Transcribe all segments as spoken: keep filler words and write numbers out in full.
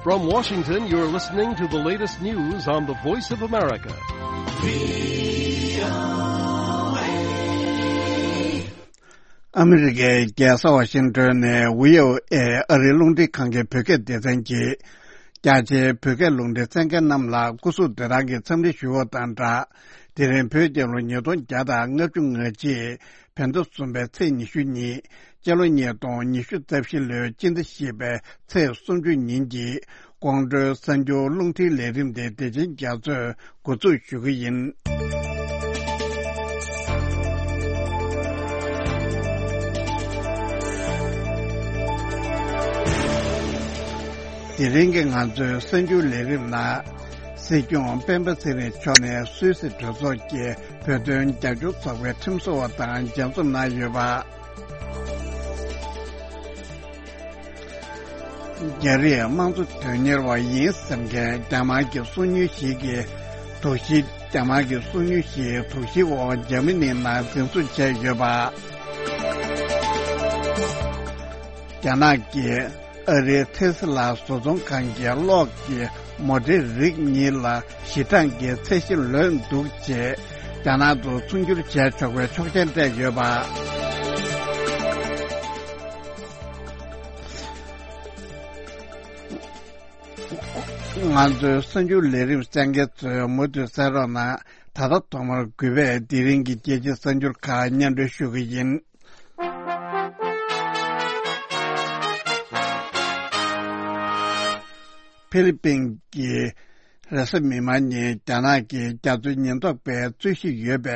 From Washington, you're listening to the latest news on the Voice of America. ཨ་མི་རི་ཀའི་རྒྱལ་ས་ཝ་ཤིང་ཏོན་ནས་ཝི་ཨོ་ཨེ་ཨ་རིའི་རླུང་འཕྲིན་ཁང་གི་བོད་སྐད་སྡེ་ཚན་གྱིས། རྒྱ་ཆེའི་བོད་སྐད་རླུང་འཕྲིན་གསན་མཁན་རྣམས་ལ་སྐུ་གཟུགས་བདེ་ཐང་གི་འཚམས་འདྲི་ཞུ་བ་དང་སྦྲགས། དེ་རིང་བོད་རྒྱལ་ལོ་ཉིས་སྟོང་བརྒྱ་དང་ལྔ་བཅུ་ང་གཅིག་བོད་ཟླ་གསུམ་པའི་ཚེས་ཉི་ཤུ་གཉིས། སྤྱི་ལོ་ཉིས་སྟོང་ཉི་ཤུ་རྩ་བཞི་ལོའི་སྤྱི་ཟླ་བཞི་པའི་ཚེས་སུམ་ཅུ་ཉིན་གྱི་དགོང་དྲོའི་གསར་འགྱུར་རླུང་འཕྲིན་ལས་རིམ་དེ་བདེ་ཆེན་རྒྱ་མཚོས་འགོ་འཛུགས་ཞུ་གི་ཡིན། དེ་རིང་གི་ང་ཚོའི་གསར་འགྱུར་ལས་རིམ་ནང་། སྲིད་སྐྱོང་སྤེན་པ་ཚེ་རིང་མཆོག་ནས་སུད་སི་གྲོས་ཚོགས་ཀྱི་བོད་དོན་རྒྱབ་སྐྱོར་ཚོགས་པའི་ཁྲིམས་བཟོ་བ་དང་མཇལ་འཛོམས་གནང་ཡོད་པ། རྒྱ་རིགས་དམངས་གཙོ་དོན་གཉེར་བ་ཡིན་ཟེར་མཁན་རྒྱ་དམར་གྱི་སྲོག་ཉེན་ཞིག་གི་དོགས་གཞི། རྒྱ་དམར་གྱི་སྲོག་ཉེན་ཞིག་དོགས་གཞིའི་འོག་འཇར་མ་ནིའི་ནང་འཛིན་བཟུང་བྱས་ཡོད་པ། རྒྱ་ནག་གིས་ཨ་རིའི་ཐེ་སི་ལ་བཟོ་ཚོང་ཁང་གི་གློག་གི་མོ་ཊའི་རིགས་གཉིས་ལ་ཞི་གྲངས་ཀྱི་ཚད་གཞི་ལོན་འདུག་ཅེས་རྒྱ་ནག་ཏུ་ཚོང་སྒྱུར་བྱས་ཆོག་པའི་ཆོག་མཆན་སྤྲད་ཡོད་པ། ང་ཚོའི་གསར་འགྱུར་ལས་རིམ་གསན་མཁན་ཚོས་མུ་མཐུད་གསན་རོགས་གནང་། ད་ལྟ་ཐོག་མར་གུས་པས་དེ་རིང་གི་རྒྱལ་སྤྱིའི་གསར་འགྱུར་ཁག་སྙན་སྒྲོན་ཞུ་གི་ཡིན། ཕི་ལི་པིན་གྱི་རེས་གཟའ་མིག་དམར་ཉིན་རྒྱ་ནག་གི་རྒྱ་མཚོའི་ཉེན་རྟོག་པས་རྩོད་གཞི་ཡོད་པའི་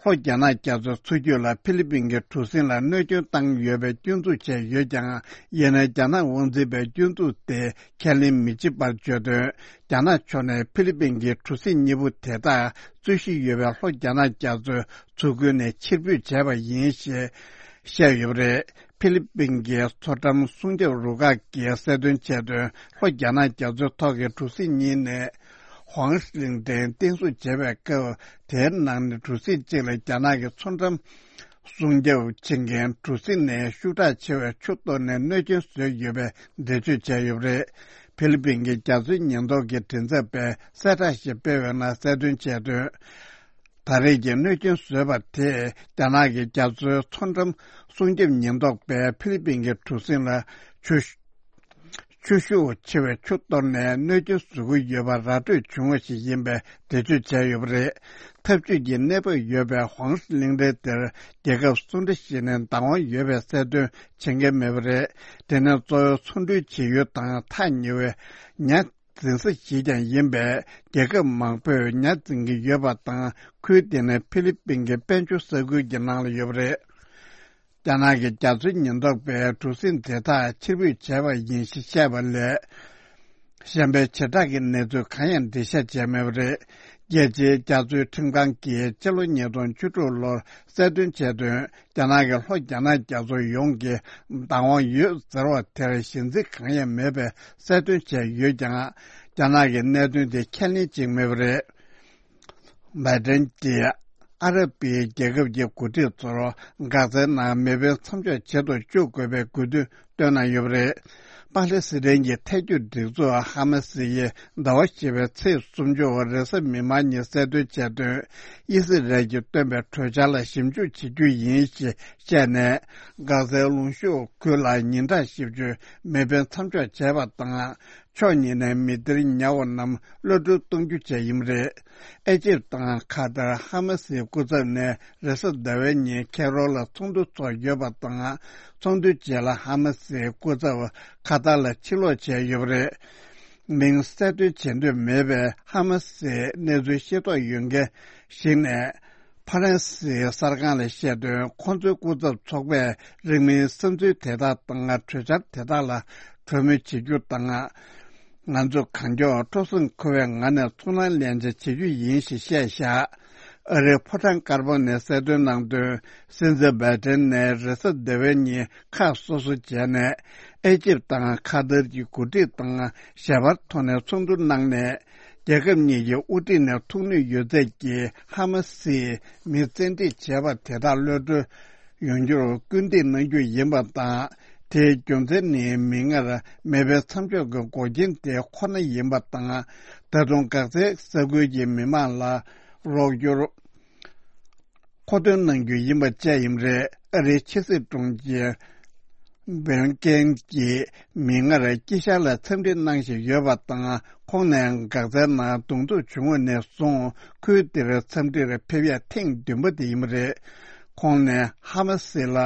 ལྷོ་རྒྱ་ནག་རྒྱ་མཚོའི་མཚོ་རྒྱུད་ལ་ཕི་ལི་པིན་གྱི་གྲུ་གཟིངས་ལ་གནོད་སྐྱོན་བཏང་ཡོད་པའི་སྐྱོན་འཛུགས་བྱས་ཡོད་ཀྱང་། ཡིན་ནའི་རྒྱ་ནག་དབང་འཛིན་པས་སྐྱོན་འཛུགས་དེ་ཁས་ལེན་མི་བྱེད་པར་བརྗོད་དོན། རྒྱ་ནག་ཕྱོགས་ནས་ཕི་ལི་པིན་གྱི་གྲུ་གཟིངས་གཉིས་པོ་དེ་དག་རྩོད་གཞི་ཡོད་པའི་ལྷོ་རྒྱ་ནག་རྒྱ་མཚོའི་མཚོ་ཁུལ་ནས་ཕྱིར་འབུད་བྱས་པ་ཡིན་ཞེས་བཤད་ཡོད་པ་རེད། ཕི་ལི་པིན་གྱི་མཚོ་འགྲམ་སྲུང་སྐྱོབ་རུ་ཁག་གིས་གསལ་སྟོན་བྱས་དོན། ལྷོ་རྒྱ་ནག་རྒྱ་མཚོའི་ཐོག་གི་གྲུ་གཟིངས་གཉིས་ནས་ཧོང་ལིང་ཏེན་བརྟན་སྲུང་བྱེད་པའི་སྐབས། དེའི་ནང་ནས་གྲུ་གཟིངས་གཅིག་ལ་རྒྱ་ནག་གི་མཚོ་འགྲམ་སྲུང་སྐྱོབ་བྱེད་མཁན་གྲུ་གཟིངས་ནས་ཤུགས་དྲག་ཆེ་བའི་ཆུ་གཏོར་ནས་གནོད་སྐྱོན་བཟོས་ཡོད་པའི་འགྲེལ་བརྗོད་བྱས་ཡོད་པ་རེད། ཕི་ལི་པིན་གྱི་རྒྱ་མཚོའི་ཉེན་རྟོག་གི་མགྲིན་ཚབ་པས་གསལ་བསྒྲགས་ཤིག་སྤེལ་བའི་ནང་གསལ་སྟོན་བྱས་དོན། ད་རེས་ཀྱི་གནོད་སྐྱོན་བཟོས་པ་དེས་རྒྱ་ནག་གི་རྒྱ་མཚོའི་མཚོ་འགྲམ་སྲུང་སྐྱོབ་ཉེན་རྟོག་པས་ཕི་ལི་པིན་གྱི་གྲུ་གཟིངས་ལ་ཆུ་ཆུ་ཤུགས་ཆེ་བའི་ཆུ་གཏོར་ནས་གནོད་སྐྱོན་བཟོ་གི་ཡོད་པ་ར་སྤྲོད་བྱུང་བ་ཞིག་ཡིན་པའི་འགྲེལ་བརྗོད་བྱས་ཡོད་པ་རེད། འཐབ་ཇུས་ཀྱི་གནས་བབ་ཡོད་པའི་ཧོང་ལིང་ཏེན་དེར་རྒྱལ་ཁབ་སུ་འདྲ་ཞིག་ནས་བདག་དབང་ཡོད་པའི་གསལ་སྟོན་བྱེད་མཁན་མེད་པ་རེད། དེ་ནས་གཙོ་བོའི་ཚོང་འབྲེལ་བྱེད་ཡུལ་དང་ཐག་ཉེ་བའི་ཉ་འཛིན་ས་ཞིག་ཀྱང་ཡིན་པས། རྒྱལ་ཁབ་མང་པོས་ཉ་འཛིན་གྱི་ཡོད་པ་དང་། ཁུལ་དེ་ནི་ཕི་ལི་པིན་གྱི་དཔལ་འབྱོར་ས་ཁུལ་གྱི་ནང་ལ་ཡོད་པ་རེད། རྒྱ་ནག་གི་རྒྱ་མཚོའི་ཉེན་རྟོག་པས་གྲུ་གཟིངས་དེ་དག་ཕྱིར་འབུད་བྱས་པ་ཡིན་ཞེས་བཤད་པ་ལས། གཞན་པའི་བྱེ་བྲག་གི་གནས་ཚུལ་གང་ཡང་འགྲེལ་བཤད་བྱས་མེད་པ་རེད། རྒྱལ་སྤྱིའི་རྒྱ་མཚོའི་ཁྲིམས་ཁང་གིས་སྤྱི་ལོ་ཉིས་སྟོང་བཅུ་དྲུག་ལོར་གསལ་སྟོན་བྱས་དོན། རྒྱ་ནག་གི་ལྷོ་རྒྱ་ནག་རྒྱ་མཚོ་ཡོངས་ཀྱི་བདག་དབང་ཡོད་ཟེར་བ་དེར་གཞི་འཛིན་གང་ཡང་མེད་པའི་གསལ་སྟོན་བྱས་ཡོད་ཀྱང་། རྒྱ་ནག་གིས་གནད་དོན་དེ་ཁས་ལེན་བྱེད་མེད་པ་རེད། བྷའི་ཏན་གྱིས་ཨ་རབ་པའི་རྒྱལ་ཁབ་ཀྱི་འགོ་ཁྲིད་ཚོར་འགག་རྩའི་ནང་མེ་འཕེན་མཚམས་འཇོག་བྱེད་དུ་བཅུག་དགོས་པའི་དགོས་འདུན་བཏོན་གནང་ཡོད་པ་རེད། པ་ལེ་སི་ཐན་གྱི་ཐལ་འགྱུར་སྒྲིག་འཛུགས་ཧ་མ་སི་ཡིས་ཟླ་བ་བཞི་པའི་ཚེས་སུམ་ཅུ་རེས་གཟའ་མིག་དམར་ཉིན་གསལ་སྟོན་བྱས་དོན། ཨི་སི་རལ་གྱིས་བཏོན་པའི་གྲོས་འཆར་ལ་ཞིབ་འཇུག་བྱེད་རྒྱུ་ཡིན་ཞེས་བཤད་ནས། འགག་རྩའི་ལུང་གཤོང་ཁུལ་ལ་ཉིན་གྲངས་བཞི་བཅུ་མེ་འཕེན་མཚམས་འཇོག་བྱས་པ་དང་། ཕྱོགས་གཉིས་ནས་མི་སྡེར་ཉར་བ་རྣམས་གློད་བཀྲོལ་གཏོང་རྒྱུ་བཅས་ཡིན་པ་རེད། ཨེ་ཇིབ་དང་ཁ་ཏར་ཧ་མ་སིའི་སྐུ་ཚབ་ནས་རེས་གཟའ་ཟླ་བའི་ཉིན་ཁེ་རོ་ལ་ཚོགས་འདུ་ཚོགས་ཡོད་པ་དང་། ཚོགས་འདུའི་རྗེས་ལ་ཧ་མ་སིའི་སྐུ་ཚབ་ཁ་ཏར་ལ་ཕྱིར་ལོག་བྱས་ཡོད་པ་རེད། མིང་གསལ་སྟོན་བྱེད་འདོད་མེད་པའི་ཧ་མ་སིའི་གནས་ཚུལ་ཤེས་རྟོགས་ཡོད་མཁན་ཞིག་ནས། ཕ་རན་སིའི་གསར་ཁང་ལ་བཤད་དོན། ཁོང་ཚོའི་སྐུ་ཚབ་ཚོགས་པས་རིང་མིན་བསམ་ཚུལ་དེ་དག་དང་གྲོས་འཆར་དེ་དག་ལ་གྲོས་མོལ་བྱེད་རྒྱུ་དང་། ང་ཚོ་གང་མགྱོགས་སྤྲོ་སེམས་འཁོལ་བའི་ངང་ནས་ཚོར་སྣང་ལེན་བྱ་བྱེད་རྒྱུ་ཡིན་ཞེས་བཤད་བཞག་ཨ་རིའི་ཕོ་བྲང་དཀར་པོ་ནས་གསལ་སྟོན་གནང་དོན། སྲིད་འཛིན་བྷའི་ཏན་ནས་རེས་གཟའ་ཟླ་བའི་ཉིན་ཁ་སོ་སོ་བྱས་ནས། ཨེ་ཇིབ་དང་ཁ་ཏར་གྱི་འགོ་ཁྲིད་དང་ཞལ་པར་ཐོག་ནས་ཚོགས་འདུ་གནང་ནས། རྒྱལ་ཁབ་གཉིས་ཀྱི་དབུ་ཁྲིད་ནས་ཐུགས་ནུས་ཡོད་ཚད་ཀྱིས་ཧ་མ་སིའི་མི་བཙན་ཁྲིད་བྱས་པ་དེ་དག་གློད་བཀྲོལ་ཡོང་རྒྱུར་སྐུལ་འདེད་གནང་རྒྱུ་ཡིན་པ་དང་། དེའི་རྒྱུ་མཚན་ནི་མིག་སྔར་མེ་འཕེན་མཚམས་འཇོག་གི་འགོག་རྐྱེན་དེ་ཁོ་ན་ཡིན་པ་དང་། ད་དུང་འགག་རྩའི་ས་ཁུལ་གྱི་མི་མང་ལ་རོགས་སྐྱོར། མཁོ་འདོན་གནང་རྒྱུ་ཡིན་པ་བཅས་ཡིན་རེད། ཨ་རིའི་ཕྱི་སྲིད་དྲུང་ཆེ་བོན་ཀེན་གྱིས་མིག་སྔར་དཀྱིལ་ཤར་ལ་འཚམས་འདྲི་གནང་བཞིན་ཡོད་པ་དང་། ཁོང་ནས་འགག་རྩའི་ནང་གདོང་ཐུག་བྱུང་བ་ནས་བཟུང་ཁུལ་དེར་འཚམས་འདྲིར་ཕེབས་ཡ་ཐེངས་བདུན་པ་དེ་ཡིན་པ་རེད། ཁོང་ནས་ཧ་མ་སི་ལ་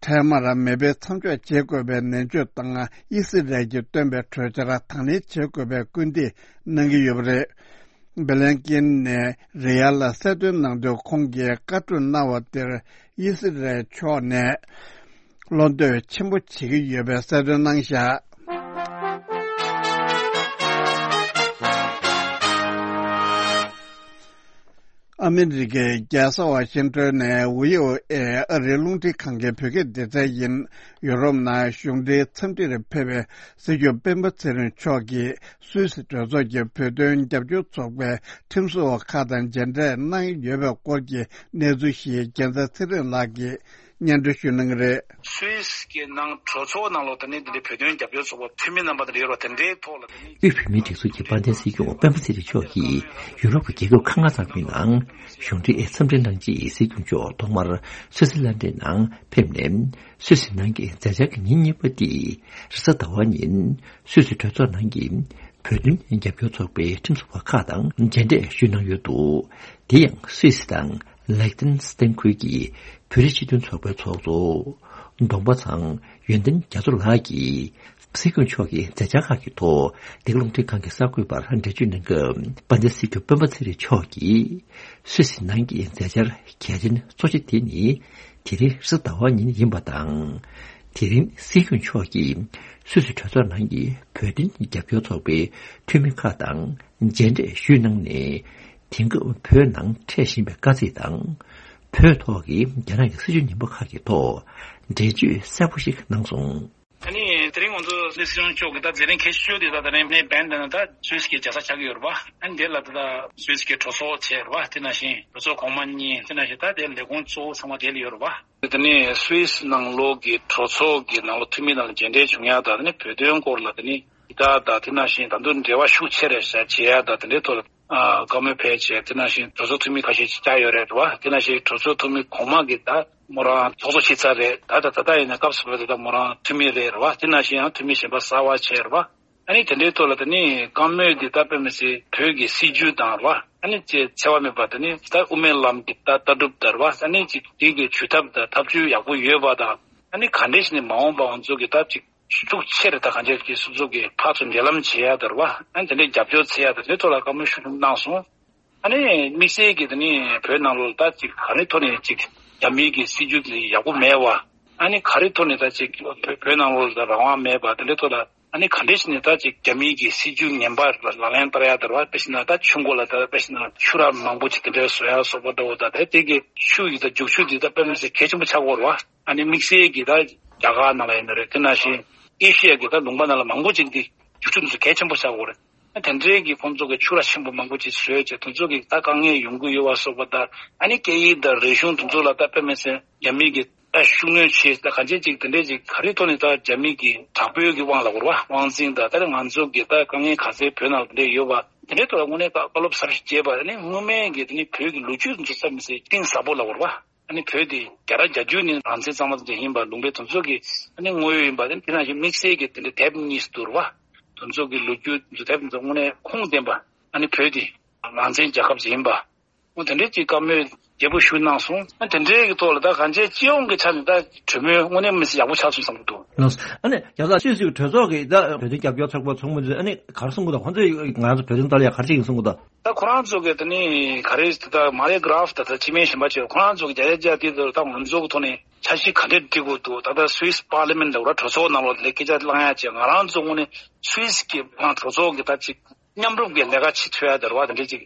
འཕྲལ་མར་མེ་འཕེན་མཚམས་འཇོག་བྱེད་དགོས་པའི་ནན་བརྗོད་དང་། ཨི་སི་རལ་གྱིས་བཏོན་པའི་གྲོས་འཆར་དང་ལེན་བྱེད་དགོས་པའི་སྐུལ་འདེད་གནང་གི་ཡོད་པ་རེད། བྷི་ལན་ཀིན་ནས་རི་ཡ་ལ་གསལ་སྟོན་གནང་དུས། ཁོང་གིས་བཀའ་སྒྲུབ་གནང་བ་དེར་ཨི་སི་རལ་ཕྱོགས་ནས་བློ་འདོད་ཆེན་པོ་བྱེད་ཀྱི་ཡོད་པའི་གསལ་སྟོན་གནང་བཞག་ཨ་མི་རི་ཀའི་རྒྱལ་ས་ཝ་ཤིང་ཏོན་ནས་བྷི་ཨོ་ཨེ་ཨ་རིའི་རླུང་འཕྲིན་ཁང་གི་བོད་སྐད་སྡེ་ཚན་ཡིན། ཡུ་རོབ་ནང་གཞུང་འབྲེལ་འཚམས་འདྲིར་ཕེབས་པའི་སྲིད་སྐྱོང་སྤེན་པ་ཚེ་རིང་མཆོག་གིས་སུད་སི་གྲོས་ཚོགས་ཀྱི་བོད་དོན་རྒྱབ་སྐྱོར་ཚོགས་པའི་ཁྲིམས་བཟོ་བ་ཁག་དང་མཇལ་འཕྲད་གནང་ཡོད་པའི་སྐོར་གྱི་གནས་ཚུལ་ཞིག་རྒྱལ་མཚན་ཚེ་རིང་ལགས་ཀྱིས་སྙན་སྒྲོན་ཞུ་གནང་གི་རེད། སུད་སི་གི་ནང་གྲོས་ཚོགས་ནང་ལོགས་དེ་ནི་འདི་འདྲའི་བོད་དོན་རྒྱབ་སྐྱོར་ཚོགས་པ་འཐུས་མི་རྣམ་པ་དེ་འདྲ་ཡོད་ར། དེ་འདྲའི་ཐོག་ལ་དེ་ནི། དབུས་བོད་མིའི་སྒྲིག་འཛུགས་ཀྱི་དཔལ་ལྡན་སྲིད་སྐྱོང་སྤེན་པ་ཚེ་རིང་མཆོག་གིས་ཡུ་རོབ་ཀྱི་རྒྱལ་ཁབ་ཁག་ལྔ་ཙམ་གྱི་ནང་གཞུང་འབྲེལ་འཚམས་འདྲི་གནང་རྗེས། སྲིད་སྐྱོང་མཆོག་ཐོག་མར་སུད་སི་ལན་ཌན་ནང་ཕེབས་ནས། སུད་སི་ནང་གི་མཛད་འཆར་གྱི་ཉིན་གཉིས་པ་འདི་རེས་གཟའ་ཟླ་བ་ཉིན་སུད་སི་གྲོས་ཚོགས་ནང་གི་བོད་དོན་རྒྱབ་སྐྱོར་ཚོགས་པའི་ཁྲིམས་བཟོ་བ་ཁག་དང་མཇལ་འཕྲད་ཞུས་གནང་ཡོད་འདུག་དེ་ཡང་སུད་སི་དང་ལིག་ཏེན་སི་ཏན་ཁུལ་གྱི་བོད་རིགས་སྤྱི་མཐུན་ཚོགས་པའི་ཚོགས་གཙོ་གདོང་པ་ཚང་ཡོན་ཏན་རྒྱ་མཚོ་ལགས་ཀྱིས། སྲིད་སྐྱོང་མཆོག་གི་མཛད་འཆར་ཁག་གི་ཐོག་འདི་ག་རླུང་འཕྲིན་ཁང་གི་གསར་འགོད་པར་འགྲེལ་བརྗོད་གནང་སྐབས། དཔལ་ལྡན་སྲིད་སྐྱོང་སྤེན་པ་ཚེ་རིང་མཆོག་གིས། སུད་སི་ནང་གི་མཛད་འཆར་གལ་ཆེན་གཙོ་ཆེ་དེ་ནི། དེ་རིང་རེས་གཟའ་ཟླ་བ་ཉིན་ཡིན་པ་དང་། དེ་རིང་སྲིད་སྐྱོང་མཆོག་གིས་སུད་སི་གྲོས་ཚོགས་ནང་གི་བོད་དོན་རྒྱབ་སྐྱོར་ཚོགས་པའི་འཐུས་མི་ཁག་དང་མཇལ་འཕྲད་ཞུས་གནང་ནས། དེང་སྐབས་བོད་ནང་འཕྲད་བཞིན་པའི་དཀའ་ཚེགས་དང་། བོད་ཐོག་གི་རྒྱ་ནག་གི་སྲིད་བྱུས་ངན་པ་ཁག་གི་ཐོག་འགྲེལ་བརྗོད་གསལ་པོ་ཞིག་གནང་སོང་། ད་ནི་དེ་རིང་ང་ཚོ་སྲིད་སྐྱོང་མཆོག་གིས་ད་དེ་རིང་གལ་ཆེ་ཤོས་དེ་ད་དེ་རིང་ནས་བན་དེ་ན་ད་སུད་སི་གི་རྒྱལ་ས་ཆགས་ཀྱི་ཡོད་རེད་པ། ཨ་ནི་དེ་ལ་ད་ད་སུད་སི་གི་གྲོས་ཚོགས་བྱས་རེད་པ། དེ་ནང་བཞིན་གྲོས་ཚོགས་གོང་མ་གཉིས། དེ་ནང་བཞིན་ད་དེ་ལས་ཁུངས་གཙོ་བོ་ཚང་མ་དེ་ལ་ཡོད་རེད་པ། དེ་ནས་སུད་སི་ནང་ལོགས་ཀྱི་གྲོས་ཚོགས་ཀྱི་ནང་ལ་འཐུས་མི་ནང་ལ་མཇལ་འཕྲད་བྱུང་ཡ་དང་། དེ་ནས་བོད་དོན་སྐོར་ལ་དེ་ནི་ད་ད་དེ་ནང་བཞིན་ད་དུང་འབྲེལ་བ་ཤུགས་ཆེ་རེ་བྱ་བྱེད་ཡ་དང་། དེ་འདྲའི་ཐོག་ལ་ཨ་བཀའ་མོལ་ཕེབས་བྱས། དེ་ནང་བཞིན་གྲོས་ཚོགས་འཐུས་མི་ཁ་ཤས་ཅིག་བཅར་ཡོད་རེད་པ། དེ་ནང་བཞིན་གྲོས་ཚོགས་འཐུས་མི་གོང་མ་གི་ད་མོ་རང་ཚོགས་གཙོ་ཕྱི་ཚར་རེད། ད་ད་ད་ད་ཡིན་ན་སྐབས་སུ་བབས་ད་མོ་རང་འཐུས་མི་རེད་རེད་པ། དེ་ནང་བཞིན་ཡང་འཐུས་མི་གཞན་པ་གསར་པ་བྱས་རེད་པ། ཨ་ནི་དེ་འདྲའི་ཐོག་ལ་དེ་ནི་བཀའ་མོལ་འདི་ད་དཔེ་མི་སྲིད་བོད་ཀྱི་སྲིད་བྱུས་དང་རེད་པ། ཨ་ནི་ཅེས་འཚེ་བ་མེད་པ་དེ་ནི་ད་དབུ་མའི་ལམ་གྱི་ད་ལྟ་གྲུབ་དང་རེད་པ། ཨ་ནི་ཅིག་དེ་གི་ཇུས་ཐབས་དང་ཐབས་ཇུས་ཡག་པོ་ཡོད་པ་དང་། ཨ་ནི་ག་འདྲས་ཞིག་ནས་མ་འོངས་པ་ང་ཚོ་གི་ད་ཅིག་ཤུགས་ཆེ་རེ་ད་གང་ཅིའི་སོ་སོ་གི་ཕར་ཚུར་འབྲེལ་ལམ་བྱེད་ཡ་དང་རེད་པ། ཨ་ནི་དེ་འདྲའི་རྒྱབ་སྐྱོར་འཚོལ་ཡ་དང་། དེ་ཐོག་ལ་བཀའ་མོལ་ཤུགས་ཆེན་གནང་སོང་། ཨ་ནི་དམིགས་བསལ་གྱི་དེ་ནི་བོད་ནང་ལོགས་ད་ཅིག་ག་རེ་ཐོག་ནས་ཅིག་རྒྱ་མིའི་གི་སྲིད་བྱུས་དེ་ཡག་པོ་མེད་པ། ཨ་ནི་ག་རེ་ཐོག་ནས་ད་ཅིག་བོད་བོད་ནང་ལོགས་ལ་རང་དབང་མེད་པ་དེ་འདྲའི་ཐོག་ལ། ཨ་ནི་ག་འདྲས་ཞིག་ནས་ད་ཅིག་རྒྱ་མིའི་གི་སྲིད་བྱུས་ངན་པ་ལག་ལེན་བསྟར་ཡ་དང་རེད་པ། དཔེ་བཞག་ན་ད་ཆུ་མགོ་ལ་ད་དཔེ་བཞག་ན་ཆུ་རགས་མང་པོ་ཅིག་དེ་འདྲའི་བཟོ་ཡ་སོགས་པ་འདྲ་བོ་དང་། དེ་དེ་གི་ཆུ་ཡི་ད་རྒྱུག་ཆུ་འདི་ད་དཔེ་མི་སྲིད་གལ་ཆེན་པོ་ཆགས་ཀྱི་ཡོད་རེད་པ། ཨ་ནི་དམིགས་བསལ་གྱི་ད་རྒྱ་གར་ནང་ལ་ཡིན་ན་རེད། དེ་ནང་བཞིན་ཨེ་ཤི་ཡ་གི་ད་ལུང་པ་ནང་ལ་མང་པོ་ཅིག་འདི་རྒྱུག་ཆུ་འདི་ཚོ་གལ་ཆེན་པོ་ཆགས་ཀྱི་ཡོད་རེད། ཨ་དེ་འདྲའི་གི་ཁོང་ཚོ་གི་ཆུ་རགས་ཆེན་པོ་མང་པོ་ཅིག་བཟོས་བྱས། དེ་ཚོ་གི་ད་དཀའ་ངལ་ཡོང་གི་ཡོད་པ་སོགས་པ་དང་། ཨ་ནི་སྐད་ཡིག་དང་རིག་གཞུང་དེ་ཚོ་ལ་ད་དཔེ་མི་སྲིད་རྒྱ་མི་གི་ད་ཤུགས་སྣོན་བྱས། ད་གང་ཅི་ཅིག་དེ་འདྲས་ཅིག་ག་རེ་ཐོག་ནས་ད་རྒྱ་མི་གི་དྲག་པོའི་གི་དབང་ལ་གོ་རེད་པ། དབང་འཛིན་དང་། ད་རེས་ང་ཚོ་གི་ད་དཀའ་ངལ་ག་ཚད་བོད་ནང་དེ་འདྲས་ཡོད་པ་དེ་འདྲའི་ཐོག་ལ་དངོས་གནས་ད་བཀའ་སློབ་གསར་ཞིག་བྱས་པ་ནི། སྔོན་མའི་གི་དེ་ནི་བོད་ཀྱི་ལོ་རྒྱུས་ཚོ་ཙམ་ཟེར་གཏིང་ཟབ་པོ་ལ་གོ་རེད་པ། ཨ་ནི་བོད་དེ་བརྒྱ་ཆ་བརྒྱད་ཅུ་ནི་རང་བཙན་གཙང་མ་དེ་འདྲས་ཡིན་པ། ལུང་པའི་དེ་ཚོ་གི་ཨ་ནི་དངོས་ཡོད་ཡིན་པ། དེ་དེ་ནང་བཞིན་དམིགས་བསལ་གྱི་དེ་འདྲའི་དེབ་གཉིས་སུ་བསྡུར་བ། དེ་ཚོ་གི་ལོ་རྒྱུས་དེ་ཚོ་དེབ་དེ་ཚོ་དངོས་གནས་ཁུངས་ལྡན་པ། ཨ་ནི་བོད་དེ་རང་བཙན་རྒྱལ་ཁབ་ཅིག་ཡིན་པ། འོ་དེ་འདྲའི་ཅིག་བཀའ་མོལ་རྒྱས་པོ་ཞིག་གནང་སོང་། ཨ་དེ་འདྲའི་གི་ཐོག་ལ་ད་གང་ཅི་སྤྱི་ཡོངས་ཀྱི་ཆ་ནས་ད་གྲོས་མོལ་དངོས་གནས་མི་སྲིད་ཡག་པོ་ཆགས་སོང་བསམ་གྱི་འདུག་ལགས་སོ། ཨ་ནི་རྒྱལ་ས་སུད་སི་གི་གྲོས་ཚོགས་ཀྱི་ད་བོད་དོན་རྒྱབ་སྐྱོར་ཚོགས་པ་ཚོགས་མི་ཚོས་ཨ་ནི་ག་རེ་གསུང་གི་འདུག་ཁོང་ཚོས་ང་ཚོ་བོད་དོན་ལྟ་ལ་ཡ་ག་རེ་བྱེད་ཀྱི་གསུང་གི་འདུག་ད་ཁོ་རང་ཚོ་གི་ད་ནི་ག་རེ་ད་མ་རེ་གྷ་རབ་ད་ད་སྤྱི་སྨན་གཞན་པ་བྱས། ཁོ་རང་ཚོ་གི་བརྒྱ་ཆ་བརྒྱ་དེ་ད་ང་ཚོ་གི་ཐོག་ནས་འཆར་གཞི་ག་འདྲས་སྒྲིག་དགོས་འདུག་ད་ལྟ་སུད་སི་པར་ལི་མེན་ཊི་ལ་གོ་ར། གྲོས་ཚོགས་ནང་ལོགས་ལ་སྐད་ཆ་བསླང་ཡ་བྱས། ང་རང་ཚོ་དངོས་གནས་སུད་སི་གི་ཁོ་རང་གྲོས་ཚོགས་ཀྱི་ད་ཅིག་མཉམ་རུབ་ཀྱི་ལས་ཀ་བྱེད་ཐུབ་ཡ་ད་རེད་པ། དེ་འདྲས་ཅིག་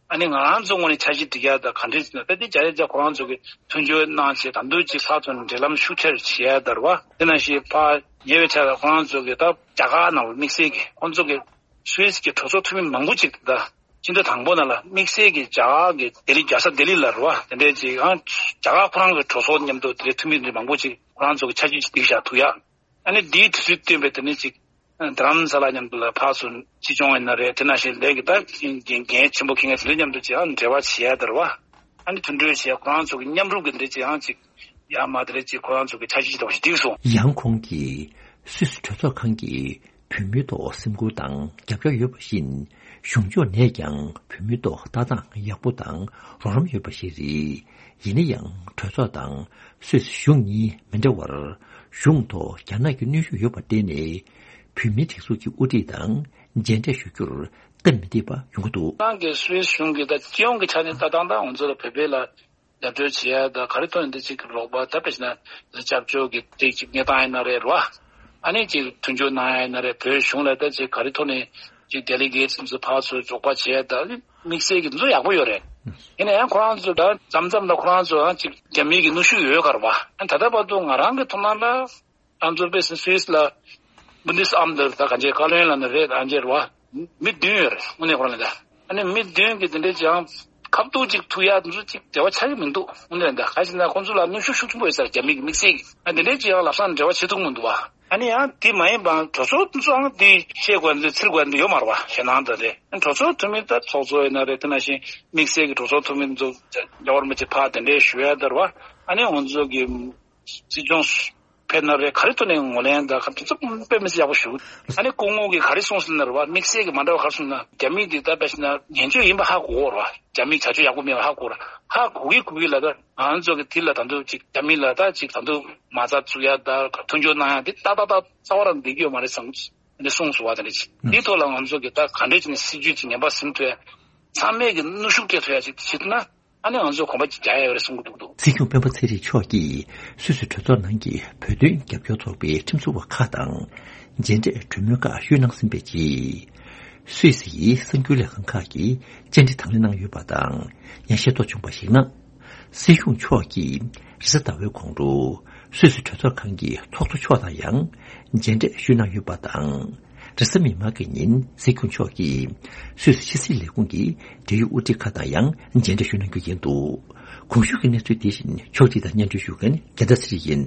ཨ་ནི་ང་རང་ཚོ་ངོས་ནས་འཆར་གཞི་སྒྲིག་ཡ་ད་ག་འདྲས་ཟེར་ན། ད་དེ་བརྒྱ་ཆ་བརྒྱ་ཁོ་རང་ཚོ་གིས་མཐུན་འགྱུར་གནང་བྱས། ད་དུང་ཅིག་ཕར་ཚུར་འབྲེལ་ལམ་ཤུགས་ཆེར་བྱེད་ཡ་ད་རེད་པ། དེ་ནང་བཞིན་ཕར་ཉེ་བའི་ཆར་ལ་ཁོ་རང་ཚོ་གིས་ད་རྒྱ་གར་ནང་ལ་དམིགས་བསལ་གྱི་ཁོང་ཚོ་གི་སུད་སི་གི་གྲོས་ཚོགས་འཐུས་མི་མང་པོ་ཅིག་ད་སྤྱི་ཟླ་དང་པོ་ནང་ལ་དམིགས་བསལ་གྱི་རྒྱ་གར་གྱི་ལྡི་ལི་རྒྱལ་ས་ལྡི་ལི་ལ་རེད་པ། དེ་འདྲས་ཅིག་ཡང་རྒྱ་གར་ཁོ་རང་གི་གྲོས་ཚོགས་མཉམ་དུ་དེ་འདྲའི་འཐུས་མི་འདི་མང་པོ་ཅིག་ཁོ་རང་ཚོ་གི་འཆར་གཞི་ཅིག་སྒྲིག་བཞག་འདུག་ཡ། ཨ་ནི་འདིའི་དུས་ཚོད་བསྟུན་པའི་དེ་ནི་ཅིག་རྡ་རམ་ས་ལ་མཉམ་དུ་ལ་ཕར་ཚུར་ཕྱིར་ཚོང་ཡིན་ན་རེད། དེ་ནང་བཞིན་ལས་ཀྱི་ད་འགན་འགན་ཆེན་པོ་འཁྱེར་མཁན་དེ་ཚོ་མཉམ་དུ་ཅིག་ཨ་ནི་འབྲེལ་བ་བྱེད་ཡ་དེ་རེད་བ། ཨ་ནི་མཐུན་གྲོས་བྱེད་ཡ་ཁོ་རང་ཚོ་གི་མཉམ་རུབ་ཀྱི་འདི་འདྲ་ཅིག་ཨང་ཅིག་ཡར་མར་དེ་འདྲ་ཅིག་ཁོ་རང་ཚོ་གི་འཆར་གཞི་ཅིག་འདྲ་བོ་ཞིག་བསྒྲིགས་སོང་། ཡང་ཁོང་གིས་སུད་སི་གྲོས་ཚོགས་ཁང་གི་བོད་མིའི་ཐོག་སེམས་ཁུར་དང་རྒྱབ་སྐྱོར་ཡོད་པ་བཞིན་གཞུང་ཕྱོགས་ནས་ཀྱང་བོད་མིའི་ཐོག་ལྟ་སྟངས་ཡག་པོ་དང་རོགས་རམ་ཡོད་པ་ཞིག་རེད། ཡིན་ན་ཡང་གྲོས་ཚོགས་དང་སུད་སི་གཞུང་གཉིས་མི་འདྲ་བར་གཞུང་ཐོག་རྒྱ་ནག་གི་གནོན་ཤུགས་ཡོད་པར་བརྟེན་ནས་བོད་མིའི་སྒྲིག་འཛུགས་ཀྱི་དབུ་ཁྲིད་དང་མཇལ་འཕྲད་ཞུ་རྒྱུར་སྟབས་མི་བདེ་བ་ཡོང་གི་འདུག་ནང་གི་སུད་སི་གཞུང་གིས་ད་སྤྱི་ཡོངས་ཀྱི་ཆ་ནས་ལྟ་སྟངས་དང་ང་ཚོ་ལ་བོད་པའི་ལ་རྒྱབ་སྐྱོར་བྱེད་ཡ་ད་ག་རེ་ཐོག་ནས་འདི་གཅིག་གི་རོགས་པ་ད་དཔེ་བྱས་ན་སྐྱབས་བཅོལ་གྱི་སྟེགས་གཅིག་གནས་སྟངས་ཡིན་ན་རེད་རོ། ཨ་ནི་གཅིག་མཐུན་འགྱུར་གནང་ཡ་ཡིན་ན་རེད། བོད་གཞུང་ལ་ད་གཅིག་ག་རེ་ཐོག་ནས་གཅིག་ཌེ་ལི་གེ་ཊི་ཚོ་ཕར་ཚུར་འབྱོར་པ་བྱས་ད་དམིགས་བསལ་གྱི་འཛུལ་ཡག་པོ་ཡོད་རེད། ཡིན་ན་ཡང་ཁོ་རང་ཚོ་ད་མཚམས་མཚམས་ལ་ཁོ་རང་ཚོ་ཨ་གཅིག་རྒྱ་མི་གི་གནོན་ཤུགས་ཡོད་ག་རེད་བ། ཨ་ད་ལྟ་བར་དུ་ང་རང་གི་ཐུགས་སྣང་ལ་ང་ཚོ་དཔེ་སུད་སི་ལ་བུན་དེ་སི་ཨམ་ད་ད་ག་འཇེ་བཀའ་བློན་ལ་ནི་རེད། ཨ་འཇེ་རེད་བ། མི་བདུན་ཡོད་རེད་དངོས་གནས་ཁོ་རང་ལ་ད། ཨ་ནི་མི་བདུན་གྱི་དེ་འདྲའི་ཅང་ཁ་ཐུག་ཅིག་ཐུག་ཡ་དེ་ཚོ་ཅིག་འབྲེལ་བ་ཆགས་ཀྱི་མི་འདུག་དངོས་གནས་ད་ག་ཞིག་ན་ཁོང་ཚོ་ལ་གནོན་ཤུགས་ཤུགས་ཆེན་པོ་ཡོད་ས་རེད་རྒྱ་མི་གི་དམིགས་བསལ་གྱི། ཨ་དེ་འདྲའི་ཅིག་ཡང་ལབ་སང་འབྲེལ་བ་བྱེད་ཐུབ་མི་འདུག་བ། ཨ་ནི་ཡང་དེ་མ་ཡིན་པའང་གྲོས་ཚོགས་དེ་ཚོའང་དེ་བཤད་དགོས་འདུག་ཚིར་དགོས་འདུག་ཡོད་མ་རེད་བ། ཞེད་སྣང་དང་དེ་ཨ་གྲོས་ཚོགས་འཐུས་མི་ད་ཚོགས་གཙོ་ཡིན་ན་རེད། དེ་ནང་བཞིན་དམིགས་བསལ་གྱི་གྲོས་ཚོགས་འཐུས་མི་ཚོ་རྒྱལ་བ་རིན་པོ་ཆེ་ཕར་དེ་འདྲའི་ཞུ་ཡ་དེ་རེད་བ། ཨ་ནི་ང་ཚོ་གི་སྲིད་སྐྱོང་ཕེབས་ན་རེད། ག་རེ་ཐོག་ནས་ངོས་ལེན་དང་ག་དེ་ཚོ་དཔེ་མི་སྲིད་ཡག་པོ་ཞུ། ཨ་ནི་སྐུ་ངོ་གིས་ག་རེ་གསུངས་ཟེར་ན་རེད་བ། དམིགས་བསལ་གྱི་མ་འདྲ་བ་ག་རེ་གསུངས་ན་རྒྱ་མི་འདི་ད་དཔེ་བྱས་ན་ངན་སྤྱོད་ཡིན་པ་ཧ་གོ་གོ་རེད་བ། རྒྱ་མི་བྱ་སྤྱོད་ཡག་པོ་མེད་པ་ཧ་གོ་རེད། ཧ་གོ་གི་གོ་གི་ལ་ད་ང་ཚོ་གི་དེ་ལ་ད་དུང་ཅིག་རྒྱ་མི་ལ་ད་ཅིག་ད་དུང་མ་རྩ་བཙུགས་ཡ་ད་མཐུན་སྦྱོར་གནང་ཡ་འདི་ཏག་ཏག་ཏག་རྩ་བ་རང་འདི་གི་ཡོད་མ་རེད་བསམ་གི་འདི་གསུངས་སོང་བ། དེ་འདྲ་ཅིག་འདི་ཐོག་ལ་ང་ཚོ་གི་ད་ག་འདྲ་ཅིག་ནས་སྲིད་ཇུས་ཅིག་ངན་པ་ཟིན་ཐུབ་ཡ་ཚང་མས་གི་གནོན་ཤུགས་སྤྲད་ཐུབ་ཡ་ཅིག་བྱེད་ཐུབ་ན། ཨ་ནི་ང་ཚོས་གོམ་པ་གཅིག་རྒྱག་ཡ་ཡོད་རེད་གསུང་གི་འདུག་འདུག་སྲིད་སྐྱོང་སྤེན་པ་ཚེ་རིང་མཆོག་གིས་སུད་སི་གྲོས་ཚོགས་ནང་གི་བོད་དོན་རྒྱབ་སྐྱོར་ཚོགས་པའི་ཁྲིམས་བཟོ་བ་ཁག་དང་མཇལ་འཕྲད་གྲོས་མོལ་ཁག་ཞུས་གནང་ཟིན་པའི་རྗེས། སུད་སི་ཡི་གསར་འགྱུར་ལས་ཁང་ཁག་གིས་བཅར་འདྲི་དང་ལེན་གནང་ཡོད་པ་དང་། ཡང་ཤེས་རྟོགས་བྱུང་བར་གཞིགས་ན། སྲིད་སྐྱོང་མཆོག་གིས་རེས་གཟའ་ཟླ་བའི་གོང་དུ་སུད་སི་གྲོས་ཚོགས་ཁང་གི་ཚོགས་གཙོ་མཆོག་དང་ཡང་མཇལ་འཕྲད་ཞུས་གནང་ཡོད་པ་དང་། རེས་གཟའ་མིག་དམར་གྱི་ཉིན་སྲིད་སྐྱོང་མཆོག་གིས་སུད་སི་ཕྱི་སྲིད་ལས་ཁུངས་ཀྱི་འབྲེལ་ཡོད་དབུ་ཁྲིད་ཁག་དང་ཡང་མཇལ་འཕྲད་ཞུ་གནང་རྒྱུ་ཡིན་འདུག་གོང་ཞུས་ཀྱི་གནས་ཚུལ་དེ་བཞིན་ཕྱོགས་སྒྲིག་དང་སྙན་སྒྲོན་ཞུ་མཁན་རྒྱལ་མཚན་ཚེ་རིང་ཡིན།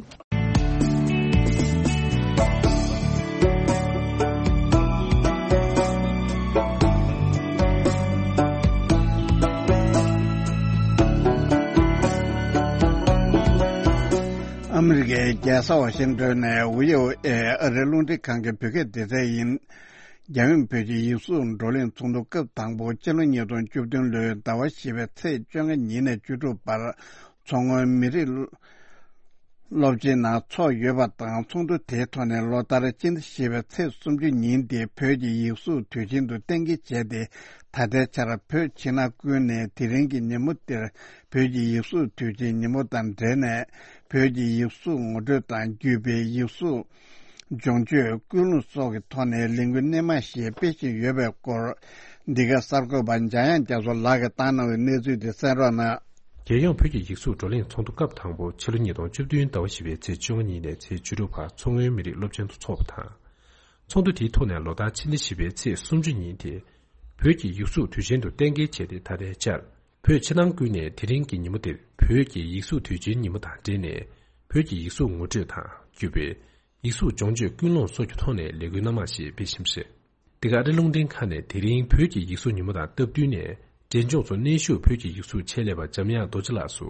ཨ་མི་རི་ཀའི་རྒྱལ་ས་ཝ་ཤིང་ཏོན་ནས་ཝི་ཨོ་ཨེ་ཨ་རིའི་རླུང་འཕྲིན་ཁང་གི་བོད་སྐད་སྡེ་ཚན་ཡིན། རྒྱལ་ཡོངས་བོད་ཀྱི་ཡིག་གཟུགས་བགྲོ་གླེང་ཚོགས་འདུ་སྐབས་དང་པོ་ཕྱི་ལོ་ཉིས་སྟོང་བཅུ་བདུན་ལོའི་ཟླ་བ་བཞི་པའི་ཚེས་བཅོ་ལྔ་ཉིན་ནས་བཅུ་དྲུག་བར་མཚོ་སྔོན་མི་རིགས་སློབ་ཆེན་ནང་འཚོགས་ཡོད་པ་དང་། ཚོགས་འདུ་དེའི་ཐོག་ནས་ལོ་ལྟར་སྤྱི་ཟླ་བཞི་པའི་ཚེས་སུམ་ཅུ་ཉིན་དེ་བོད་ཀྱི་ཡིག་གཟུགས་དུས་ཆེན་དུ་གཏན་འཁེལ་བྱས་ཏེ། ད་ལྟའི་ཆར་བོད་ཕྱི་ནང་ཀུན་ནས་དེ་རིང་གི་ཉིན་མོ་དེར་བོད་ཀྱི་ཡིག་གཟུགས་དུས་ཆེན་ཉིན་མོ་དང་འབྲེལ་ནས། བོད་ཀྱི་ཡིག་གཟུགས་ངོ་སྤྲོད་དང་། བརྒྱུད་སྤེལ། ཡིག་གཟུགས་སྦྱོང་སྤྱོད། ཀུན་སློང་སོགས་ཀྱི་ཐོག་ནས་ལས་འགུལ་སྣེ་མང་ཞིག་སྤེལ་བཞིན་ཡོད་པའི་སྐོར། འདི་ག་གསར་འགོད་པ་འཇམ་དབྱངས་རྒྱ་མཚོ་ལགས་ཀྱིས་བཏང་གནང་བའི་གནས་ཚུལ་དེ་གསན་རོགས་གནང་། རྒྱལ་ཡོངས་བོད་ཀྱི་ཡིག་གཟུགས་བགྲོ་གླེང་ཚོགས་འདུ་སྐབས་དང་པོ་ཕྱི་ལོ་ཉིས་སྟོང་བཅུ་བདུན་ཟླ་བ་བཞི་པའི་ཚེས་བཅུ་དགུ་ཉིན་ནས་ཚེས་བཅུ་དྲུག་བར་མཚོ་སྔོན་མི་རིགས་སློབ་ཆེན་དུ་འཚོགས་པ་དང་། ཚོགས་འདུ་དེའི་ཐོག་ནས་ལོ་ལྟར་ཕྱི་ཟླ་བཞི་པའི་ཚེས་སུམ་ཅུ་ཉིན་དེ། བོད་ཀྱི་ཡིག་གཟུགས་དུས་ཆེན་དུ་གཏན་འཁེལ་བྱས་ཏེ། ད་ལྟའི་ཆར། བོད་ཕྱི་ནང་ཀུན་ནས་དེ་རིང་གི་ཉིན་མོ་དེར་བོད་ཀྱི་ཡིག་གཟུགས་དུས་ཆེན་ཉིན་མོ་དང་འབྲེལ་ནས། བོད་ཀྱི་ཡིག་གཟུགས་ངོ་སྤྲོད་དང་། བརྒྱུད་སྤེལ། ཡིག་གཟུགས་སྦྱོང་སྤྱོད། ཀུན་སློང་སོགས་ཀྱི་ཐོག་ནས་ལས་འགུལ་སྣ་མང་ཞིག་སྤེལ་བཞིན་པ་རེད། འདི་ག་ཨ་རིའི་རླུང་འཕྲིན་ཁང་ནས་དེ་རིང་བོད་ཀྱི་ཡིག་གཟུགས་ཉིན་མོ་དང་སྟབས་བསྟུན་ནས། འབྲས་ལྗོངས་སུ་གནས་བཞུགས་བོད་ཀྱི་ཡིག་གཟུགས་ཆེད་ལས་པ་འཇམ་དབྱངས་རྡོ་རྗེ་ལགས་སུ།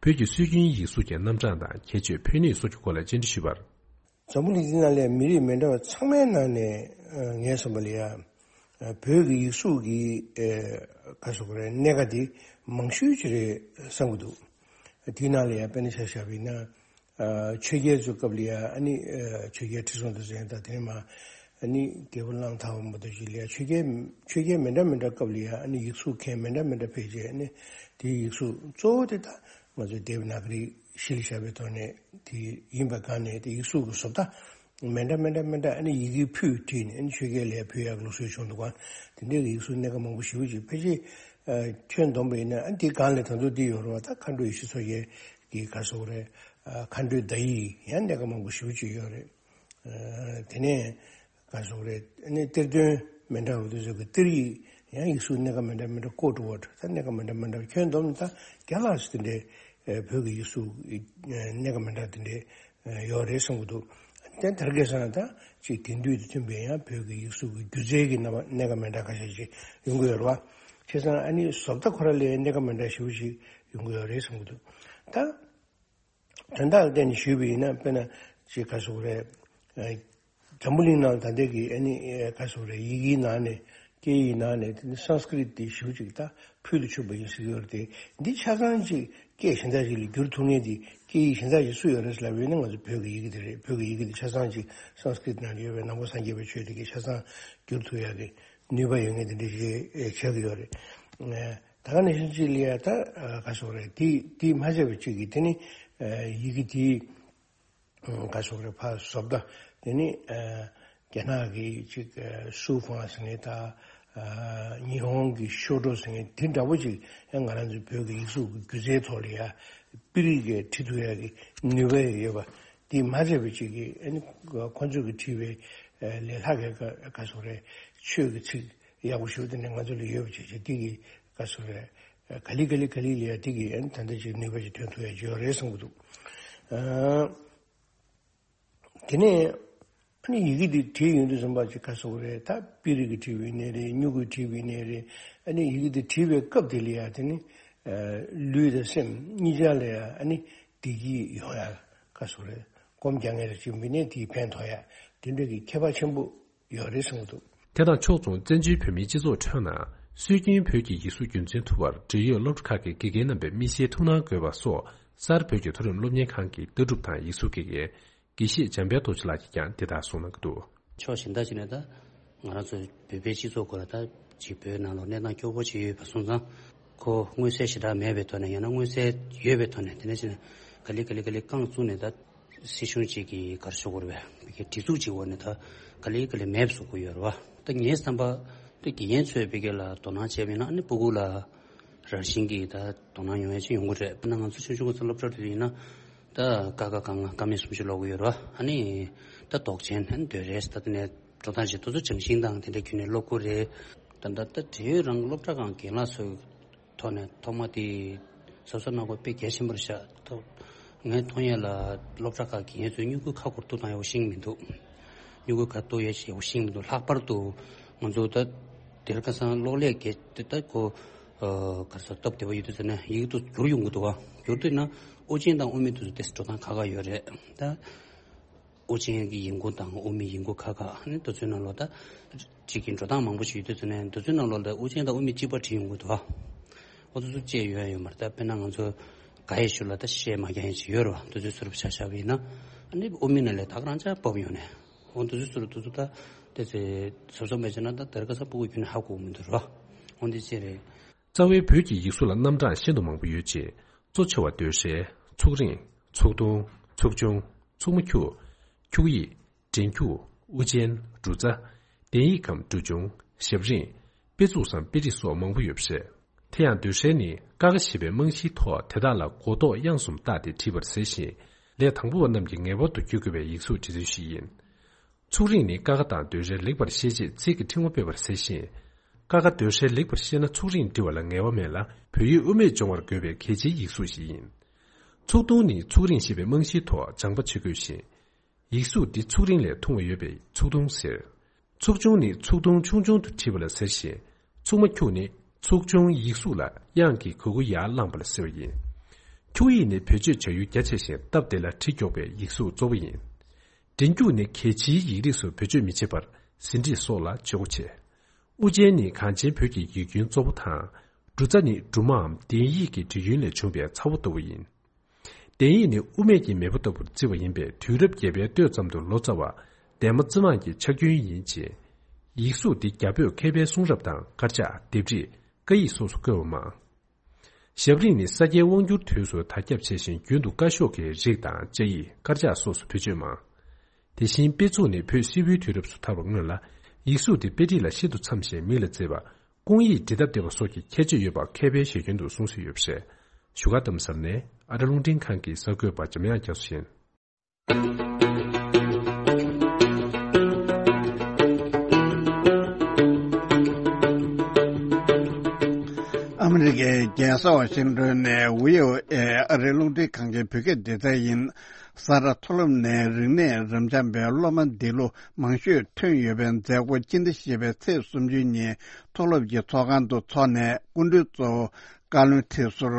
བོད་ཀྱི་སྲོལ་རྒྱུན་ཡིག་གཟུགས་ཀྱི་རྣམ་གྲངས་དང་ཁྱད་ཆོས། ཕན་ནུས་སོགས་ཀྱི་སྐོར་ལ་བཅར་འདྲི་ཞུས་པར། འཛམ་བུ་གླིང་འདི་ནང་ལ་མི་རིགས་མི་འདྲ་བ་ཚང་མའི་ནང་ནས་ངའི་བསམ་པ་ལ་ཡ། བོད་ཀྱི་ཡིག་གཟུགས་ཀྱི་ག་རེ་ཟེར་དགོས་རེད། གནད་འགག་འདི་མང་ཤོས་ཅིག་རེད་བསམ་གྱི་འདུག་དེའི་ནང་ལ་ཡ་དཔེར་ན་ཆ་བཞག་པ་ཡིན་ན། ཆོས་རྒྱལ་ཚོའི་སྐབས་ལ་ཡ་ཨ་ནི་ཆོས་རྒྱལ་ཁྲི་སྲོང་ལྡེ་བཙན་དང་། དེ་ནས་མར་ཨ་ནི་རྒྱལ་པོ་གླང་དར་བ་མ་གཏོགས་ཅིག་ལ་ཡ་ཆོས་རྒྱལ་ཆོས་རྒྱལ་མི་འདྲ་མི་འདྲ་སྐབས་ལ་ཡ་ཨ་ནི་ཡིག་གཟུགས་མཁན་མི་འདྲ་མི་འདྲ་ཕེབས་རྗེས། ཨ་ནི་དེའི་ཡིག་གཟུགས་གཙོ་བོ་དེ་ད་ང་ཚོའི་དེབ་ནཱ་ག་རི་གཞི་ལ་བཞག་པའི་ཐོག་ནས་དེ་ཡིན་པ་གང་ནས་དེ་ཡིག་གཟུགས་ཀྱི་བཟོ་ལྟ་མི་འདྲ་མི་འདྲ་མི་འདྲ། ཨ་ནི་ཡི་གེ་ཕུད་བྲིས་ནས་ཨ་ནི་ཆོས་རྒྱལ་ལ་ཕུལ་ཡག་ལུགས་སྲོལ་བྱུང་འདུག་ག་དེ་འདྲའི་ཡིག་གཟུགས་སྣ་ཁ་མང་པོ་ཞེ་པོ་ཅིག་ཕལ་ཆེར་ཁྱོན་བསྡོམས་པ་ཡིན་ན། ཨ་ནི་དེའི་སྒང་ལ་ད་དུང་འདི་ཡོད་རེད་བ། ད་མཁའ་འགྲོའི་ཞི་འཚོ་རྒྱལ་གྱི་ག་རེ་ཟེར་དགོས་རེད། མཁའ་འགྲོའི་བརྡ་ཡིག་ཡང་སྣ་ཁ་མང་པོ་ཞེ་པོ་ཅིག་ཡོད་རེད། དེ་ནས་ག་རེ་ཟེར་དགོས་རེད། ཨ་ནི་གཏེར་སྟོན་མི་འདྲ་བ་དེ་ཚོ་གི་གཏེར་ཡིག་ཡང་ཡིག་གཟུགས་སྣ་ཁ་མི་འདྲ་མི་འདྲ། ཀོཌ་ཝོཌ་ད་སྣ་ཁ་མི་འདྲ་མི་འདྲ། ཁྱོན་བསྡོམས་ད་བརྒྱ་ལྷག་ཙམ་དེ་འདྲའི་བོད་ཀྱི་ཡིག་གཟུགས་སྣ་ཁ་མི་འདྲ་དེ་འདྲའི་ཡོད་རེད་བསམ་གྱི་འདུག་དེ་དར་རྒྱས་སོང་ན་ད་ཅིག་དེང་དུས་དང་མཐུན་པའི་ཡང་བོད་ཀྱི་ཡིག་གཟུགས་ཀྱི་སྒྱུ་རྩལ་གྱི་རྣམ་པ་གནད་འགག་མི་འདྲ་ཁ་ཤས་ཅིག་ཡོང་གི་ཡོད་རེད་བ། བྱས་ཙང་ཨ་ནི་བཟོ་ལྟ་ཁོ་ར་ལ་གནད་འགག་མི་འདྲ་ཞེ་པོ་ཅིག་ཡོང་གི་ཡོད་རེད་བསམ་གྱི་འདུག་ད། དོན་དག་ལ་བརྟེན་ནས་ཞུས་པ་ཡིན་ན། དཔེར་ན་ཅིག་ག་ཟེར་དགོས་རེད། ཨ། འཛམ་བུ་གླིང་ནང་ད་ལྟའི་གི་ཨ་ནི་ཨ་ག་ཟེར་དགོས་རེད། ཡི་གེའི་ནང་ནས། སྐད་ཡིག་ནང་ནས་དེ་ནི་སཾ་སྐྲྀཏ་དེ་ཞེ་པོ་ཅིག་ད་ཕུལ་དུ་ཕྱིན་པ་ཡིན་ཟེར་གྱི་ཡོད་རེད་དེ། འདི་ཆ་ཚང་ཅིག་སྐད་གཞན་དག་ཅིག་ལ་བསྒྱུར་ཐུབ་མཁན་དེ། སྐད་ཡིག་གཞན་དག་ཅིག་སུ་ཡོད་རེད་ཟེར་ལབ་པ་ཡིན་ན། ང་ཚོ་བོད་ཀྱི་ཡི་གེ་དེ་རེད། བོད་ཀྱི་ཡི་གེ་དེ་ཆ་ཚང་ཅིག་སཾ་སྐྲྀཏ་ནང་ལ་ཡོད་པའི་ནང་པ་སངས་རྒྱས་པའི་ཆོས་དེ་གིས་ཆ་ཚང་བསྒྱུར་ཐུབ་ཡག་གི་ནུས་པ་ཡོད་མཁན་དེ་འདྲ་ཞིག་ཆགས་ཀྱི་ཡོད་རེད། ཨ། ད་ག་ནང་བཞིན་ཅིག་ལ་ཡ་ད་ག་ཟེར་དགོས་རེད། དེ་དེ་མ་བྱས་པ་ཅིག་གིས་དེ་ནི་ཡི་གེ་དེ་ག་ཟེར་དགོས་རེད། ཕར་བཟོ་ལྟ་དེ་ནི་རྒྱ་ནག་གི་ཅིག་ཤུའུ་ཧྥང་ཟེར་མཁན་དང་། ཉི་ཧོང་གི་ཤོ་ཊོ་ཟེར་མཁན་དེ་འདྲ་པོ་ཅིག་ཡང་ང་རང་ཚོའི་བོད་ཀྱི་ཡིག་གཟུགས་ཀྱི་སྒྱུ་རྩལ་ཐོག་ལ་ཡ་པིར་གྱིས་བྲིས་ཐུབ་ཡག་གི་ནུས་པ་ཡོད་པ། དེ་མ་བྱས་པ་ཅིག་གིས་ཨ་ནི་ཁོ་ཚོས་ཀྱིས་བྲིས་པའི་ལས་སླ་བའི་ག་ག་ཟེར་དགོས་རེད། ཆོས་ཀྱི་ཚིག་ཡག་པོ་ཞེ་པོ་དེ་འདྲ་ང་ཚོ་ལ་ཡོད་པ་བྱས་བྱས། དེ་གིས་ག་ཟེར་དགོས་རེད། ག་ལེ་ག་ལེ་ག་ལེ་ལ་ཡ་དེ་གིས་ཨ་ནི་ད་ལྟ་ཅིག་ནུས་པ་ཅིག་ཐོན་ཐུབ་ཡག་ཅིག་ཡོད་རེད་བསམ་གྱི་འདུག་ཨ། དེ་ནས་ཨ་ནི་ཡི་གེ་འདི་བྲིས་ཡོང་དུས་ཙམ་པ་ཅིག་ག་ཟེར་དགོས་རེད། ད་པིར་གྱིས་བྲིས་པ་ཡིན་ནའི་རེད། སྨྱུ་གུས་བྲིས་པ་ཡིན་ནའི་རེད། ཨ་ནི་ཡི་གེ་འདི་བྲིས་པའི་སྐབས་དེ་ལ་ཡ་དེ་ནི་ལུས་དང་སེམས་གཉིས་ཆར་ལ་ཡ་ཨ་ནི་བདེ་སྐྱིད་ཡོང་ཡག་ག་ཟེར་དགོས་རེད། སྒོམ་རྒྱག་མཁན་རེ་ཅིག་མིན་ནའི་དེས་ཕན་ཐོགས་ཡག་དེ་འདྲ་གི་ཁྱད་པར་ཆེན་པོ་ཡོད་རེད་བསམ་གྱི་འདུག་དེ་དང་ཕྱོགས་མཚུངས། བཙན་བྱོལ་བོད་མིའི་སྤྱི་ཚོགས་ཁྲོད་ན་སྲོལ་རྒྱུན་བོད་ཀྱི་ཡིག་གཟུགས་རྒྱུན་འཛིན་ཐུབ་པར་འབྲེལ་ཡོད་སློབ་གྲྭ་ཁག་གི་དགེ་རྒན་རྣམ་པས་མི་ཤེས་ཐུགས་སྣང་དགོས་པ་སོགས། གསར་བོད་ཀྱི་མཐོ་རིམ་སློབ་གཉེར་ཁང་གི་ལྟ་གྲུབ་དང་ཡིག་གཟུགས་དགེ་རྒན་དགེ་བཤེས་འཇམ་དཔལ་རྡོ་རྗེ་ལགས་ཀྱིས་ཀྱང་འདི་ལྟར་གསུངས་གནང་གི་འདུག་ཕྱོགས་གཞན་དག་ཅིག་ནས་ད་ང་རང་ཚོ་བོད་པའི་སྤྱི་ཚོགས་སྐོར་ལ་ད་ཅིག་བོད་ནང་ལ་གནས་སྟངས་སྐྱོ་པོ་ཅིག་ཡོད་པ་སོང་ཙང་། ཁོ་མངོན་གསལ་ཞེ་དྲག་མེད་པའི་ཐོག་ནས། ཡང་ན་མངོན་གསལ་ཡོད་པའི་ཐོག་ནས། དེ་ནས་ཅིག་ནས་ག་ལེ་ག་ལེ་ག་ལེ་རྐང་བཙུགས་ནས་ད་སྲིད་གཞུང་གཅིག་གི་ག་རེ་ཞུ་དགོས་རེད་པས། བོད་ཀྱི་སྒྲིག་འཛུགས་གཅིག་འོག་ནས་ད་ག་ལེ་ག་ལེ་མེད་པ་བཟོ་དགོས་ཡོད་རེད་པ། ད་ངའི་བསམ་པ་ད་དགེ་རྒན་ཚོས་བོད་སྐད་ལ་དོ་སྣང་བྱས་པ་ཡིན་ན། ཨ་ནི་སྤུ་གུ་ལ་རང་བཞིན་གྱིས་ད་དོ་སྣང་ཡོང་ཡ་ཅིག་ཡོང་གི་རེད། དཔེར་ན་ང་ཚོ་ཆུང་ཆུང་སྐབས་སློབ་གྲྭ་དུས་ཡིན་ན། ད་ཀ་ཁ་ག་ང་ཀ་མད་གསུམ་བཞི་ཀློག་གི་ཡོད་རེད་པ། ཨ་ནི་ད་འདོགས་ཆེན། ཨ་ནི་འདོད་རེས། ད་དེ་ནས་འགྲོ་སྟངས་ཅིག་དེ་ཚོ་སྦྱང་ཤིང་དང་དེ་འདྲ་བརྒྱུད་ནས་ཀློག་གི་རེད། ད་ད་ད་འབྲེལ་ཡོད་རང་གི་སློབ་གྲྭ་ཁང་གི་རྒན་ལགས་ཚོའི་ཐོག་ནས་ཐོག་མ་དེ་གཟབ་གཟབ་གནང་དགོས་དཔེ་གལ་ཆེན་པོ་རེད་ཤག་ཐོག་ངས་མཐོང་ཡས་ལ་སློབ་གྲྭ་ཁག་གི་དགེ་རྒན་ཚོས་སྨྱུ་གུའི་ཁ་སྐོར་གཏུབ་སྟངས་ཡག་པོ་ཤེས་ཀྱི་མི་འདུག་སྨྱུ་གུའི་ཁ་གཏུབ་ཡས་ཡག་པོ་ཤེས་ཀྱི་མི་འདུག་ལྷག་པར་དུ་ང་ཚོ་ད་དེར་ཁ་སང་གློག་ཀླད་གི་དེ་ད་ཁོ་ཨ་ག་རེ་ཟེར། སྟབས་བདེ་པོ་ཡོད་དུས་ཙམ་ནས་ཡིག་ཏུ་བསྒྱུར་ཡོང་གི་འདུག་པ། བསྒྱུར་དུས་ན་དབུ་ཅན་དང་དབུ་མེད་དེ་ཚོ་ཏོག་ཙམ་འགྲོ་སྟངས་ཁག་ཁག་ཡོད་རེད་ད། དབུ་ཅན་གྱི་ཡིག་མགོ་དང་དབུ་མེད་ཡིག་མགོ་ཁག་ཁག་ནི་དེ་ཚོའི་ནང་ལོགས་ད་ཅིག་གི་འགྲོ་སྟངས་མང་པོ་ཞིག་ཡོད་དུས་ཙམ་ནས། དེ་ཚོའི་ནང་ལོགས་ལ་དབུ་ཅན་དང་དབུ་མེད་གཅིག་པ་བྲིས་ཡོང་གི་འདུག་པ། འོ་དེ་ཚོ་བཅད་ཡོད་ཡོད་མ་རེད་ད། དཔེར་ན་ང་ཚོ་ག་ཡེ་ཤུ་ལ་ད་ཤད་མ་རྒྱག་ཡ་ཅིག་ཡོད་རེད་པ། དེ་ཚོའི་ཚུར་བཞག་བཞག་པ་ཡིན་ན། ཨ་ནི་དབུ་མེད་ནང་ལ་ད་ག་རང་ཅག་ཕབ་ཡོང་ནས། འོ་དེ་ཚོའི་ཚུར་དེ་ཚོ་ད་དེ་ཚོའི་གཟབ་གཟབ་མ་བྱས་ན་ད་དེར་ཁ་སང་སྤུ་གུ་ཁྱོན་ནས་ཧ་གོ་གི་མི་འདུག་རེད་པ། འོ་འདི་བཅད་རེད། རྩ་བའི་བོད་ཀྱི་ཡིག་གཟུགས་ལ་རྣམ་གྲངས་ཤིན་ཏུ་མང་པོ་ཡོད་ཅིང་། གཙོ་ཆེ་བ་ཟློས་གྲྭའི་ཚུགས་རིང་། ཚུགས་ཐུང་། ཚུགས་ཆུང་། ཚུགས་མ་འཁྱུག། འཁྱུག་ཡིག། འབྲེལ་འཁྱུག། དབུ་ཅན། འབྲུ་ཚ། གདན་ཡིག་གམ་འབྲུ་ཆུང་། ཞབས་རིམ། དཔེ་མཛོད་སམ་དཔེ་རིས་སོགས་མང་པོ་ཡོད་པ་རེད། དེ་ཡང་ཟློས་གྲྭ་ནི་ཀ་ཁ་ཞེས་པའི་རྨང་གཞིའི་ཐོག་དེ་དག་ལ་མགོ་ཐོག་དབྱངས་གསུམ་བཏགས་ཏེ་བྲིས་པར་ཟེར་ཞིང་། ལས་དང་པོ་པ་རྣམས་ཀྱིས་ངེས་པར་དུ་བསྒྱུར་དགོས་པའི་ཡིག་གཟུགས་འབྲི་ཚུལ་ཞིག་ཡིན། ཚུགས་རིང་ནི་ཀ་ཁ་དང་ཟློས་གྲྭའི་ལེགས་པར་ཤེས་ཆེད་ཚིག་གི་ཕྲེང་བ་སྤེལ་བར་ཟེར་ཞིང་། ཀ་ཁ་ཟློས་གྲྭའི་ལེགས་པར་ཤེས་ན་ཚུགས་རིང་འབྲི་བ་ལ་ངལ་བ་མེད་ལ། བོད་ཡིག་དབུ་མེད་སྦྱོང་བར་དགོས་པའི་གལ་ཆེའི་ཡིག་གཟུགས་ཤིག་ཡིན། ཚུགས་ཐུང་ནི་ཚུགས་རིང་ཞེས་པའི་རྨང་གཞིའི་ཐོག་སྦྱང་པ་བྱེད་དགོས་ཤིང་། ཡིག་གཟུགས་འདི་ཚུགས་རིང་ལས་ཐུང་བ་ཡོད་པས་ཚུགས་ཐུང་ཟེར། ཚུགས་ཆུང་ནི་ཚུགས་ཐུང་ཆུང་ཆུང་དུ་བྲིས་པ་ལ་ཟེར་ཞིང་། ཚུགས་མ་འཁྱུག་ནི་ཚུགས་ཆུང་ཡིག་གཟུགས་ལ་དབྱངས་ཀྱི་གུ་གུ་ཡར་བླངས་པ་ལ་ཟེར་བ་ཡིན། འཁྱུག་ཡིག་ནི་བེད་སྤྱོད་བྱ་ཡུལ་རྒྱ་ཆེ་ཞིང་སྟབས་བདེ་ལ་བྲིས་མགྱོགས་པའི་ཡིག་གཟུགས་གཙོ་བོ་ཡིན། འབྲེལ་འཁྱུག་ནི་གལ་ཆེའི་ཡིག་རིགས་སུ་བེད་སྤྱོད་མི་བྱེད་པར་ཟིན་བྲིས་སོགས་ལ་སྤྱོད་སྒོ་ཆེ། དབུ་ཅན་ནི་གངས་ཅན་བོད་ཀྱི་ཡིག་རྒྱུན་གཙོ་བོ་དང་། འབྲུ་ཚ་ནི་འབྲུ་མའམ་གདན་ཡིག་གི་འབྲི་ཡུལ་ལས་བྱུང་བའི་ཚ་བོ་ལྟ་བུ་ཡིན། གདན་ཡིག་ནི་དབུ་མེད་ཀྱི་མེས་པོ་ལྟ་བུར་བརྩི་བ་ཡིན་པས། དུས་རབས་བརྒྱད་པའི་སྟོད་ཙམ་དུ་ལོ་ཙཱ་བ་འདན་མ་རྩེ་མང་གི་ཕྱག་རྒྱུན་ཡིན་ཅིང་། ཡིག་གཟུགས་འདི་རྒྱ་བོད་མཁས་པའི་གསུང་རབ་དང་དཀར་ཆག། ལྡེབས་རིས། བཀའ་ཡིག་སོགས་སུ་བཀོད་པ་མང་། ཞབས་རིམ་ནི་ས་སྐྱའི་དབང་བསྒྱུར་དུས་སུ་དར་ཁྱབ་ཆེ་ཞིང་། རྒྱུན་དུ་བཀའ་ཤོག་གི་རིགས་དང་བཅའ་ཡིག། དཀར་ཆག་སོགས་སུ་བེད་སྤྱོད་མང་། དེ་བཞིན་དཔེ་མཛོད་ནི་བོད་སིལ་བུའི་དུས་རབས་སུ་དར་བར་མངོན་ལ། ཡིག་གཟུགས་དེ་དཔེ་བྲིས་ལ་ཤིན་ཏུ་འཚམ་ཞིང་མིག་ལ་མཛེས་པ། སྐུང་ཡིག་འབྲི་སྟབས་བདེ་བ་སོགས་ཀྱི་ཁྱད་ཆོས་ཡོད་པ་མཁས་པའི་ཞལ་རྒྱུན་དུ་གསུངས་སྲོལ་ཡོད་པ་རེད། བཞུགས་སྒར་རྡ་རམ་ས་ལ་ནས་ཨ་རི་རླུང་འཕྲིན་ཁང་གི་གསར་འགོད་པ་འཇམ་དབྱངས་རྒྱ་མཚོ་ཡིན། ཨ་མི་རི་ཀའི་རྒྱལ་ས་ཝ་ཤིང་ཏོན་ནས་བྷི་ཨོ་ཨེ་ཨ་རིའི་རླུང་འཕྲིན་ཁང་གི་བོད་སྐད་སྡེ་ཚན་ཡིན། ས་རཱ་མཐོ་སློབ་ནས་རིག་གནས་རབ་འབྱམས་པའི་སློབ་མ་འདི་ལོ་མང་ཤོས་ཐོན་ཡོད་པའི་མཛད་སྒོ་སྤྱི་ཟླ་བཞི་པའི་ཚེས་སུམ་ཅུ་ཉིན་མཐོ་སློབ་ཀྱི་ཚོགས་ཁང་དུ་འཚོགས་ནས། སྐུ་མགྲོན་གཙོ་བོ་བཀའ་བློན་ཁྲི་ཟུར་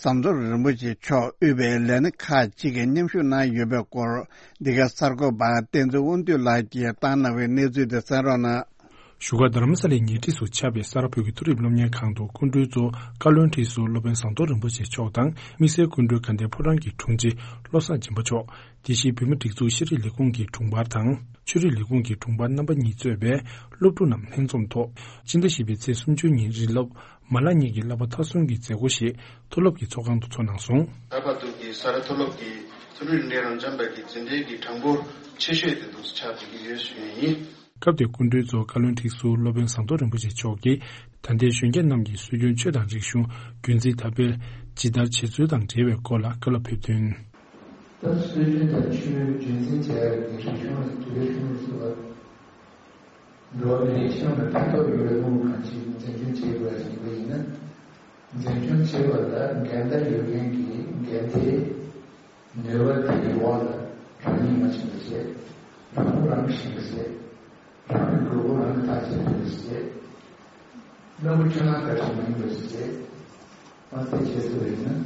ཟམ་གདོང་རིན་པོ་ཆེ་མཆོག་དབུས་པའི་ལས་སྣེ་ཁག་ཅིག་གིས་མཉམ་ཞུགས་གནང་ཡོད་པའི་སྐོར། འདི་ག་གསར་འགོད་པ་བསྟན་འཛིན་དབང་འདུས་ལགས་ཀྱིས་བཏང་གནང་བའི་གནས་ཚུལ་དེ་གསན་རོགས་གནང་། བཞུགས་སྒར་རྡ་རམ་ས་ལའི་ཉེ་འཁྲིས་སུ་ཆགས་པའི་ས་རཱ་བོད་ཀྱི་མཐོ་རིམ་སློབ་གཉེར་ཁང་དུ་སྐུ་མགྲོན་གཙོ་བོ་བཀའ་བློན་ཁྲི་ཟུར་སློབ་དཔོན་ཟམ་གདོང་རིན་པོ་ཆེ་མཆོག་དང་། དམིགས་བསལ་སྐུ་མགྲོན་དགའ་ལྡན་ཕོ་བྲང་གི་དྲུང་ཆེ་བློ་བཟང་སྦྱིན་པ་མཆོག་དེ་བཞིན་བོད་མིའི་སྒྲིག་འཛུགས་ཤེས་རིག་ལས་ཁུངས་ཀྱི་དྲུང་འཕར་དང་། ཆོས་རིག་ལས་ཁུངས་ཀྱི་དྲུང་འཕར་རྣམ་པ་གཉིས་གཙོས་པའི་སློབ་ཕྲུག་རྣམས་ལྷན་འཛོམས་ཐོག་སྤྱི་ཟླ་བཞི་པའི་ཚེས་སུམ་ཅུ་ཉིན་རིན་སློབ་མ་ལག་གཉིས་ཀྱི་བསླབ་པ་མཐར་སོན་གྱི་མཛད་སྒོ་ཞིག་མཐོ་སློབ་ཀྱི་ཚོགས་ཁང་དུ་འཚོགས་གནང་སོང་། ད་བར་དུ་གི་ས་རཱ་མཐོ་སློབ་ཀྱི་མཐོ་རིམ་རིག་གནས་རབ་འབྱམས་པ་གི་འཛིན་གྲྭའི་གི་གྲངས་འབོར་ཆེ་ཤོས་དེ་འདུག་སེ་ཆགས་བསྡད་ཀྱི་ཡོད་ཞུ་ཡས་ཡིན། སྐབས་དེར་སྐུ་མགྲོན་གཙོ་བོ་བཀའ་བློན་ཁྲི་ཟུར་སློབ་དཔོན་ཟམ་གདོང་རིན་པོ་ཆེ་མཆོག་གིས། ད་ལྟའི་གཞོན་སྐྱེས་རྣམས་ཀྱིས་སྲོལ་རྒྱུན་ཆོས་དང་རིག་གཞུང་རྒྱུན་འཛིན་དར་སྤེལ་ཇི་ལྟར་བྱེད་ཚུལ་དང་འབྲེལ་བའི་སྐོར་ལ་བཀའ་སློབ་ཕེབས་དོན། ད་སྲོལ་རྒྱུན་དང་ཆོས་རྒྱུན་འཛིན་བྱ་ཡག་གི་རིག་གཞུང་ལ་དུས་རབས་ཉེར་གསུམ་པ་འགྲོ་བ་མིའི་རིགས་སྤྱི་ཡོངས་ལ་ཕན་ཐོགས་ཡོད་པའི་དབང་དུ་བཏང་ཕྱིར་འཛིན་སྐྱོང་བྱེད་དགོས་ཡིན་ན། འཛིན་སྐྱོང་བྱེད་པ་ལ་འགན་ཟླ་ཡོད་མཁན་གྱི་འགན་དེ། ནུས་པ་དེའི་འོག་ལ་རང་ཉིད་མ་ཕྱིན་པ་བྱས། རང་ངོ་རང་ཤེས་པ་བྱས། རང་གི་དགོས་མཁོ་རང་གིས་ཐག་གཅོད་ཐུབ་པ་བྱས། གནའ་བོ་ཁྱོད་རང་ག་ཚོད་མ་ཡིན་པ་བྱས། མ་ཚད་བྱས་ཐུབ་པ་ཡིན་ན།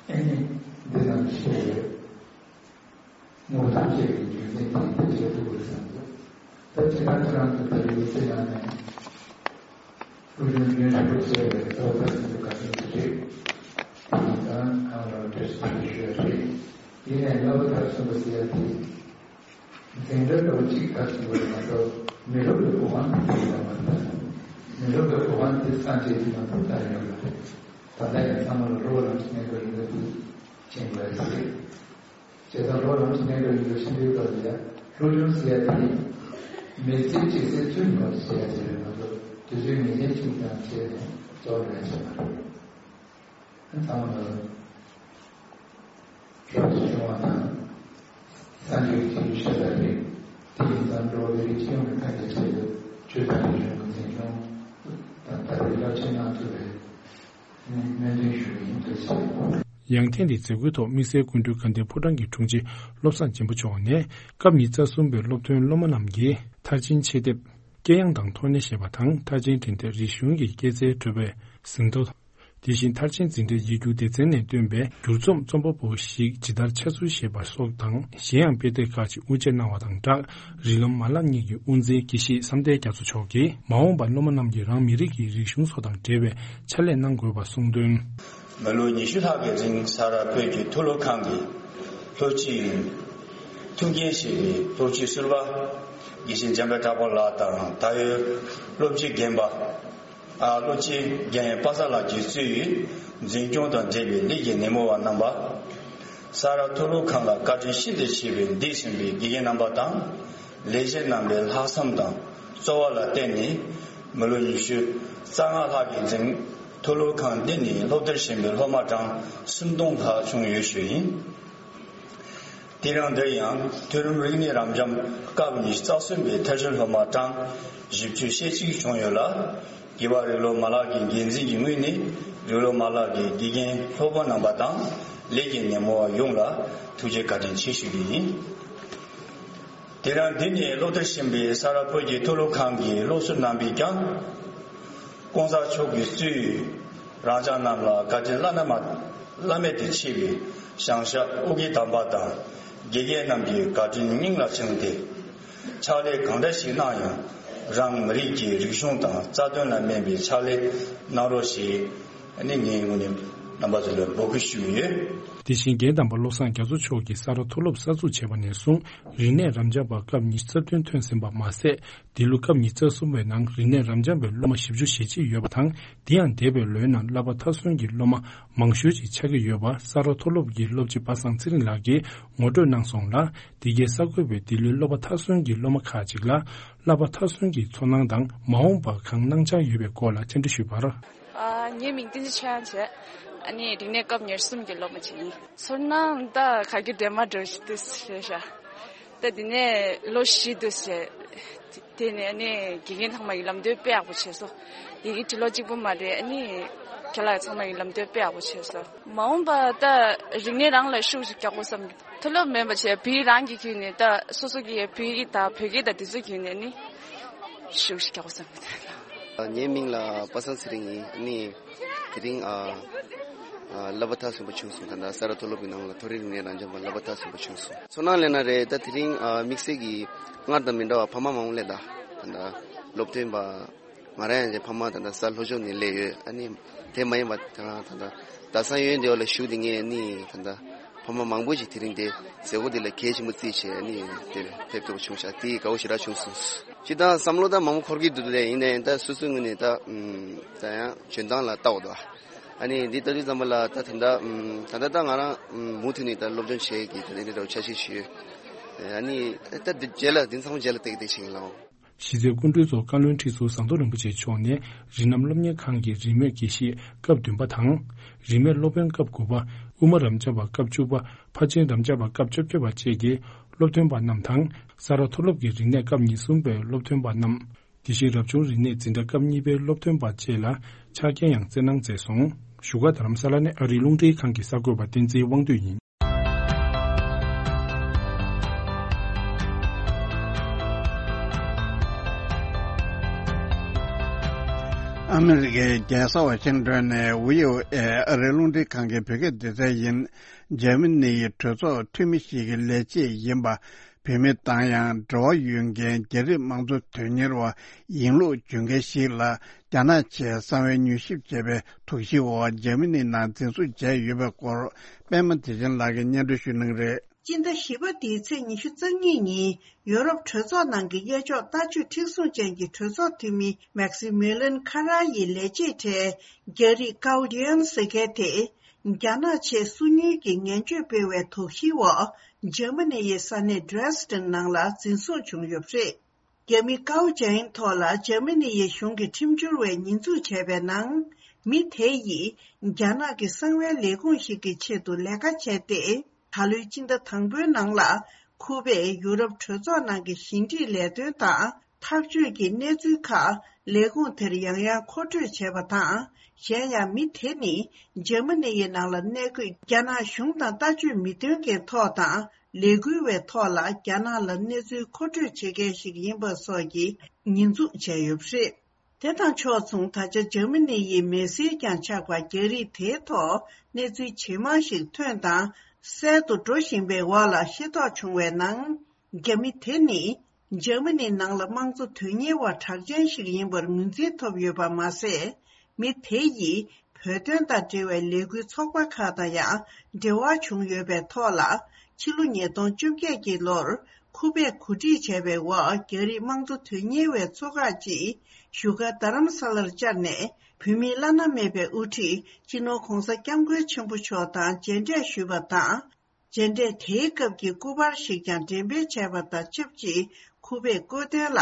ཨེ་ནི་འདི་ནང་ཤེས་ཡོད། དངོས་ཐོག་བཅས་ཀྱི་རྒྱུ་མཚན་དེ་ཡིན་པ་བྱས་ཐུབ་པ་བསམ་འདུག་ད་སྤྱིར་བཏང་ཁྱེད་རང་ཚོ་ད་རེས་མི་ཚེ་ནང་ནས། སློབ་སྦྱོང་རྒྱུན་རིང་པོ་བྱས་པའི་གཙོ་བོ་ད་ཚོད་དགའ་ཚོད་ཅིག་རེད། དེ་ཡིན་ཙང་ཁམས་ལ་བཀྲ་ཤིས་བདེ་ལེགས་ཞུ་ཡ་རེད། ཡིན་ནའི་བསླབ་པ་མཐར་སོན་པ་ཟེར་ཡ་དེ། འཛིན་གྲྭ་ལོ་གཅིག་མཐར་སོན་པ་རེད་མ་གཏོགས་མི་རབས་ཀྱི་གོ་འཕང་དེ་ཡིན་པ་མ་རེད། མི་རབས་ཀྱི་གོ་འཕང་དེ་སངས་རྒྱས་ཀྱིས་མ་གཏོགས་བཏང་ཡོད་མ་རེད། ད་ལྟ་ཡང་ཚང་མ་ལ་རོགས་རམ་གྱི་གནས་སྐབས་ཡིན་པ་དེ་མཁྱེན་དགོས་རེད། བྱས་ཙང་རོགས་རམ་གྱི་གནས་སྐབས་ཡིན་པ་ཤེས་དུས་སྐབས་ལ་ཡ་སློབ་སྦྱོང་ཟེར་ཡ་དེ་མི་ཚེ་གཅིག་ཚེ་བཙུན་མོ་ཟེར་ཡ་དེ་རེད་མ་གཏོགས་དུས་ཚོད་ངེས་ཅན་གཅིག་ཙམ་བྱས་ནས་རྫོགས་འགྲོ་ཡ་ཞིག་མ་རེད། ཚང་མ་ལ་རོགས་སུ་བྱུང་བ་དང་། སངས་རྒྱས་ཀྱི་ཆོས་ཤ་སྟག་རེད། དེ་ཡིན་ཙང་འགྲོ་བ་མི་རིགས་སྤྱི་ཡོངས་ཀྱི་ཐམས་ཅད་ཆེད་དུ་ཆོས་དང་རིག་གཞུང་གི་འཛིན་སྐྱོང་དང་དར་སྤེལ་རླབས་ཆེན་གནང་ཐུབ་པའི་སྨོན་འདུན་ཞུ་གི་ཡིན། ཐུགས་རྗེ་ཆེ། ཡང་ཐེངས་འདིའི་མཛད་སྒོའི་ཐོག་དམིགས་བསལ་སྐུ་མགྲོན་དགའ་ལྡན་ཕོ་བྲང་གི་དྲུང་ཆེ་བློ་བཟང་སྦྱིན་པ་མཆོག་ནས། སྐབས་ཉི་ཤུ་རྩ་གསུམ་པའི་སློབ་ཐོན་སློབ་མ་རྣམས་ཀྱིས་མཐར་ཕྱིན་ཆེད་དེབ། དཀྱེལ་ཡངས་དང་ཐོག་ནས་བཞེས་པ་དང་། མཐར་ཕྱིན་འཕྲིན་སྟེགས་རིག་གཞུང་གི་སྐྱེད་ཚལ་བགྲོད་པའི་ཟིན་ཐོ། དེ་བཞིན་མཐར་ཕྱིན་འཛིན་གྲྭའི་ཡིག་རྒྱུགས་སྡེ་ཚན་ནས་བཏོན་པའི་བསྒྱུར་རྩོམ་རྩོམ་པ་པོ་ཞིག་ཇི་ལྟར་འཆར་ཚུལ་བཞེས་པ་སོགས་དང་། གཞན་ཡང་དཔེ་དེབ་ཁག་ཅིག་དབུ་འབྱེད་གནང་བ་དང་སྦྲགས། རིགས་ལམ་མ་ལག་གཉིས་ཀྱི་དབུ་འཛིན་དགེ་བཤེས་བསམ་གཏན་རྒྱ་མཚོ་མཆོག་གིས། མ་འོངས་པར་སློབ་མ་རྣམས་ཀྱིས་རང་མི་རིགས་ཀྱི་རིག་གཞུང་སོགས་དང་འབྲེལ་བའི་ཕྱག་ལས་གནང་དགོས་པ་གསུངས་དོན། མི་ལོ་ཉི་ཤུ་ལྷག་གི་རིང་ས་རཱ་བོད་ཀྱི་མཐོ་སློབ་ཁང་གི་སློབ་སྤྱི་ཡིན། ཐུགས་འགན་བཞེས་པའི་སློབ་སྤྱི་ཟུར་པ་དགེ་བཤེས་འཇམ་དཔལ་གྲགས་པ་ལགས་དང་། ད་ཡོད་སློབ་སྤྱི་རྒན་པ། ཨ། སློབ་སྤྱི་རྒན་པ་སངས་ལགས་ཀྱིས་གཙོས་ཡོད་འཛིན་སྐྱོང་དང་འབྲེལ་བའི་ལས་ཀྱི་སྣེ་མོ་བ་རྣམ་པ། ས་རཱ་མཐོ་སློབ་ཁང་ལ་བཀའ་དྲིན་ཤིན་ཏུ་ཆེ་བའི་འདས་ཟིན་པའི་དགེ་རྒན་རྣམ་པ་དང་། ལས་བྱེད་རྣམ་པའི་ལྷག་བསམ་དང་རྩོལ་བ་ལ་བརྟེན་ནས། མི་ལོ་ཉི་ཤུ་རྩ་ལྔ་ལྷག་གི་རིང་མཐོ་སློབ་ཁང་འདི་ནས་སློབ་མཐར་ཕྱིན་པའི་སློབ་མ་གྲངས་སུམ་སྟོང་ལྷག་བྱུང་ཡོད་ཞུ་ཡིན། དེ་རིང་འདིར་ཡང་མཐོ་རིམ་རིག་གནས་རབ་འབྱམས་སྐབས་ཉི་ཤུ་རྩ་གསུམ་པའི་མཐར་ཕྱིན་སློབ་མ་གྲངས་བཞི་བཅུ་ཞེ་གཅིག་བྱུང་ཡོད་ལ། རྒྱུད་པ་རིགས་སློབ་མ་ལག་གི་འགན་འཛིན་གྱི་ངོས་ནས་རིགས་སློབ་མ་ལག་གི་དགེ་རྒན་སློབ་དཔོན་རྣམ་པ་དང་། ལས་ཀྱི་སྣེ་མོ་བ་ཡོངས་ལ་ཐུགས་རྗེ་བཀའ་དྲིན་ཆེ་ཞུ་རྒྱུ་ཡིན། དེ་རིང་འདི་ནས་སློབ་མཐར་ཕྱིན་པའི་ས་རཱ་བོད་ཀྱི་མཐོ་སློབ་ཁང་གི་སློབ་ཟུར་རྣམ་པས་ཀྱང་། ༸གོང་ས་མཆོག་གིས་གཙོས་རང་ཅག་རྣམས་ལ་བཀའ་དྲིན་བླ་ན་མ་བླ་མེད་དུ་ཆེ་བའི་བྱང་ཤར་ཨོ་རྒྱན་དམ་པ་དང་དགེ་རྒན་རྣམས་ཀྱི་བཀའ་དྲིན་སྙིང་ལ་བཅངས་ཏེ། ཕྱག་ལས་གང་འདྲ་ཞིག་གནང་ཡང་རང་མི་རིགས་ཀྱི་རིག་གཞུང་དང་རྩ་དོན་ལ་སྨན་པའི་ཕྱག་ལས་གནང་རོགས་ཞེས་ནི་ངའི་ངོས་ནས་རྣམ་པ་ཚོ་ལ་འབོད་སྐུལ་ཞུ་གི་ཡོད། དེ་བཞིན་རྒན་དམ་པ་བློ་བཟང་རྒྱ་མཚོ་མཆོག་གིས་ས་རཱ་མཐོ་སློབ་གསར་འཛུགས་བྱས་པ་ནས་བཟུང་རིག་གནས་རབ་འབྱམས་པ་སྐབས་ཉི་ཤུ་རྩ་བདུན་ཐོན་ཟིན་པ་མ་ཟད། འདི་ལོ་སྐབས་ཉི་ཤུ་རྩ་གསུམ་པའི་ནང་རིག་གནས་རབ་འབྱམས་པའི་སློབ་མ་བཞི་བཅུ་ཞེ་གཅིག་ཡོད་པ་དང་། དེ་ཡང་འདས་པའི་ལོའི་ནང་བསླབ་པ་མཐར་སོན་གྱི་སློབ་མ་མང་ཤོས་ཅིག་ཆགས་ཀྱི་ཡོད་པ་ས་རཱ་མཐོ་སློབ་ཀྱི་སློབ་སྤྱི་པ་སངས་ཚེ་རིང་ལགས་ཀྱིས་ངོ་སྤྲོད་གནང་སོང་ལ། འདི་གའི་གསར་འགོད་པས་འདི་ལོའི་བསླབ་པ་མཐར་སོན་གྱི་སློབ་མ་ཁག་ཅིག་ལ་བསླབ་པ་མཐར་སོན་གྱི་ཚོར་སྣང་དང་མ་འོངས་པར་གང་གནང་འཆར་ཡོད་པའི་སྐོར་ལ་བཅར་འདྲི་ཞུས་པར། ཨ། ངའི་མིང་བསྟན་འཛིན་ཆོས་དབྱངས་བྱས། ཨ་ནི་རིག་གནས་སྐབས་ཉེར་གསུམ་གྱི་སློབ་མ་ཅིག་ཡིན། ཚོར་སྣང་ད་ག་གེ་འདྲ་མ་འདྲ་ཞིག་འདུག་ཟེར་ཤག་ད་དེ་ནས་ལོ་བཞི་འདུག་ཟེར། དེ་ནས་ཨ་ནི་དགེ་རྒན་ཚང་མ་ཡི་ལམ་སྟོན་དཔེ་ཡག་པོ་བྱས་སོང་། དེ་གི་དྲི་ལོ་གཅིག་པུ་མ་རེད། ཨ་ནི་ཁྱེད་ལ་ཚང་མ་ཡི་ལམ་སྟོན་དཔེ་ཡག་པོ་བྱས་སོང་། མ་འོངས་པ་ད་རིག་གནས་རང་ལ་ཤུགས་ཤིག་རྒྱག་དགོས་བསམ། མཐོ་སློབ་མེད་པ་བྱས་བོད་རང་གི་ཁྱོན་ནས་ད་སོ་སོ་གི་བོད་ཡིག་དང་བོད་སྐད་དང་དེ་ཚོ་ཁྱོན་ནས་ནི་ཤུགས་ཤིག་རྒྱག་དགོས་བསམ། ངའི་མིང་ལ་པ་སངས་ཚེ་རིང་ཡིན། ཨ་ནི་དེ་རིང་ཨ་ཨ་བསླབ་པ་མཐར་སོན་པ་བྱུང་སོང་། ད་ལྟ་ས་རཱ་མཐོ་སློབ་ཀྱི་ནང་ལ་མཐོ་རིམ་རིག་གནས་རང་སྦྱོང་པ་བསླབ་པ་མཐར་སོན་པ་བྱུང་སོང་། ཚོར་སྣང་ལབ་ན་རེད། ད་དེ་རིང་ཨ་དམིགས་བསལ་གྱི་སྔར་དང་མི་འདྲ་བ་ཕ་མ་མང་པོ་སླེབས། ད་ད་ལྟ་སློབ་སྟོན་པ་ང་རང་ཡང་ཅིག་ཕ་མ་ད་ལྟ་ས་ལྷོ་ཕྱོགས་ནས་སླེབས་ཡོད། ཨ་ནི་དེ་མ་ཡིན་པ་ད་ད་ད་ས་ཡོན་དེ་བ་ལ་བཞུགས་དེ་ངས་ནི་ད་ད་ཕ་མ་མང་པོ་ཞིག་དེ་རིང་དེ་མཛད་སྒོ་དེ་ལ་གལ་ཆེན་པོ་བརྩིས་བྱས་ནི་དེར་ཕེབས་ཐུབ་པ་བྱུང་ཤག་དེ་དགའ་བོ་ཞེ་དྲག་བྱུང་སོང་། སྤྱིར་བཏང་བསམ་བློ་ད་མང་པོ་འཁོར་གྱི་འདུག་ལས་ཡིན་ནའི་ད་སོ་སོའི་ངོས་ནས་ད་ད་ཡང་འཇོན་ཐང་ལ་ལྟ་བ་དང་། ཨ་ནི་འདི་ལྟ་དུས་ཙམ་པ་ལ་ད་ད་ད་ད་ད་ད་ང་རང་མུ་མཐུད་ནས་ད་སློབ་སྦྱོང་བྱེད་ཀྱི་ད་འདི་འདྲ་འདྲ་བོ་འཆར་གཞི་ཞུས། ཨ་ནི་ད་འདི་རྗེས་ལ་འདི་ཚང་མ་རྗེས་ལ་ཏིག་ཏིག་བྱེད་ཀྱི་ལའོ། གཞི་རྩའི་སྐུ་མགྲོན་ཚོ་བཀའ་བློན་ཁྲི་ཟུར་ཟམ་གདོང་རིན་པོ་ཆེ་མཆོག་ནས་རིགས་ལམ་སློབ་གཉེར་ཁང་གི་རིས་མེད་དགེ་བཤེས་སྐབས་བདུན་པ་དང་། རིས་མེད་སློབ་དཔོན་སྐབས་དགུ་པ། དབུ་མ་རབ་འབྱམས་པ་སྐབས་བཅུ་པ། ཕར་ཕྱིན་རབ་འབྱམས་པ་སྐབས་བཅོ་བརྒྱད་པ་བཅས་ཀྱི་སློབ་ཐོན་པ་རྣམས་དང་། ས་རཱ་མཐོ་སློབ་ཀྱི་རིག་གནས་སྐབས་ཉེར་གསུམ་པའི་སློབ་ཐོན་པ་རྣམས། དེ་བཞིན་རབ་བྱུང་རིག་གནས་འཛིན་གྲྭ་སྐབས་གཉིས་པའི་སློབ་ཐོན་པ་བཅས་ལ་ཕྱག་འཁྱེར་ཡང་སྩལ་གནང་མཛད་སོང་། བཞུགས་སྒར་རྡ་རམ་ས་ལ་ནས་ཨ་རིའི་རླུང་འཕྲིན་ཁང་གི་གསར་འགོད་པ་བསྟན་འཛིན་དབང་འདུས་ཡིན། ཨ་མི་རི་ཀའི་རྒྱལ་ས་ཝ་ཤིང་ཏོན་ནས་བྷི་ཨོ་ཨེ་ཨ་རིའི་རླུང་འཕྲིན་ཁང་གི་བོད་སྐད་སྡེ་ཚན་ཡིན། འཇར་མ་ནི་ཡི་གྲོས་ཚོགས་འཐུས་མི་ཞིག་གི་ལས་བྱེད་ཡིན་པ། བུད་མེད་དང་ཡང་འབྲེལ་བ་ཡོད་མཁན་རྒྱ་རིགས་དམངས་གཙོ་དོན་གཉེར་བ་ཡིན་ལུགས་བརྗོད་མཁན་ཞིག་ལ་རྒྱ་ནག་ཆེད་གསང་བའི་མྱུལ་ཞིབ་བྱས་པའི་དོགས་གཞིའི་འོག་འཇར་མ་ནི་ནང་འཛིན་བཟུང་བྱས་ཡོད་པའི་སྐོར་པད་མ་བདེ་ཆེན་ལགས་ཀྱིས་སྙན་སྒྲོན་ཞུ་གནང་རེད། སྤྱི་ཟླ་བཞི་པ་འདིའི་ཚེས་ཉི་ཤུ་རྩ་གཉིས་ཉིན་ཡོ་རོབ་གྲོས་ཚོགས་ནང་གི་གཡས་ཕྱོགས་ལྟ་སྤྱོད་མཁྲེགས་བཟུང་ཅན་གྱི་གྲོས་ཚོགས་འཐུས་མི་མེག་སི་མི་ལན་ཁ་ར་ཡི་ལས་བྱེད་གྲས་རྒྱ་རིགས་ཀའོ་ཌི་ཡན་ཟེར་མཁན་དེ། རྒྱ་ནག་ཆེད་སུན་ཉུལ་གྱི་ངན་བྱུས་སྤེལ་བའི་དོགས་གཞིའི་འོག་འཇར་མ་ནི་ཡི་ས་གནས་Dresden་ནང་ལ་འཛིན་བཟུང་བྱུང་ཡོད་པ་རེད། རྒྱ་མི་ཀའོ་ཅན་ཐོག་ལ་འཇར་མ་ནི་ཡི་གཞུང་གི་ཁྲིམས་སྦྱོར་བས་ཉེས་འཛུགས་བྱས་པའི་ནང་། མི་དེ་ཡིས་རྒྱ་ནག་གི་གསང་བའི་ལས་ཁུངས་ཤིག་གི་ཆེད་དུ་ལས་ཀ་བྱས་ཏེ། ད་ལོའི་སྤྱི་ཟླ་དང་པོའི་ནང་ལ་ཁུ་པས་ཡུ་རོབ་གྲོས་ཚོགས་ནང་གི་ཞི་འགྲིག་ལས་དོན་དང་། འཐབ་ཇུས་ཀྱི་གནས་ཚུལ་ཁག་ལས་ཁུངས་དེར་ཡང་ཡང་མཁོ་སྤྲོད་བྱས་པ་དང་། གཞན་ཡང་མི་དེ་ནི་འཇར་མ་ནི་ཡི་ནང་ལ་གནས་འཁོད་རྒྱ་ནག་གཞུང་དང་ལྟ་སྤྱོད་མི་མཐུན་མཁན་ཐོག་དང་ལས་འགུལ་བའི་ཐོག་ལ་རྒྱ་ནག་ལ་གནས་ཚུལ་མཁོ་སྤྲོད་བྱེད་མཁན་ཞིག་ཡིན་པ་སོགས་ཀྱི་ཉེས་འཛུགས་བྱས་ཡོད་པ་རེད། དེ་དང་ཕྱོགས་མཚུངས་ད་ཆ་འཇར་མ་ནི་ཡི་མི་སེར་ཀྱང་ཆགས་པ་རྒྱ་རིགས་དེའི་ཐོག་གནས་ཚུལ་ཇེ་མང་ཞིག་ཐོན་དང་གསལ་དུ་འགྲོ་བཞིན་པའི་འོག་ལ་ཤེས་རྟོགས་བྱུང་བའི་ནང་། རྒྱ་མི་དེ་ནི་འཇར་མ་ནིའི་ནང་ལ་དམངས་གཙོ་དོན་གཉེར་བ་གྲགས་ཅན་ཞིག་ཡིན་པར་ངོས་འཛིན་ཐོབ་ཡོད་པ་མ་ཟད། མི་དེ་ཡིས་བོད་དོན་དང་འབྲེལ་བའི་ལས་འགུལ་ཚོགས་པ་ཁག་དང་ཡང་འབྲེལ་བ་བྱུང་ཡོད་པའི་ཐོག་ལ། ཕྱི་ལོ་ཉིས་སྟོང་བཅོ་བརྒྱད་ཀྱི་ལོར་ཁུ་པས་གོ་སྒྲིག་བྱས་པའི་འོག་རྒྱ་རིགས་དམངས་གཙོ་དོན་གཉེར་བའི་ཚོགས་ཁག་ཅིག་བཞུགས་སྒར་རྡ་རམ་ས་ལར་བཅར་ནས། བོད་མིའི་བླ་ན་མེད་པའི་དབུ་ཁྲིད་སྤྱི་ནོར་༧གོང་ས་༧སྐྱབས་མགོན་ཆེན་པོ་མཆོག་དང་མཇལ་འཕྲད་ཞུས་པ་དང་། མཇལ་འཕྲད་དེའི་སྐབས་ཀྱི་སྐུ་པར་ཞིག་ཀྱང་འགྲེམས་སྤེལ་བྱས་པ་དང་ཆབས་ཅིག་ཁུ་པས་བཀོད་དོན་ལ།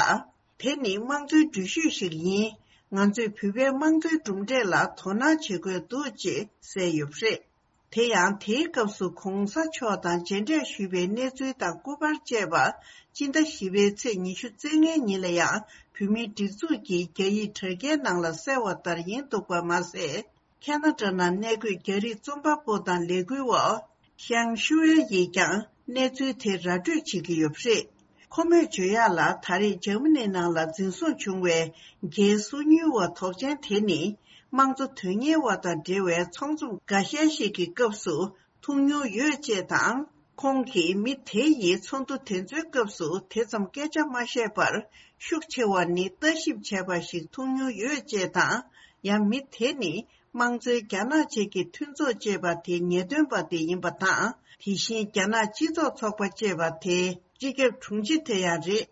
དེ་ནི་དམངས་གཙོའི་འགྲུལ་བཞུད་ཞིག་ཡིན། ང་ཚོས་བོད་པའི་དམངས་གཙོའི་གྲུབ་འབྲས་ལ་དོ་སྣང་བྱེད་དགོས་འདུག་ཅེས་གསལ་ཡོད་པ་རེད། དེ་ཡང་དེའི་སྐབས་སུ་༧གོང་ས་མཆོག་དང་མཇལ་འཕྲད་ཞུས་པའི་གནས་ཚུལ་དང་སྐུ་པར་བཅས་པ་སྤྱི་ཟླ་བཞི་པའི་ཚེས་ཉི་ཤུ་རྩ་ལྔའི་ཉིན་ལ་ཡང་བོད་མིའི་སྒྲིག་འཛུགས་ཀྱི་རྒྱ་ཡིག་དྲ་རྒྱའི་ནང་ལ་གསལ་བ་ལྟར་ཡིན་འདུག་པ་མ་ཟད། ཁ་ན་ཌ་ནང་གནས་འཁོད་རྒྱ་རིགས་རྩོམ་པ་པོ་དང་ལས་འགུལ་བ་ཤང་ཤུའེ་ཡིས་ཀྱང་གནས་ཚུལ་དེ་ར་སྤྲོད་བྱེད་ཀྱི་ཡོད་པ་རེད། ཁོ་མོས་བརྗོད་ཡག་ལ། ད་རེས་འཇར་མ་ནི་ནང་ལ་འཛིན་བཟུང་བྱུང་བའི་རྒྱའི་སུན་ཉུལ་བ་དོགས་ཅན་དེ་ནི། དམངས་གཙོ་དོན་གཉེར་བ་དང་འབྲེལ་བའི་ཚོགས་འཛོམས་འགའ་ཤས་ཤིག་གི་སྐབས་སུ་ཐུག་མྱོང་ཡོད་ཅེས་དང་། ཁོང་གིས་མི་དེ་ཡིས་ཚོགས་འདུ་དེ་ཚོའི་སྐབས་སུ་དེ་ཙམ་སྐད་ཆ་མ་བཤད་པར། ཤུགས་ཆེ་བ་ནི་ལྟ་ཞིབ་བྱས་པ་ཞིག་མཐོང་མྱོང་ཡོད་ཅེས་དང་། ཡང་མི་དེ་ནི། དམངས་གཙོའི་རྒྱ་ནག་བཅས་ཀྱི་མཐུན་ཚོགས་ཅེས་པ་དེ་ངེས་སྟོན་པ་དེ་ཡིན་པ་དང་། དེ་བཞིན་རྒྱ་ནག་སྤྱི་ཚོགས་ཚོགས་པ་ཅེས་པ་དེ་སྤྱི་ཁྱབ་དྲུང་ཆེ་དེ་ཡང་རེད།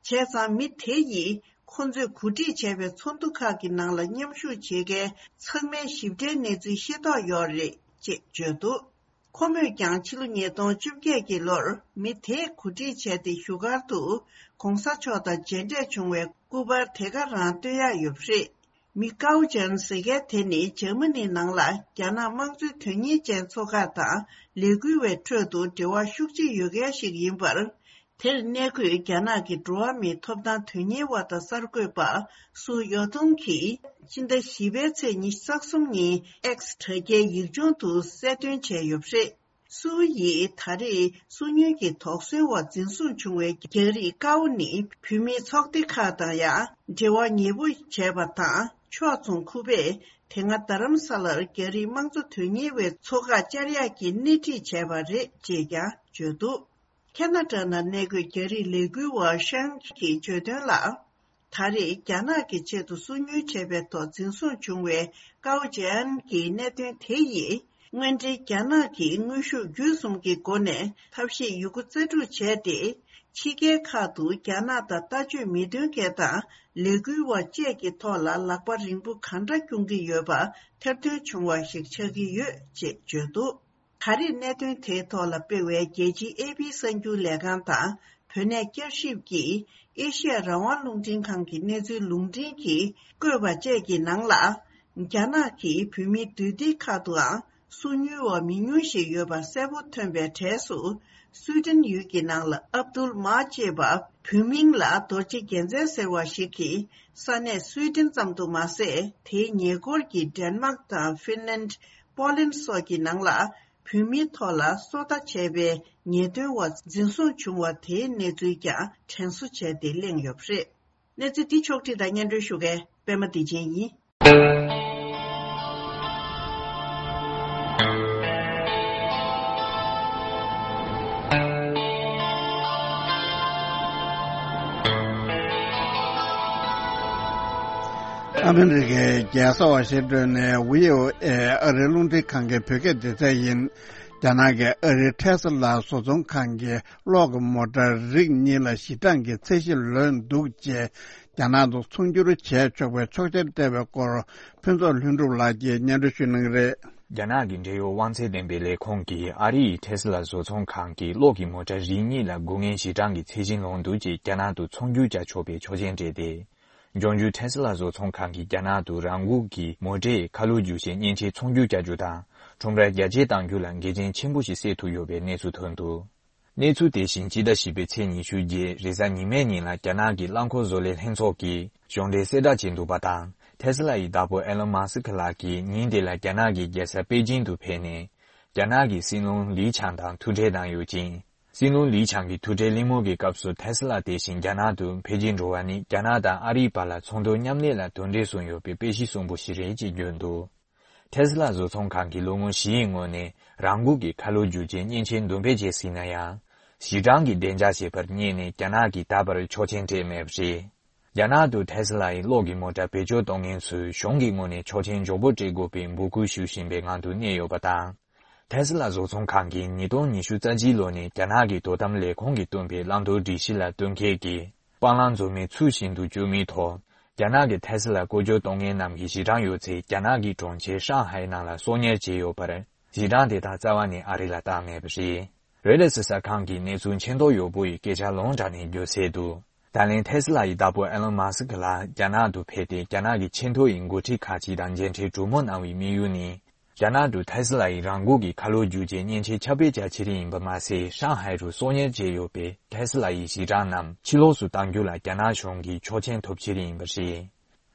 བྱས་ཙང་མི་དེ་ཡིས་ཁོ་ཚོས་གོ་སྒྲིག་བྱས་པའི་ཚོགས་འདུ་ཁག་གི་ནང་ལ་མཉམ་ཞུགས་བྱེད་མཁན་ཚང་མའི་ཞིབ་ཕྲའི་གནས་ཚུལ་ཤེས་རྟོགས་ཡོད་རེད་ཅེས་བརྗོད་འདུག་ཁོ་མོས་ཀྱང་ཕྱི་ལོ་ཉིས་སྟོང་བཅོ་བརྒྱད་ཀྱི་ལོར་མི་དེས་གོ་སྒྲིག་བྱས་ཏེ་བཞུགས་སྒར་དུ་༧གོང་ས་མཆོག་དང་མཇལ་འཕྲད་བྱུང་བའི་སྐུ་པར་དེ་ག་རང་སྟོན་ཡག་ཡོད་པ་རེད། མི་ཀའོ་ཅན་ཟེར་མཁན་དེ་ནི་འཇར་མ་ནིའི་ནང་ལ་རྒྱ་ནག་དམངས་གཙོའི་དོན་གཉེར་ཅན་ཚོ་ཁག་དང་ལས་འགུལ་བའི་ཁྲོད་དུ་འབྲེལ་བ་ཤུགས་ཆེ་ཡོད་མཁན་ཞིག་ཡིན་པར། དེར་གནས་འཁོད་རྒྱ་ནག་གི་འགྲོ་བ་མིའི་ཐོབ་ཐང་དོན་གཉེར་བ་དང་གསར་འགོད་པ་སུའུ་ཡོ་ཐུང་གིས་སྤྱི་ཟླ་བཞི་པའི་ཚེས་ཉི་ཤུ་རྩ་གསུམ་ཉིན་X་དྲ་རྒྱའི་ཡིག་ཆུང་དུ་གསལ་སྟོན་བྱས་ཡོད་པ་རེད། སུའུ་ཡིས་ད་རེས་སུ་ཉུལ་གྱི་དོགས་ཟོན་འོག་འཛིན་བཟུང་བྱུང་བའི་རྒྱ་རིགས་ཀའོ་ནི་བོད་མིའི་ཚོགས་སྡེ་ཁག་དང་ཡང་འབྲེལ་བ་ཉེ་པོ་བྱས་པ་དང་ཕྱོགས་མཚུངས་ཁུ་པས་དེ་སྔ་རྡ་རམ་ས་ལར་རྒྱ་རིགས་དམངས་གཙོ་དོན་གཉེར་བའི་ཚོགས་ཁག་བཅར་ཡག་གི་སྣེ་ཁྲིད་བྱས་པ་རེད་ཅེས་ཀྱང་བརྗོད་འདུག་ཁ་ན་ཌ་ནང་གནས་འཁོད་རྒྱ་རིགས་ལས་འགུལ་བ་ཤང་གིས་བརྗོད་དོན་ལ། ད་རེས་རྒྱ་ནག་གི་ཆེད་དུ་སུ་ཉུལ་བྱས་པའི་ཐོག་འཛིན་བཟུང་བྱུང་བའི་ཀའོ་ཅན་གྱི་གནད་དོན་དེ་ཡིས་དངོས་འབྲེལ་རྒྱ་ནག་གི་དངོས་ཤུགས་བརྒྱུད་གསུམ་གྱི་སྒོ་ནས་ཐབས་ཤེས་ཡོད་རྒུ་རྩལ་སྤྲུགས་བྱས་ཏེ། ཕྱི་རྒྱལ་ཁག་ཏུ་རྒྱ་ནག་དང་ལྟ་སྤྱོད་མི་མཐུན་མཁན་དང་ལས་འགུལ་བ་བཅས་ཀྱི་ཐོག་ལ་ལག་པ་རིང་པོ་གང་འདྲ་རྐྱོང་གི་ཡོད་པ་ཐེར་འདོན་བྱུང་བ་ཞིག་ཆགས་ཀྱི་ཡོད་ཅེས་བརྗོད་འདུག་ད་རེས་གནད་དོན་དེའི་ཐོག་ལ་སྤེལ་བའི་རྒྱལ་སྤྱིའི་ཨེ་པི་གསར་འགྱུར་ལས་ཁང་དང་བོད་གནས་བསྐྱར་ཞིབ་ཀྱིས་ཨེ་ཤི་ཡ་རང་དབང་རླུང་འཕྲིན་ཁང་གི་གནས་ཚུལ་ལུང་འདྲེན་གྱིས་བཀོད་པ་བཅས་ཀྱི་ནང་ལ། རྒྱ་ནག་གིས་བོད་མིའི་འདུས་སྡེ་ཁག་ཏུའང་སུ་ཉུལ་བ་མི་ཉུང་ཞིག་ཡོད་པ་གསལ་པོ་ཐོན་པའི་གྲས་སུ། སུའེ་ཏེན་ཡུལ་གྱི་ནང་ལ་ཨབ་དུལ་མཱ་ཅེས་པ་བོད་མིང་ལ་རྡོ་རྗེ་རྒྱལ་མཚན་ཟེར་བ་ཞིག་གིས་ས་གནས་སུའེ་ཏེན་ཙམ་དུ་མ་ཟད། དེའི་ཉེ་འཁོར་གྱི་ཌེན་མཱག་དང་ཧྥིན་ལན། པོ་ལན་སོགས་ཀྱི་ནང་ལ་བོད་མིའི་ཐོག་ལ་སོ་ལྟ་བྱས་པའི་ཉེས་དོན་འོག་འཛིན་བཟུང་བྱུང་བ་དེའི་གནས་ཚུལ་ཀྱང་དྲན་གསོ་བྱས་ཏེ་གླེང་ཡོད་པ་རེད། གནས་ཚུལ་འདི་ཕྱོགས་བསྒྲིགས་དང་སྙན་སྒྲོན་ཞུ་མཁན་པད་མ་བདེ་ཆེན་ཡིན། ཨ་མི་རི་ཀའི་རྒྱལ་ས་ཝ་ཤིང་ཏོན་ནས་བྷི་ཨོ་ཨེ་ཨ་རིའི་རླུང་འཕྲིན་ཁང་གི་བོད་སྐད་སྡེ་ཚན་ཡིན། རྒྱ་ནག་གི་ཨ་རིའི་ཐེ་སི་ལ་བཟོ་ཚོང་ཁང་གི་གློག་གི་མོ་ཊ་རིགས་གཉིས་ལ་ཞི་གྲངས་ཀྱི་ཚད་གཞི་ལོན་འདུག་ཅེས་རྒྱ་ནག་ཏུ་ཚོང་སྒྱུར་བྱས་ཆོག་པའི་ཆོག་མཆན་སྤྲད་པའི་སྐོར་ཕུན་ཚོགས་ལྷུན་གྲུབ་ལགས་ཀྱིས་སྙན་སྒྲོན་ཞུ་གནང་གི་རེད། རྒྱ་ནག་གི་འབྲེལ་ཡོད་དབང་ཚད་ལྡན་པའི་ལས་ཁུངས་ཀྱིས་ཨ་རི་ཡི་ཐེ་སི་ལ་བཟོ་ཚོང་ཁང་གི་གློག་གི་མོ་ཊ་རིགས་གཉིས་ལ་དགོས་ངེས་ཞི་གྲངས་ཀྱི་ཚད་གཞི་ལོན་འདུག་ཅེས་རྒྱ་ནག་ཏུ་ཚོང་སྒྱུར་བྱ་ཆོག་པའི་ཆོག་མཆན་སྤྲད་དེ། འབྱུང་འགྱུར་ཐེ་སི་ལ་བཟོ་ཚོང་ཁང་གིས་རྒྱ་ནག་ཏུ་རང་འགུལ་གྱིས་མོ་ཊའི་ཁ་ལོ་བསྒྱུར་བྱའི་མཉེན་ཆས་ཚོང་སྒྱུར་བྱ་རྒྱུ་དང་ཁྲོམ་ར་རྒྱ་སྐྱེད་གཏང་རྒྱུ་ལ་འགལ་རྐྱེན་ཆེན་པོ་ཞིག་སེལ་ཐུབ་ཡོད་པའི་གནས་ཚུལ་ཐོན་འདུག་གནས་ཚུལ་དེ་བཞིན་སྤྱི་ཟླ་བཞི་པའི་ཚེས་ཉི་ཤུ་བརྒྱད་རེས་གཟའ་ཉི་མའི་ཉིན་ལ་རྒྱ་ནག་གི་རླངས་འཁོར་བཟོ་ལས་ལྷན་ཚོགས་ཀྱིས་གཞུང་འབྲེལ་གསལ་བསྒྲགས་བྱས་འདུག་པ་དང་། ཐེ་སི་ལ་ཡི་བདག་པོ་ཨེ་ལོན་མཱ་སི་ཁི་ལགས་ཀྱིས་ཉིན་དེ་ལ་རྒྱ་ནག་གི་རྒྱལ་ས་པེ་ཅིང་དུ་ཕེབས་ནས། རྒྱ་ནག་གི་སྲིད་བློན་ལི་ཆང་དང་ཐུག་འཕྲད་གནང་ཡོད་ཅིང་། སྲིད་བློན་ལི་ཆང་གི་ཐུག་འཕྲད་གླེང་མོལ་གྱི་སྐབས་སུ་ཐེ་སི་ལ་དེ་བཞིན་རྒྱ་ནག་ཏུ་ཕེབས་ཀྱིན་འགྲོ་བ་ནི་རྒྱ་ནག་དང་ཨ་རིའི་བར་ལ་ཚོང་དོན་མཉམ་ལས་ལ་དོན་འབྲས་བཟུང་ཡོད་པའི་དཔེ་གཞི་བཟང་པོ་ཞིག་རེད་ཅེས་བརྗོད་འདུག་ཐེ་སི་ལ་བཟོ་ཚོང་ཁང་གི་སློབ་དཔོན་ཞི་ཡི་ངོས་ནས་རང་འགུལ་གྱིས་ཁ་ལོ་བསྒྱུར་བྱའི་མཉེན་ཆས་འདོན་སྤེལ་བྱས་ཟིན་ན་ཡང་། ཞི་གྲངས་ཀྱི་བདེ་འཇགས་བྱེད་པར་བསྙད་ནས་རྒྱ་ནག་གིས་ད་བར་ཆོག་མཆན་སྤྲད་མེད་པ་རེད། རྒྱ་ནག་ཏུ་ཐེ་སི་ལ་ཡི་གློག་གི་མོ་ཊ་བེད་སྤྱོད་གཏོང་མཁན་ཚོས་གཞུང་གི་ངོས་ནས་ཆོག་མཆན་མགྱོགས་པོ་སྤྲད་དགོས་པའི་འབོད་སྐུལ་ཞུ་བཞིན་པའི་ངང་དུ་གནས་ཡོད་པ་དང་། ཐེ་སི་ལ་བཟོ་ཚོང་ཁང་གིས་ཉིས་སྟོང་ཉི་ཤུ་རྩ་གཅིག་ལོ་ནས་རྒྱ་ནག་གི་དོ་དམ་ལས་ཁུངས་ཀྱིས་བཏོན་པའི་བླང་དོར་སྒྲིག་གཞི་ལ་བསྟུན་མཁས་ཀྱིས་སྤང་བླང་འཛོལ་མེད་ཚུལ་བཞིན་དུ་སྤྱོད་མུས་ཐོག་རྒྱ་ནག་གི་ཐེ་སི་ལ་བཀོལ་སྤྱོད་གཏོང་མཁན་རྣམས་ཀྱི་ཞི་གྲངས་ཡོད་ཚད་རྒྱ་ནག་གི་གྲོང་ཁྱེར་ཧྲང་ཧའེ་ནང་ལ་གསོག་ཉར་བྱས་ཡོད་པར། ཞི་གྲངས་དེ་དག་རྩ་བ་ནས་ཨ་རི་ལ་བཏང་མེད་པ་རེད། རོའི་ཊར་གསར་ཁང་གིས་གནས་ཚུལ་མཁྱེན་རྟོགས་ཡོད་པོ་ཡི་སྐད་ཆ་ལུང་དྲངས་ནས་བརྗོད་གསལ་དུ། ད་ལན་ཐེ་སི་ལ་ཡི་བདག་པོ་ཨེ་ལོན་མཱ་སི་ཁི་ལགས་རྒྱ་ནག་ཏུ་ཕེབས་ཏེ་རྒྱ་ནག་གི་ཆེས་མཐོ་ཡི་འགོ་ཁྲིད་ཁག་ཅིག་དང་མཇལ་འཕྲད་གྲོས་མོལ་གནང་བའི་དམིགས་ཡུལ་ནི། རྒྱ་ནག་ཏུ་ཐེ་སི་ལ་ཡི་རང་འགུལ་གྱི་ཁ་ལོ་བསྒྱུར་བྱའི་མཉེན་ཆས་ཁྱབ་སྤེལ་བྱ་ཕྱིར་ཡིན་པ་མ་ཟད་ཧྲང་ཧའེ་རུ་གསོག་ཉར་བྱས་ཡོད་པའི་ཐེ་སི་ལ་ཡི་ཞི་གྲངས་རྣམས་ཕྱི་ལོགས་སུ་གཏང་རྒྱུ་ལ་རྒྱ་ནག་གཞུང་གི་ཆོག་མཆན་ཐོབ་ཕྱིར་ཡིན་པ་རེད།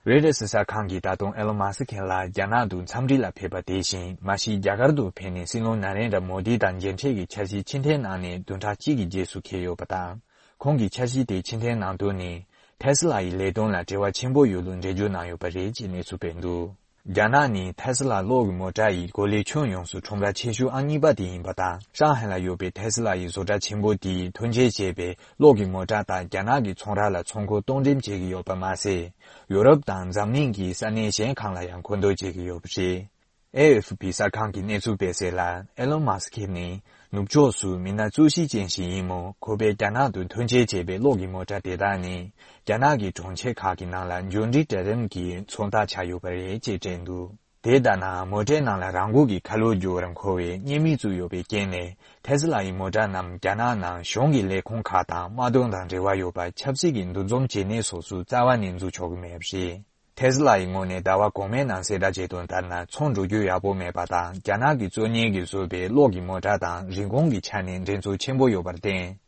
རོའི་ཊར་གསར་ཁང་གིས་ད་དུང་ཨེ་ལོན་མཱ་སི་ཁི་ལགས་རྒྱ་ནག་ཏུ་འཚམས་འདྲི་ལ་ཕེབས་པ་དེ་བཞིན་མ་གཞི་རྒྱ་གར་དུ་ཕེབས་ནས་སྲིད་བློན་ན་རེན་དྲ་མོ་དི་དང་མཇལ་འཕྲད་ཀྱི་འཆར་གཞི་ཕྱིར་འཐེན་གནང་ནས་བདུན་ཕྲག་གཅིག་གི་རྗེས་སུ་འཁེལ་ཡོད་པ་དང་། ཁོང་གིས་འཆར་གཞི་དེ་ཕྱིར་འཐེན་གནང་དོན་ནི། ཐེ་སི་ལ་ཡི་ལས་དོན་ལ་འབྲེལ་བ་ཆེན་པོ་ཡོད་ལུགས་འགྲེལ་བརྗོད་གནང་ཡོད་པ་རེད་ཅེས་གནས་ཚུལ་སྤེལ་འདུག་རྒྱ་ནག་ནི་ཐེ་སི་ལ་གློག་གི་མོ་ཊ་ཡི་གོ་ལའི་ཁྱོན་ཡོངས་སུ་ཁྲོམ་ར་ཆེ་ཤོས་ཨང་གཉིས་པ་དེ་ཡིན་པ་དང་། ཧྲང་ཧའེ་ལ་ཡོད་པའི་ཐེ་སི་ལ་ཡི་བཟོ་གྲྭ་ཆེན་པོ་དེས་ཐོན་སྐྱེད་བྱས་པའི་གློག་གི་མོ་ཊ་དང་རྒྱ་ནག་གི་ཚོང་ར་ལ་ཚོང་མཁོ་གཏོང་འགྲེམས་བྱེད་ཀྱི་ཡོད་པ་མ་ཟད། ཡོ་རོབ་དང་འཛམ་གླིང་གི་ས་གནས་གཞན་གང་ལ་ཡང་མཁོ་འདོན་བྱེད་ཀྱི་ཡོད་པ་རེད། ཨེ་ཨེཕ་པི་གསར་ཁང་གིས་གནས་ཚུལ་སྤེལ་གསལ་ལ། ཨེ་ལོན་མཱ་སི་ཁི་ནི་ནུབ་ཕྱོགས་སུ་མི་སྣ་གཙོ་གཞི་ཅན་ཞིག་ཡིན་མོད། ཁོ་པས་རྒྱ་ནག་ཏུ་ཐོན་སྐྱེད་བྱས་པའི་གློག་གི་མོ་ཊ་དེ་དག་ནི་རྒྱ་ནག་གི་གྲོང་ཁྱེར་ཁག་གི་ནང་ལ་འབྱོར་འབྲིང་གྲལ་རིམ་གྱི་ཚོང་རྟགས་ཆགས་ཡོད་པ་རེད་ཅེས་བཀྲལ་འདུག་དེ་ལྟར་ན་མོ་ཊའི་ནང་ལ་རང་འགུལ་གྱི་ཁ་ལོ་སྒྱུར་བར་མཁོ་བའི་བརྙན་མིག་བཙུགས་ཡོད་པའི་རྐྱེན་ནས། ཐེ་སི་ལ་ཡི་མོ་ཊ་རྣམས་རྒྱ་ནག་ནང་གཞུང་གི་ལས་ཁུངས་ཁག་དང་དམག་དོན་དང་འབྲེལ་བ་ཡོད་པ་ཆབ་སྲིད་ཀྱི་འདུ་འཛོམས་བྱེད་གནས་སོགས་སུ་རྩ་བ་ནས་འཛུལ་ཆོག་གི་མེད་པ་རེད། ཐེ་སི་ལ་ཡི་ངོས་ནས་ཟླ་བ་གོང་མའི་ནང་གསལ་བསྒྲགས་བྱས་དོན་ལྟར་ན། ཚོང་འགྲོ་རྒྱུ་ཡག་པོ་མེད་པ་དང་། རྒྱ་ནག་གི་གཙོ་གཉེར་གྱིས་བཟོས་པའི་གློག་གི་མོ་ཊ་དང་རིན་གོང་གི་ཆ་ནས་འགྲན་རྩོད་ཆེན་པོ་ཡོད་པར་བརྟེན།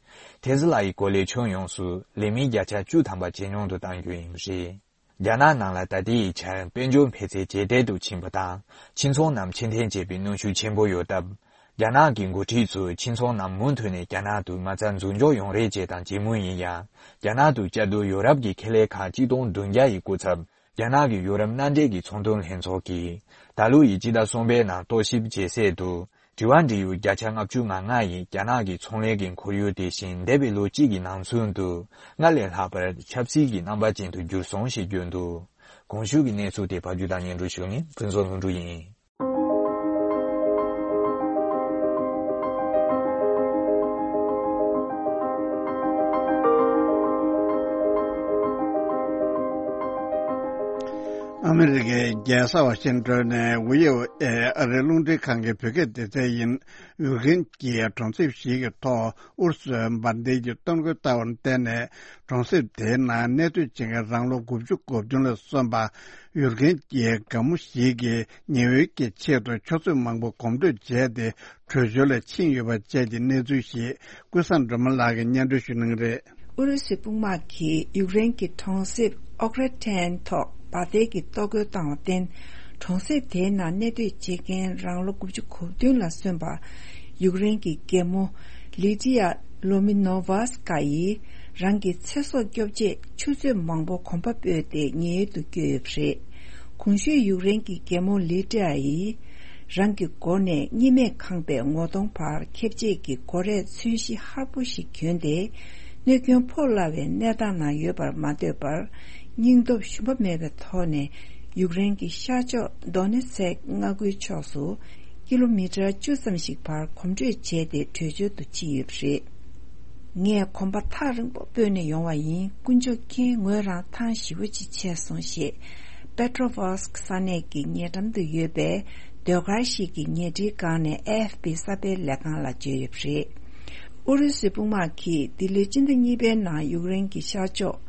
ཐེ་ཛི་ལ་ཡི་གོ་ལའི་ཁྱོན་ཡོངས་སུ་ལས་མི་བརྒྱ་ཆ་བཅུ་ཐམ་པ་ཇེ་ཉུང་དུ་གཏང་རྒྱུ་ཡིན་པ་རེད། རྒྱ་ནག་ནང་ལ་ད་ལྟའི་ཆར་དཔལ་འབྱོར་འཕེལ་ཚད་ཇེ་དལ་དུ་ཕྱིན་པ་དང་། ཕྱི་ཚོང་རྣམས་ཕྱིར་འཐེན་བྱེད་པའི་གནོན་ཤུགས་ཆེན་པོ་ཡོད་སྟབས། རྒྱ་ནག་གི་འགོ་ཁྲིད་ཚོས་ཕྱི་ཚོང་རྣམས་མུ་མཐུད་ནས་རྒྱ་ནག་ཏུ་མ་རྩ་འཛུགས་འཇོག་ཡོང་རེ་བྱེད་དང་བྱེད་མུས་ཡིན་ཡང་། རྒྱ་ནག་ཏུ་བཅའ་སྡོད་ཡོ་རབ་ཀྱི་ཁེ་ལས་ཁག་གཅིག་སྟོང་བདུན་བརྒྱ་ཡི་སྐུ་ཚབ། རྒྱ་ནག་གི་ཡོ་རོབ་མནའ་འབྲེལ་གྱི་ཚོང་དོན་ལྷན་ཚོགས་ཀྱིས། ད་ལོ་ཡི་སྤྱི་ཟླ་གསུམ་པའི་ནང་རྟོག་ཞིབ་བྱེད་ཚད་དུ། དྲི་བ་འདྲི་ཡུལ་བརྒྱ་ཆ་ལྔ་བཅུ་ང་ལྔ་ཡིས་རྒྱ་ནག་གི་ཚོང་ལས་ཀྱི་ཁོར་ཡུག་དེ་བཞིན་འདས་པའི་ལོ་གཅིག་གི་ནང་ཚུན་དུ། སྔར་ལས་ལྷག་པར་ཆབ་སྲིད་ཀྱི་རྣམ་པ་ཅན་དུ་གྱུར་སོང་ཞེས་བརྗོད་འདུག་གོང་ཞུས་ཀྱི་གནས་ཚུལ་དེ་ཕབ་སྒྱུར་དང་སྙན་སྒྲོན་ཞུ་མཁན་ཕུན་ཚོགས་ལྷུན་གྲུབ་ཡིན། ཨ་མི་རི་ཀའི་རྒྱལ་ས་ཝ་ཤིང་ཏོན་ནས་ཝི་ཨོ་ཨེ་ཨ་རིའི་རླུང་འཕྲིན་ཁང་གི་བོད་སྐད་སྡེ་ཚན་ཡིན། ཡུཀ་རེན་གྱིས་གྲོང་གསེབ་ཞིག་གི་ཐོག་ཨུ་རུ་སུའི་འབར་མདེལ་གྱི་གཏོར་རྒོལ་བཏང་བར་བརྟེན་ནས། གྲོང་གསེབ་དེའི་ནང་གནས་སྡོད་བྱེད་མཁན་རང་ལོ་དགུ་བཅུ་གོ་བདུན་ལ་སོན་པ་ཡུཀ་རེན་གྱི་རྒན་མོ་ཞིག་གིས་ཉེ་བའི་གི་ཆེད་དུ་ཆུ་ཚོད་མང་པོ་གོམ་བགྲོད་བྱས་ཏེ་བྲོས་བྱོལ་ལ་ཕྱིན་ཡོད་པ་བཅས་ཀྱི་གནས་ཚུལ་ཞིག་ཀུན་བཟང་སྒྲོལ་མ་ལགས་ཀྱིས་སྙན་སྒྲོན་ཞུ་གནང་གི་རེད། ཨུ་རུ་སུའི་དཔུང་དམག་གིས་ཡུཀ་རེན་གྱི་གྲོང་གསེབ་ཨོག་རེ་ཐན་ཐོག་འབར་མདེལ་གྱི་གཏོར་རྒོལ་བཏང་བར་བརྟེན། གྲོང་གསེབ་དེའི་ནང་གནས་སྡོད་བྱེད་མཁན་རང་ལོ་དགུ་བཅུ་གོ་བདུན་ལ་སོན་པ་ཡུཀ་རེན་གྱི་རྒན་མོ་ལི་ཏི་ཡ་ལོ་མི་ནོ་ཝ་སི་ཀ་ཡིས་རང་གི་ཚེ་སྲོག་སྐྱོབ་ཆེད་ཆུ་ཚོད་མང་པོ་གོམ་པ་སྤོས་ཏེ་ཉེན་གཡོལ་དུ་བསྐྱོད་ཡོད་པ་རེད། གོང་ཞུས་ཡུཀ་རེན་གྱི་རྒན་མོ་ལི་ཏི་ཡ་ཡིས། རང་གི་མགོ་ནས་གཉིད་མེད་ཁང་པའི་ངོ་གདོང་བར་ཁེབས་བྱེད་ཀྱི་སྒོ་རས་ཚོས་གཞི་ཧར་པོ་ཞིག་གྱོན་ཏེ། གནོད་སྐྱོན་ཕོག་སླ་བའི་གནས་སྟངས་ནང་ཡོད་པར་མ་ལྟོས་པར། སྙིང་སྟོབས་ཞུམ་པ་མེད་པའི་ཐོག་ནས་ཡུཀ་རེན་གྱི་ཤར་ཕྱོགས་དོ་ནེ་ཚེག་མངའ་ཁུལ་ཕྱོགས་སུ་ཀི་ལོ་མི་ཊར་བཅུ་ཙམ་ཞིག་བར་གོམ་བགྲོད་བྱས་ཏེ་བྲོས་བྱོལ་དུ་ཕྱིན་ཡོད་པ་རེད། ངས་གོམ་པ་ཐག་རིང་པོ་སྤོས་ནས་ཡོང་བ་ཡིན། དཀོན་མཆོག་མཁྱེན། ངོས་རང་ཐང་ཞེ་པོ་ཅིག་ཆད་སོང་ཞེས། པེ་ཏྲོ་ཝོ་སི་ཀི་ས་གནས་ཀྱི་ཉེ་འགྲམ་དུ་ཡོད་པའི་ཟློས་གར་ཞིག་གི་ཉལ་ཁྲིའི་སྒང་ནས་ཨེ་ཨེཕ་པི་གསར་སྤེལ་ལས་ཁང་ལ་བརྗོད་ཡོད་པ་རེད། ཨུ་རུ་སུའི་དཔུང་དམག་གིས་འདི་ལོའི་སྤྱི་ཟླ་གཉིས་པའི་ནང་ཡུཀ་རེན་གྱི་ཤར་ཕྱོགས་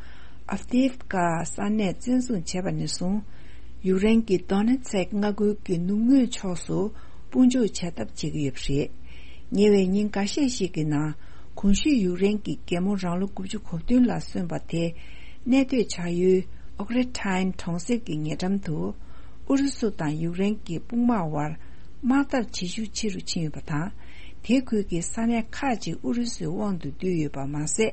ཨབ་དིབ་ཀ་ས་གནས་བཙན་བཟུང་བྱས་པ་ནས་བཟུང་། ཡུཀ་རེན་གྱི་དོ་ནེ་ཚེག་མངའ་ཁུལ་གྱི་ནུབ་ངོས་ཕྱོགས་སུ་དཔུང་འཇུག་བྱ་ཐབས་བྱེད་ཀྱི་ཡོད་པ་རེད། ཉེ་བའི་ཉིན་འགའ་ཤས་ཤིག་གི་ནང་། གོང་ཞུས་ཡུཀ་རེན་གྱི་རྒན་མོ་རང་ལོ་དགུ་བཅུ་གོ་བདུན་ལ་སོན་པ་དེ། གནས་སྡོད་བྱ་ཡུལ་ཨོག་རེ་ཐན་གྲོང་གསེབ་ཀྱི་ཉེ་འགྲམ་དུ། ཨུ་རུ་སུ་དང་ཡུཀ་རེན་གྱི་དཔུང་དམག་དབར་དམག་འཐབ་བྱེད་ཤུགས་ཆེ་རུ་ཕྱིན་ཡོད་པ་དང་། དེ་ཁུལ་གྱི་ས་གནས་ཁག་ཅིག་ཨུ་རུ་སུའི་དབང་དུ་བསྡུས་ཡོད་པ་མ་ཟད།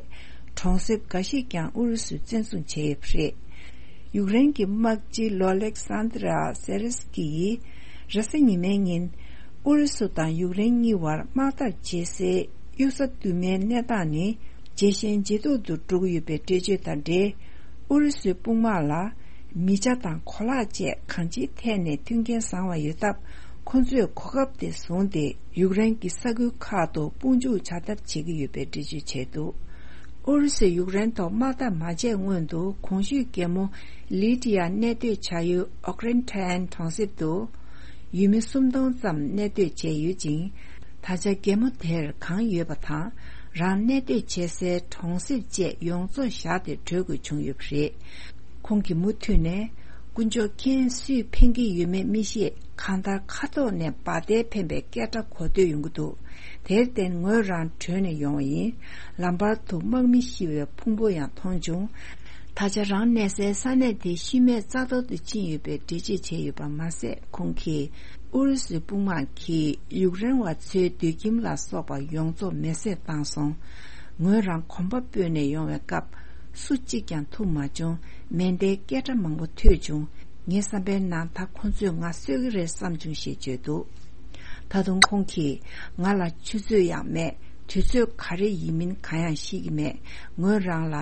གྲོང་གསེབ་འགའ་ཞིག་ཀྱང་ཨུ་རུ་སུས་བཙན་བཟུང་བྱས་ཡོད་པ་རེད། ཡུཀ་རེན་གྱི་དམག་སྤྱི་ལོ་ལེག་སན་དྲ་སེ་རེ་སི་ཀི་ཡིས་རེས་གཟའ་ཉི་མའི་ཉིན། ཨུ་རུ་སུ་དང་ཡུཀ་རེན་གཉིས་བར་དམག་འཐབ་བྱེད་སའི་གཡུལ་ས་དུ་མའི་གནས་སྟངས་ནི་ཇེ་ཞན་ཇེ་སྡུག་ཏུ་འགྲོ་གི་ཡོད་པའི་འགྲེལ་བརྗོད་དང་འབྲེལ། ཨུ་རུ་སུའི་དཔུང་དམག་ལ་མི་ཆ་དང་གོ་ལག་བཅས་གང་ཅིའི་ཐད་ནས་མཐུན་རྐྱེན་བཟང་བ་ཡོད་སྟབས། ཁོ་ཚོས་གོ་སྐབས་དེ་བཟུང་སྟེ་ཡུཀ་རེན་གྱི་ས་ཁུལ་ཁག་ཏུ་དཔུང་འཇུག་བྱ་ཐབས་བྱེད་ཀྱི་ཡོད་པའི་འགྲེལ་བརྗོད་བྱས་འདུག་ཨུ་རུ་སུས་ཡུཀ་རེན་ཐོག་དམག་འཐབ་མ་བྱས་སྔོན་དུ་གོང་ཞུས་རྒན་མོ་ལི་ཏི་ཡ་གནས་སྡོད་བྱ་ཡུལ་ཨོག་རེན་ཐན་གྲོང་གསེབ་ཏུ་ཡུལ་མི་སུམ་སྟོང་ཙམ་གནས་སྡོད་བྱས་ཡོད་ཅིང་། ད་ཆ་རྒན་མོ་དེར་གང་ཡོད་པ་དང་། རང་གནས་སྡོད་བྱེད་སའི་གྲོང་གསེབ་བཅས་ཡོངས་རྫོགས་བཞག་སྟེ་བྲོས་དགོས་བྱུང་ཡོད་པ་རེད། ཁོང་གིས་མུ་མཐུད་ནས། དཀོན་མཆོག་མཁྱེན། སུས་ཕན་གྱི་ཡོད་མེད་མི་ཤེས། གང་ལྟར་མཁའ་ཐོག་ནས་འབར་མདེལ་འཕེན་པའི་སྐད་སྒྲ་གོ་ཐོས་ཡོང་གི་འདུག་དེར་བརྟེན་ངོས་རང་བྲོས་ནས་ཡོང་བ་ཡིན། ལམ་བར་དུ་དམག་མི་ཤི་བའི་ཕུང་པོ་ཡང་མཐོང་བྱུང་། ད་ཆ་རང་གནས་སའི་ས་གནས་དེ་ཤུལ་མེད་རྩ་ཐོར་དུ་ཕྱིན་ཡོད་པའི་འགྲེལ་བརྗོད་བྱས་ཡོད་པ་མ་ཟད། ཁོང་གིས་ཨུ་རུ་སུའི་དཔུང་དམག་གིས་ཡུཀ་རེན་བ་ཚོའི་སྡོད་ཁྱིམ་ལ་སོགས་པ་ཡོངས་རྫོགས་མེ་བསྲེགས་བཏང་སོང་། ངོས་རང་གོམ་པ་སྤོས་ནས་ཡོང་བའི་སྐབས། སུ་གཅིག་ཀྱང་ཐུག་མ་བྱུང་། མེ་མདའི་སྐད་སྒྲ་མང་པོ་ཐོས་བྱུང་། ངའི་བསམ་པའི་ནང་ད་ཁོ་ཚོས་ང་གསོད་ཀྱི་རེད་བསམ་བྱུང་ཞེས་བརྗོད་འདུག་ད་དུང་ཁོང་གིས་ང་ལ་ཆུ་ཚོད་ཡང་མེད། དུས་ཚོད་ག་རེ་ཡིན་མིན་གང་ཡང་ཤེས་ཀྱི་མེད། ངོས་རང་ལ་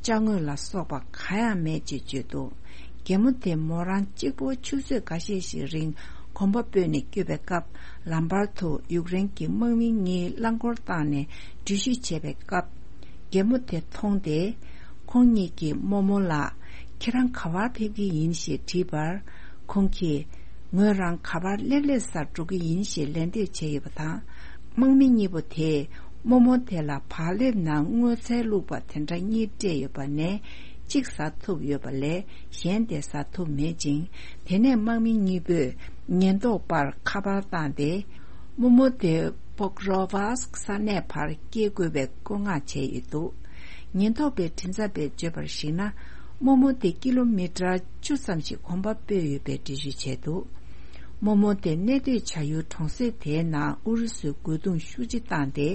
ཅ་དངོས་ལ་སོགས་པ་གང་ཡང་མེད་ཅེས་བརྗོད་འདུག་རྒན་མོ་དེ་མོ་རང་གཅིག་པོ་ཆུ་ཚོད་འགའ་ཤས་ཤིག་རིང་གོམ་པ་སྤོས་ནས་བསྐྱོད་པའི་སྐབས། ལམ་བར་དུ་ཡུཀ་རེན་གྱི་དམག་མི་གཉིས་རླངས་འཁོར་བཏང་ནས་འགྲུལ་བཞུད་བྱས་པའི་སྐབས། རྒན་མོ་དེ་མཐོང་སྟེ། ཁོང་གཉིས་ཀྱིས་རྨོ་མོ་ལགས། ཁྱེད་རང་ག་པར་ཕེབས་ཀྱི་ཡིན་ཞེས་དྲིས་པར། ཁོང་གིས། ངོས་རང་ག་པར་སླེབས་སླེབས་སར་འགྲོ་གི་ཡིན་ཞེས་ལན་འདེབས་བྱས་ཡོད་པ་དང་། དམག་མི་གཉིས་པོ་དེས་རྨོ་མོ་དེ་ལ་བག་ལེབ་ནང་སྔོ་ཚལ་བླུགས་པ་དེ་འདྲ་གཉིས་སྤྲད་ཡོད་པ་ནས་གཅིག་ཟ་ཐུབ་ཡོད་པ་ལས་གཞན་དེ་ཟ་ཐུབ་མེད་ཅིང་། དེ་ནས་དམག་མི་གཉིས་པོས་ཉེན་རྟོག་པར་ཁ་པར་བཏང་སྟེ། རྨོ་མོ་དེ་ པོག་རོ་བྷ་སྐ་ས་གནས་བར་སྐྱེལ་དགོས་པའི་བཀོད་མངགས་བྱས་ཡོད་འདུག། ཉེན་རྟོག་པའི་མགྲིན་ཚབ་པས་བརྗོད་པར་གཞིགས་ན། རྨོ་མོ་དེ་ཀི་ལོ་མི་ཊར་བཅུ་ཙམ་ཞིག་གོམ་པ་སྤོས་ཡོད་པའི་འགྲེལ་བརྗོད་བྱས་འདུག། རྨོ་མོ་དེ་གནས་སྡོད་བྱ་ཡུལ་གྲོང་གསེབ་དེའི་ནང་ཨུ་རུ་སུས་རྒོལ་རྡུང་ཤུགས་ཆེ་བཏང་སྟེ།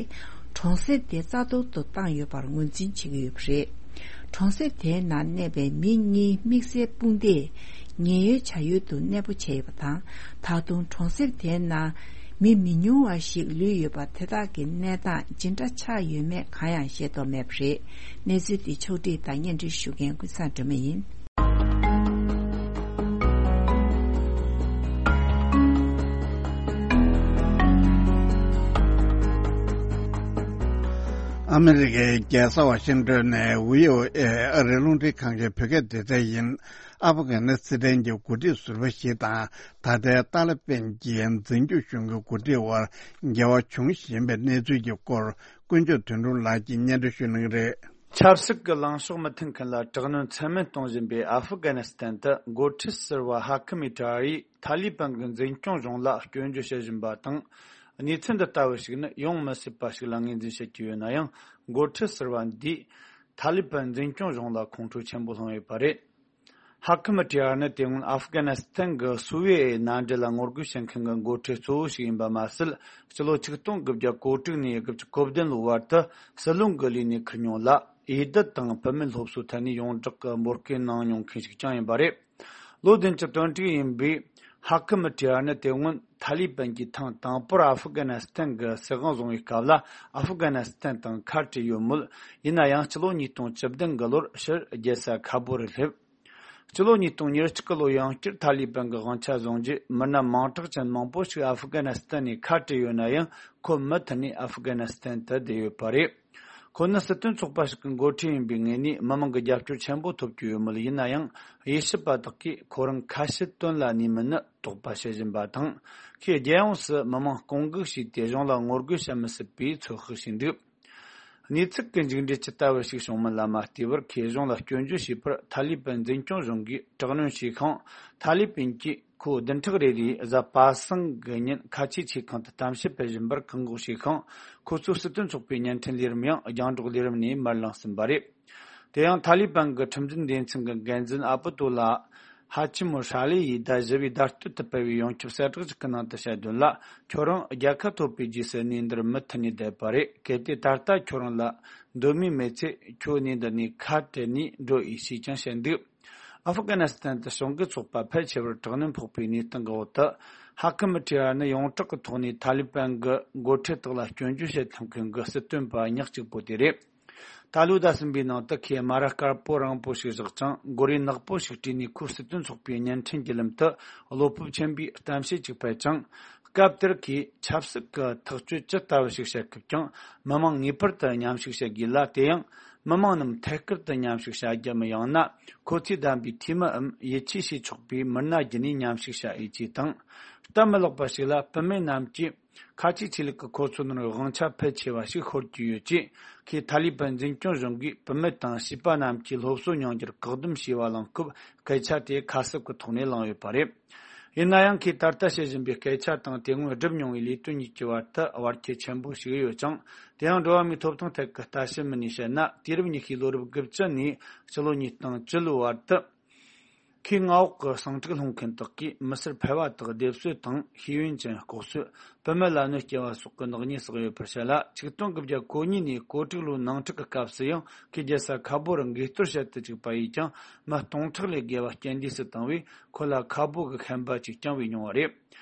གྲོང་གསེབ་དེ་རྩ་གཏོར་དུ་བཏང་ཡོད་པར་ངོས་འཛིན་བྱེད་ཀྱི་ཡོད་པ་རེད། གྲོང་གསེབ་དེའི་ནང་གནས་པའི་མི་གཉིས་དམིགས་བསལ་དཔུང་སྡེས་ཉེན་གཡོལ་བྱ་ཡུལ་དུ་གནས་སྤོ་བྱས་ཡོད་པ་དང་། ད་དུང་གྲོང་གསེབ་དེའི་ནང་མི་མི་ཉུང་བ་ཞིག་ལུས་ཡོད་པ། དེ་དག་གི་གནས་སྟངས་ཇི་འདྲ་ཆགས་ཡོད་མེད་གང་ཡང་ཤེས་རྟོགས་མེད་པ་རེད། གནས་ཚུལ་འདི་ཕྱོགས་བསྒྲིགས་དང་སྙན་སྒྲོན་ཞུ་མཁན་ཀུན་བཟང་སྒྲོལ་མ་ཡིན། ཨ་མི་རི་ཀའི་རྒྱལ་ས་ཝ་ཤིང་ཏོན་ནས་ཝི་ཨོ་ཨེ་ཨ་རིའི་རླུང་འཕྲིན་ཁང་གི་བོད་སྐད་སྡེ་ཚན་ཡིན། ཨ་ཕ་གི་ནི་སི་ཐན་གྱི་འགོ་ཁྲིད་ཟུར་པ་ཞིག་དང་ད་ལྟའི་ཏཱ་ལི་པན་གྱི་འཛིན་སྐྱོང་གཞུང་གི་འགོ་ཁྲིད་དབར་འགལ་བ་བྱུང་བཞིན་པའི་གནས་ཚུལ་གྱི་སྐོར། དཀོན་མཆོག་དོན་གྲུབ་ལགས་ཀྱིས་སྙན་སྒྲོན་ཞུ་གནང་གི་རེད། ཆབ་སྲིད་ཀྱི་ལངས་ཕྱོགས་མི་མཐུན་མཁན་ལ་དྲག་གནོན་ཚད་མེད་གཏོང་བཞིན་པའི་ཨ་ཧྥུ་གྷ་ནི་སི་ཐན་དུ་འགོ་ཁྲིད་ཟུར་པ་ཧ་ཁི་མི་ཏྲ་ཡིས་ཐ་ལི་པན་གྱི་འཛིན་སྐྱོང་གཞུང་ལ་སྐྱོན་བརྗོད་བྱེད་བཞིན་པ་དང་། གནས་ཚུལ་འདི་ལྟ་བུ་ཞིག་ནི་ཡོང་མི་སྲིད་པ་ཞིག་ལ་ངོས་འཛིན་བྱེད་ཀྱི་ཡོད་ན་ཡང་། འགོ་ཁྲིད་ཟུར་པ་འདིས་ཐ་ལི་པན་འཛིན་སྐྱོང་གཞུང་ལ་ཁོང་ཁྲོ་ཆེན་པོ་སློང་ཡོད་པ་རེད། ཧ་ཁི་མི་ཏྲི་ཡར་ནི་དེ་སྔོན་ཨ་ཧྥུ་གྷ་ནི་སི་ཐན་གྱི་སུ་ཝེ་ཨེ་མནའ་འབྲེལ་ལ་ངོ་རྒོལ་བྱེད་མཁན་གྱི་འགོ་ཁྲིད་གཙོ་བོ་ཞིག་ཡིན་པ་མ་ཟད། སྤྱི་ལོ་ཆིག་སྟོང་དགུ་བརྒྱ་གོ་དྲུག་ནས་དགུ་བཅུ་གོ་བདུན་ལོའི་བར་དུ་སྲིད་བློན་གྱི་ལས་ནས་ཁུར་མྱོང་ལ། འོས་བསྡུ་དང་བུད་མེད་སློབ་གསོའི་ཐད་ནས་ཡོངས་གྲགས་ཀྱི་འབོད་སྐུལ་གནང་མྱོང་མཁན་ཞིག་ཀྱང་ཡིན་པ་རེད། ལོ་བདུན་ཅུ་དོན་དྲུག་ཡིན་པའི་ཧ་ཁི་མི་ཏྲི་ཡར་ནི་དེ་སྔོན་ཐ་ལི་པན་གྱིས་ཐེངས་དང་པོར་ཨ་ཧྥུ་གྷ་ནི་སི་ཐན་གྱི་སྲིད་དབང་བཟུང་བའི་སྐབས་ལ་ཨ་ཧྥུ་གྷ་ནི་སི་ཐན་དང་ཁ་བྲལ་ཡོད་མོད། ཡིན་ན་ཡང་སྤྱི་ལོ་ཉིས་སྟོང་བཅུ་བདུན་གྱི་ལོར་ཕྱིར་རྒྱལ་ས་ཁ་བོ་རུ་སླེབས། སྤྱི་ལོ་ཉིས་སྟོང་ཉེར་གཅིག་གི་ལོ་ཡང་བསྐྱར་ཐ་ལི་པན་གྱི་དབང་ཆ་བཟུང་རྗེས། མི་སྣ་མིང་གྲགས་ཅན་མང་པོ་ཞིག་ཨ་ཧྥུ་གྷ་ནི་སི་ཐན་ནས་ཁ་བྲལ་ཡོད་ན་ཡང་། ཁོ་མུ་མཐུད་ནས་ཨ་ཧྥུ་གྷ་ནི་སི་ཐན་དུ་བསྡད་ཡོད་པ་རེད། ཁོ་ནི་སྲིད་དོན་ཚོགས་པ་ཞིག་གི་འགོ་ཁྲིད་ཡིན་པའི་ངོས་ནས་མི་མང་གི་རྒྱབ་སྐྱོར་ཆེན་པོ་ཐོབ་ཀྱི་ཡོད་མོད། ཡིན་ན་ཡང་། དབྱེ་ཞིབ་པ་དག་གིས་ཁོ་རང་ཁ་ཕྱིར་དོན་ལ་གནས་མིན་ནི་དོགས་པ་བྱེད་བཞིན་པ་དང་། ཁོས་རྒྱལ་ཡོངས་སུ་མི་མང་སྐོང་འགུག་བྱས་ཏེ་གཞུང་ལ་ངོ་རྒོལ་བྱེད་མི་སྲིད་པའི་ཚོད་དཔག་བྱས་འདུག། གནས་ཚུལ་གྱི་མཇུག་འབྲས་ཇི་ལྟ་བུ་ཞིག་བྱུང་མིན་ལ་མ་ལྟོས་པར། ཁོས་གཞུང་ལ་སྐྱོན་བརྗོད་བྱས་པར་ཐ་ལི་པན་འཛིན་སྐྱོང་གཞུང་གིས་དྲག་གནོན་བྱས་ཤིང་། ཐ་ལི་པན་གྱིས་ཁོ་བདུན་ཕྲག་རེ་རེའི་གཟའ་པ་སངས་ཀྱི་ཉིན་ཁ་ཆེའི་ཆེ་ཁང་དུ་གཏམ་བཤད་སྤེལ་བཞིན་པར་བཀག་འགོག་བྱས་ཤིང་། ཁོ་ཚོའི་སྲིད་དོན་ཚོགས་པའི་བརྙན་འཕྲིན་ལས་རིམ་ཡང་རྒྱང་སྒྲོག་ལས་རིམ་ནས་མར་ལངས་ཟིན་པ་རེད། དེ་ཡང་ཐ་ལི་པན་གྱི་ཁྲིམས་འཛིན་སྡེ་ཚན་གྱི་འགན་འཛིན་ཨ་པུ་ཏུ་ལ་ཧ་ཆི་མུ་ཧྲ་ལེ་ཡིས་ཟླ་བཞི་པའི་ཟླ་སྟོད་དུ་སྤེལ་བའི་ཡོངས་ཁྱབ་གསལ་བསྒྲགས་ཤིག་གི་ནང་དུ་བཤད་དོན་ལ། ཁྱོད་རང་རྒྱལ་ཁ་ཐོབ་པའི་རྗེས་སུ་གནས་འདིར་མུ་མཐུད་ནས་བསྡད་པ་རེད། གལ་ཏེ་ད་ལྟ་ཁྱོད་རང་ལ་འདོད་མོས་མེད་ཚེ། ཁྱོད་གནས་འདི་ནས་ཁ་བྲལ་ནས་འགྲོ་ཨེ་ཞེས་ཀྱང་བཤད་འདུག། ཨ་ཧྥུ་གྷ་ནི་སི་ཐན་དུ་ཞི་འགོག་ཚོགས་པ་ཕལ་ཆེ་བར་དྲག་གནོན་ཕོག་པའི་གནས་སྟངས་ཀྱི་འོག་ཏུ། ཧ་ཁི་མི་ཏྲི་ཡར་ནི་ཡོངས་གྲགས་ཀྱི་ཐོག་ནས་ཐ་ལི་པན་གྱི་འགོ་ཁྲིད་དག་ལ་སྐྱོན་བརྗོད་བྱེད་ཐུབ་མཁན་གྱི་སྲིད་དོན་པ་ཉག་གཅིག་པོ་དེ་རེད། ད་ལོའི་ཟླ་གསུམ་པའི་ནང་དུ་ཁོས་སྨ་ར་དཀར་པོ་རིང་པོ་ཞིག་བཞག་ཅིང་། མགོ་རིལ་ནག་པོ་ཞིག་དཀྲིས་ནས། ཁོའི་སྲིད་དོན་ཚོགས་པའི་བརྙན་འཕྲིན་བརྒྱུད་ལམ་དུ་བློ་སྤོབས་ཆེན་པོས་གཏམ་བཤད་ཅིག་སྤེལ་ཅིང་། སྐབས་དེར་ཁོས་ཆབ་སྲིད་ཀྱི་ཐག་གཅོད་ཇི་ལྟ་བུ་ཞིག་བྱེད་སྐབས་ཀྱང་། མི་མང་ངེས་པར་དུ་མཉམ་ཞུགས་བྱེད་དགོས་ལ། དེ་ཡང་མི་མང་རྣམས་ཐད་ཀར་དུ་མཉམ་ཞུགས་བྱ་རྒྱུའམ། ཡང་ན་ཁོ་ཚོས་བདམས་པའི་འཐུས་མིའམ་ཡིད་ཆེས་བྱེད་ཆོག་པའི་མི་སྣ་བརྒྱུད་ནས་མཉམ་ཞུགས་བྱ་འོས་ཅེས་དང་། སྟབས་མི་ལེགས་པ་ཞིག་ལ་བུད་མེད་རྣམས་ཀྱིས། ཁ་ཆེའི་ཆོས་ལུགས་ཀྱི་ཁོ་ཚོའི་ནང་དབང་ཆ་ཕལ་ཆེ་བ་ཞིག་ཤོར་གྱི་ཡོད་ཅེས། ཁོས་ཐ་ལི་པན་འཛིན་སྐྱོང་གཞུང་གིས་བུད་མེད་དང་བྱིས་པ་རྣམས་ཀྱིས་སློབ་གསོ་མྱོང་རྒྱུར་བཀག་སྡོམ་བྱས་པ་གླེང་སྐབས། སྐད་ཆ་དེ་ཁ་གསབ་ཀྱི་ཐོག་ནས་གླེང་ཡོད་པ་རེད། ཡིན་ན་ཡང་། ཁོས་ད་ལྟ་བཤད་བཞིན་པའི་སྐད་ཆ་དང་། དེ་སྔོན་བསྒྲུབས་མྱོང་བའི་ལས་དོན་གཉིས་ཀྱི་བར་དུ་བར་ཁྱད་ཆེན་པོ་ཞིག་ཡོད་ཅིང་། དེ་ཡང་། འགྲོ་བ་མིའི་ཐོབ་ཐང་ཐད་ཀྱི་ལྟ་ཞིབ་མི་སྣས་བཤད་ན། དུས་རབས་ཉི་ཤུའི་ལོ་རབས་དགུ་བཅུ་ནས་སྤྱི་ལོ་ཉིས་སྟོང་བཅུ་ལོའི་བར་དུ། ཁོས་མངའ་འོག་གི་ཟིང་འཁྲུག་སློང་མཁན་དག་གིས་མི་སེར་ཕལ་བ་དག་སྡེབ་གསོད་དང་། ཤེས་ཡོན་ཅན་ལྐོག་གསོད། བུད་མེད་ལ་གནོད་སྐྱེལ་བ་སོགས་ཀྱི་ནག་ཉེས་བསགས་ཡོད་པར་བཤད་ལ། ཆིག་སྟོང་དགུ་བརྒྱ་གོ་གཉིས་ནས་གོ་དྲུག་ལོའི་ནང་འཁྲུག་གི་སྐབས་སུ་ཡང་། ཁོས་རྒྱལ་ས་ཁ་བོ་རུ་འགས་གཏོར་བྱེད་དུ་བཅུག་པ་ཡིས་ཀྱང་། མི་སྟོང་ཕྲག་ལས་བརྒལ་བ་རྐྱེན་འདས་སུ་བཏང་བས། ཁོ་ལ་ཁ་བོ་གི་ཤན་པ་ཅིག་བསྐྱངས་པའི་མྱོང་བ་རེད།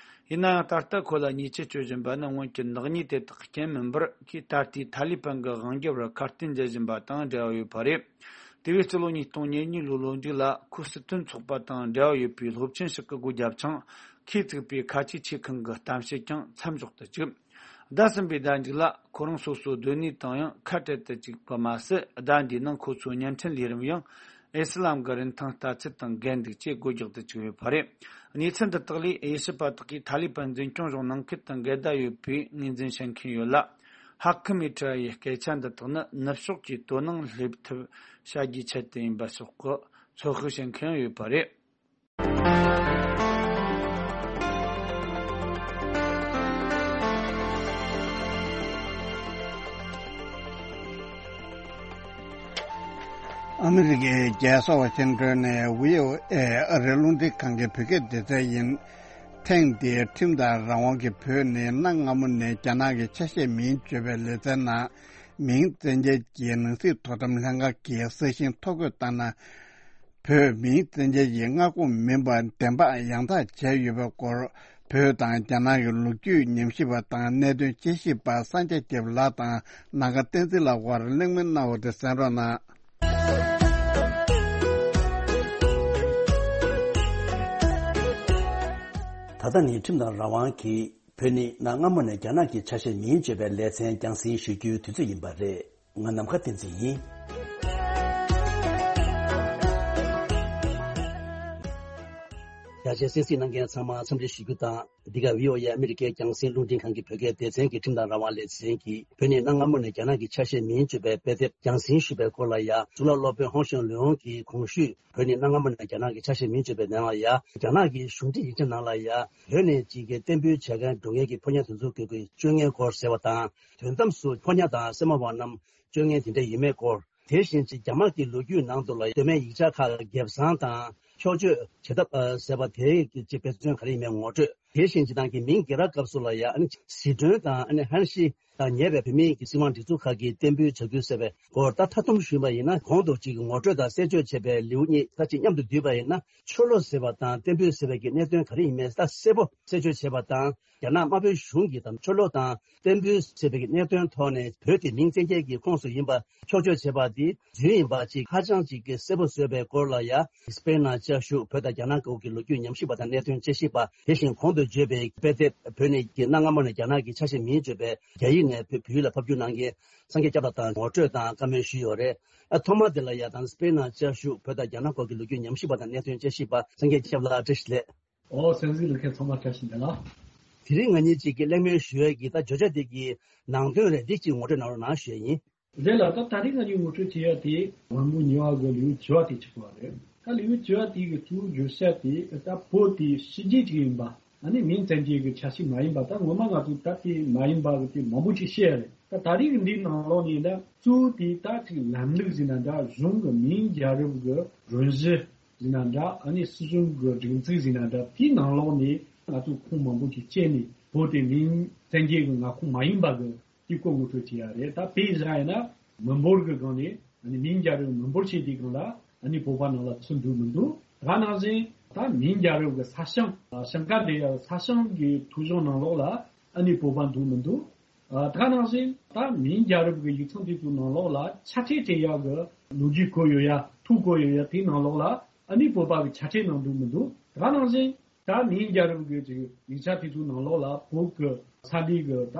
ཡིན་ན་ཡང་། ད་ལྟ་ཁོ་ལ་ཉེས་ཆད་གཅོད་བཞིན་པ་ནི། སྔོན་གྱི་ནག་ཉེས་དེ་དག་རྐྱེན་མིན་པར། ཁོས་ད་ལྟའི་ཐ་ལི་པན་གྱི་དབང་སྒྱུར་བར་ཁ་གཏད་འཇལ་བཞིན་པ་དང་འབྲེལ་བ་ཡོད་པ་རེད། དེ་བས། སྤྱི་ལོ་ཉིས་སྟོང་ཉེར་གཉིས་ལོའི་ལོ་མཇུག་ལ། ཁོའི་སྲིད་དོན་ཚོགས་པ་དང་འབྲེལ་བ་ཡོད་པའི་སློབ་ཆེན་ཞིག་གིས་སྒོ་བརྒྱབ་ཅིང་། ཁོས་བཙུགས་པའི་ཁ་ཆེའི་ཆེ་ཁང་གི་གཏམ་བཤད་ཀྱང་མཚམས་འཇོག་ཏུ་བཅུག། ཟླ་གསུམ་པའི་ཟླ་མཇུག་ལ། ཁོ་རང་སོ་སོའི་སྡོད་གནས་དང་ཡང་ཁ་བྲལ་དུ་བཅུག་པ་མ་ཟད། ཟླ་འདིའི་ནང་ཁོ་ཚོའི་བརྙན་འཕྲིན་ལས་རིམ་ཡང་ཨི་སི་ལམ་གྱི་རིན་ཐང་ལྟ་ཚུལ་དང་འགལ་འདུག་ཅེས་སྒོ་རྒྱག་ཏུ་བཅུག་ཡོད་པ་རེད། གནས་ཚུལ་འདི་དག་ལས། དབྱེ་ཞིབ་པ་དག་གིས་ཐ་ལི་པན་འཛིན་སྐྱོང་གཞུང་ནང་ཁུལ་དུ་འགལ་ཟླ་ཡོད་པའི་ངོས་འཛིན་བྱེད་མཁན་ཡོད་ལ། ཧ་ཁི་མི་ཏྲ་ཡི་སྐད་ཆ་འདི་དག་ནི་ནུབ་ཕྱོགས་ཀྱིས་དོ་སྣང་སླེབས་ཐབས་བྱ་རྒྱུའི་ཆེད་དུ་ཡིན་པ་སོགས་ཀྱི་ཚོད་དཔག་བྱེད་མཁན་ཡོད་པ་རེད། ཨ་མི་རི་ཀའི་རྒྱལ་ས་ཝ་ཤིང་ཏོན་ནས་བྷི་ཨོ་ཨེ་ཨ་རིའི་རླུང་འཕྲིན་ཁང་གི་བོད་སྐད་སྡེ་ཚན་ཡིན། ཐེངས་འདིའི་ཁྲིམས་དང་རང་དབང་གི་བོད་ནི་གནའ་སྔ་མོ་ནས་རྒྱ་ནག་གི་ཆ་ཤས་མིན་བརྗོད་པའི་ལེ་ཚན་ནང་། མིང་བཙན་སྐྱེལ་གྱི་ནང་སྲིད་དོ་དམ་ལྷན་ཁང་གིས་གསལ་ཞིང་ཐོ་འགོད་བཏང་ན། བོད་མིང་བཙན་སྐྱེལ་གྱི་མངའ་ཁོངས་མིན་པ་བདེན་དཔང་ཡང་དག་བྱས་ཡོད་པའི་སྐོར། བོད་དང་རྒྱ་ནག་གི་ལོ་རྒྱུས་ཉམས་ཞིབ་པ་དང་གནད་དོན་དཔྱད་ཞིབ་པ་སངས་རྒྱས་སྐྱབས་ལགས་དང་ནམ་མཁའ་བསྟན་འཛིན་ལགས་དབར་གླེང་མོལ་གནང་བ་དེ་གསན་རོགས་གནང་། ད་ལྟ་ནི་ཁྲིམས་དང་རང་དབང་གིས་བོད་ནི་གནའ་སྔ་མོ་ནས་རྒྱ་ནག་གི་ཆ་ཤས་མིན་བརྗོད་པའི་ལེ་ཚན་རྒྱང་སྲིང་ཞུ་རྒྱུའི་དུས་ཚོད་ཡིན་པ་རེད། ང་ནམ་མཁའ་བསྟན་འཛིན་ཡིན། རྒྱ་ཆེའི་གསན་གཟིགས་གནང་མཁན་ཚང་མ་འཚམས་འདྲི་ཞུ་རྒྱུ་དང་། འདི་ག་བྷི་ཨོ་ཨེ་ཨ་མི་རི་ཀའི་རྒྱང་སྲིང་རླུང་འཕྲིན་ཁང་གི་བོད་སྐད་སྡེ་ཚན་གྱི་ཁྲིམས་དང་རང་དབང་ལེ་ཚན་གྱིས་བོད་ནི་གནའ་སྔ་མོ་ནས་རྒྱ་ནག་གི་ཆ་ཤས་མིན་བརྗོད་པའི་དཔེ་དེབ་རྒྱང་སྲིང་ཞུས་པའི་སྐོར་ལ་ཡ། གཙུག་ལག་སློབ་དཔོན་ཧོང་ཞང་ལུའུ་གིས་གོང་ཞུས་བོད་ནི་གནའ་སྔ་མོ་ནས་རྒྱ་ནག་གི་ཆ་ཤས་མིན་བརྗོད་པའི་ནང་ལ་ཡ། རྒྱ་ནག་གི་གཞུང་འབྲེལ་ཡིག་ཆ་ནང་ལ་ཡ། བོད་ནས་ཅིག་གི་གཏན་འབེབས་བྱེད་མཁན་འགྲོ་མཁན་གྱི་ཕོ་ཉ་དེ་ཚོ་གི་གི་སྤྱོད་ངན་སྐོར་ཟེར་བ་དང་། དོན་དམ་སུ་ཕོ་ཉ་དང་སེར་མོ་བ་རྣམས་སྤྱོད་ངན་དེ་འདྲ་ཡིན་མེད་སྐོར། དེ་བཞིན་ཅིག་རྒྱ་དམར་གྱི་ལོ་རྒྱུས་ནང་དུ་ལ་གདོད་མའི་ཡིག་ཆ་ཁག་གི་སྒེབ་བཟང་དང་འཁྱོག་བརྗོད་བྱེད་ཐབས་ཟེར་བ་དེ་གི་ཅིག་དཔེ་མཚོན་ག་རེ་ཡིན་མེད་ངོ་སྤྲོད། དེ་བཞིན་ཅིག་ཏང་གི་མིང་རྒྱལ་རབས་སྐབས་སུ་ལ་ཡ་ཨ་ནི་ཟི་ཁྲོན་དང་ཨ་ནི་ཧན་ཤི་དང་ཉེ་བའི་བོད་མིའི་གི་སྲིད་དབང་སྒྲིག་འཛུགས་ཁག་གིས་གཏན་འབེབས་བྱ་རྒྱུ་ཟེར་བའི་སྐོར། ད་མཐའ་སྡོམ་ཞུས་པ་ཡིན་ན་གོང་དུ་ཅིག་ངོ་སྤྲོད་དང་གསལ་བརྗོད་བྱས་པའི་ལེའུ་གཉིས་ད་ཅིག་མཉམ་དུ་བསྡུས་པ་ཡིན་ན། ཆོ་ལོ་ཟེར་བ་དང་གཏན་འབེབས་ཟེར་བའི་གི་གནད་དོན་ག་རེ་ཡིན་མེད་ད་གསལ་པོ་གསལ་བརྗོད་བྱས་པ་དང་། རྒྱ་ནག་དམར་པོའི་གཞུང་གིས་དང་ཆོ་ལོ་དང་གཏན་འབེབས་ཟེར་བའི་གི་གནད་དོན་ཐོག་ནས་བོད་དེ་མིང་བཙན་སྐྱེལ་གྱི་ཁོངས་སུ་ཡིན་པ་འཁྱོག་བརྗོད་བྱས་པ་དེ་རྫུན་ཡིན་པ་ཅིག་ཧ་ཅང་ཅིག་གི་གསལ་པོ་བཟོས་པའི་སྐོར་ལ་ཡ། སྤེན་ནང་བཅའ་བཞུགས་བོད་དང་རྒྱ་ནག་སྐོར་གྱི་ལོ་རྒྱུས་ཉམས་ཞིབ་པ་དང་གནད་དོན་དཔྱད་ཞིབ་པ། དེ་བཞིན་གོང་དུ་བརྗོད་པའི་དཔེ་དེབ་བོད་ནས་ཀྱི་གནའ་སྔ་མོ་ནས་རྒྱ་ནག་གི་ཆ་ཤས་མིན་བརྗོད་པའི་རྒྱ་ཡིག་ནས་བོད་བོད་ཡིག་ལ་ཕབ་བསྒྱུར་གནང་མཁན་སངས་རྒྱས་སྐྱབས་ལགས་དང་ངོ་སྤྲོད་དང་བཀའ་མོལ་ཞུས་ཡོད་རེད། ཨ་ཐོག་མ་དེ་ལ་ཡ་དང་སྤེན་ནང་བཅའ་བཞུགས་བོད་དང་རྒྱ་ནག་སྐོར་གྱི་ལོ་རྒྱུས་ཉམས་ཞིབ་པ་དང་གནད་དོན་དཔྱད་ཞིབ་པ་སངས་རྒྱས་སྐྱབས་ལགས་བཀྲ་ཤིས་བདེ་ལེགས། ཨོ་སེམས་གཟིགས་ལ་མཁན་ཚང་མ་བཀྲ་ཤིས་བདེ་ལེགས། དེ་རིང་ང་གཉིས་གཅིག་གི་གླེང་མོལ་ཞུ་ཡས་ཀྱི་ད་བརྗོད་བྱ་དེ་གི་ནང་དོན་རེད་འདི་གཅིག་ངོ་སྤྲོད་གནང་རོགས་གནང་ཞུ་ཡས་ཡིན། རེད་ལ་ད་ད་རིང་ང་གཉིས་ངོ་སྤྲོད་བྱེད་ཡ་དེ་དབང་པོ་ཉེ་བ་གི་ལེའུ་བཅུ་བ་དེ་ཆགས་པ་རེད། ད་ལེའུ་བཅུ་བ་དེ་གི་གཙོ་བོ་བརྗོད་བྱ་དེ་ད་བོད་དེ་ཕྱི་རྒྱལ་ཅིག་ཡིན་པ། ཨ་ནི་མིང་བཙན་སྐྱེལ་གྱི་ཆ་ཤས་མ་ཡིན་པ་ད་ངོ་མ་ང་ཚོ་ད་དེ་མ་ཡིན་པ་གི་དེ་མང་པོ་ཅིག་བཤད་ཡ་རེད། ད་ད་རེས་ཀྱི་འདིའི་ནང་ལོགས་ནས་ད་གཙོ་བོ་དེ་ད་ཅིག་ལམ་ལུགས་ཟེར་ན་འདྲ་གཞུང་གི་མིང་རྒྱལ་རབས་ཀྱི་རོན་གཞི་ཟེར་ན་འདྲ་ཨ་ནི་སྲིད་གཞུང་གི་སྒྲིག་འཛུགས་ཟེར་ན་འདྲ་དེའི་ནང་ལོགས་ནས་ང་ཚོ་ཁུངས་མང་པོ་ཅིག་བཅད་ནས་བོད་དེ་མིང་བཙན་སྐྱེལ་གྱི་མངའ་ཁོངས་མ་ཡིན་པ་གི་དེའི་སྐོར་ངོ་སྤྲོད་བྱེད་ཡ་རེད། ད་དཔེ་བཞག་ཡིན་ན་མི་འབོར་གྱི་སྒང་ནས་ཨ་ནི་མིང་རྒྱལ་རབས་མི་འབོར་ཆེ་དེའི་སྒང་ལ་ཨ་ནི་བོད་པ་ནང་ལ་ཚུད་འདུག་མི་འདུག་ད་ནང་བཞིན་ད་མིང་རྒྱལ་རབས་ཀྱི་ས་ཞིང་ཞིང་ཁ་འབྲེལ་ཡ་ས་ཞིང་གི་ཐོ་གཞུང་ནང་ལོགས་ལ་ཨ་ནི་བོད་པ་འདུག་མི་འདུག་ད་ནང་བཞིན་ད་མིང་རྒྱལ་རབས་ཀྱི་ཡིག་ཚང་དེ་ཚོའི་ནང་ལོགས་ལ་ཆ་ཁྲལ་སྤྲད་ཡག་གི་ལོ་རྒྱུས་བཀོད་ཡོད་ཡ་ཐོ་བཀོད་ཡོད་ཡ་དེའི་ནང་ལོགས་ལ་ཨ་ནི་བོད་པ་གི་ཆ་ཁྲལ་གནང་འདུག་མི་འདུག་ད་ནང་བཞིན་ད་མིང་རྒྱལ་རབས་ཀྱི་ཅིག་ཡིག་ཆ་དེ་ཚོའི་ནང་ལོགས་ལ་བོད་ཀྱི་ས་གནས་ཀྱི་ད་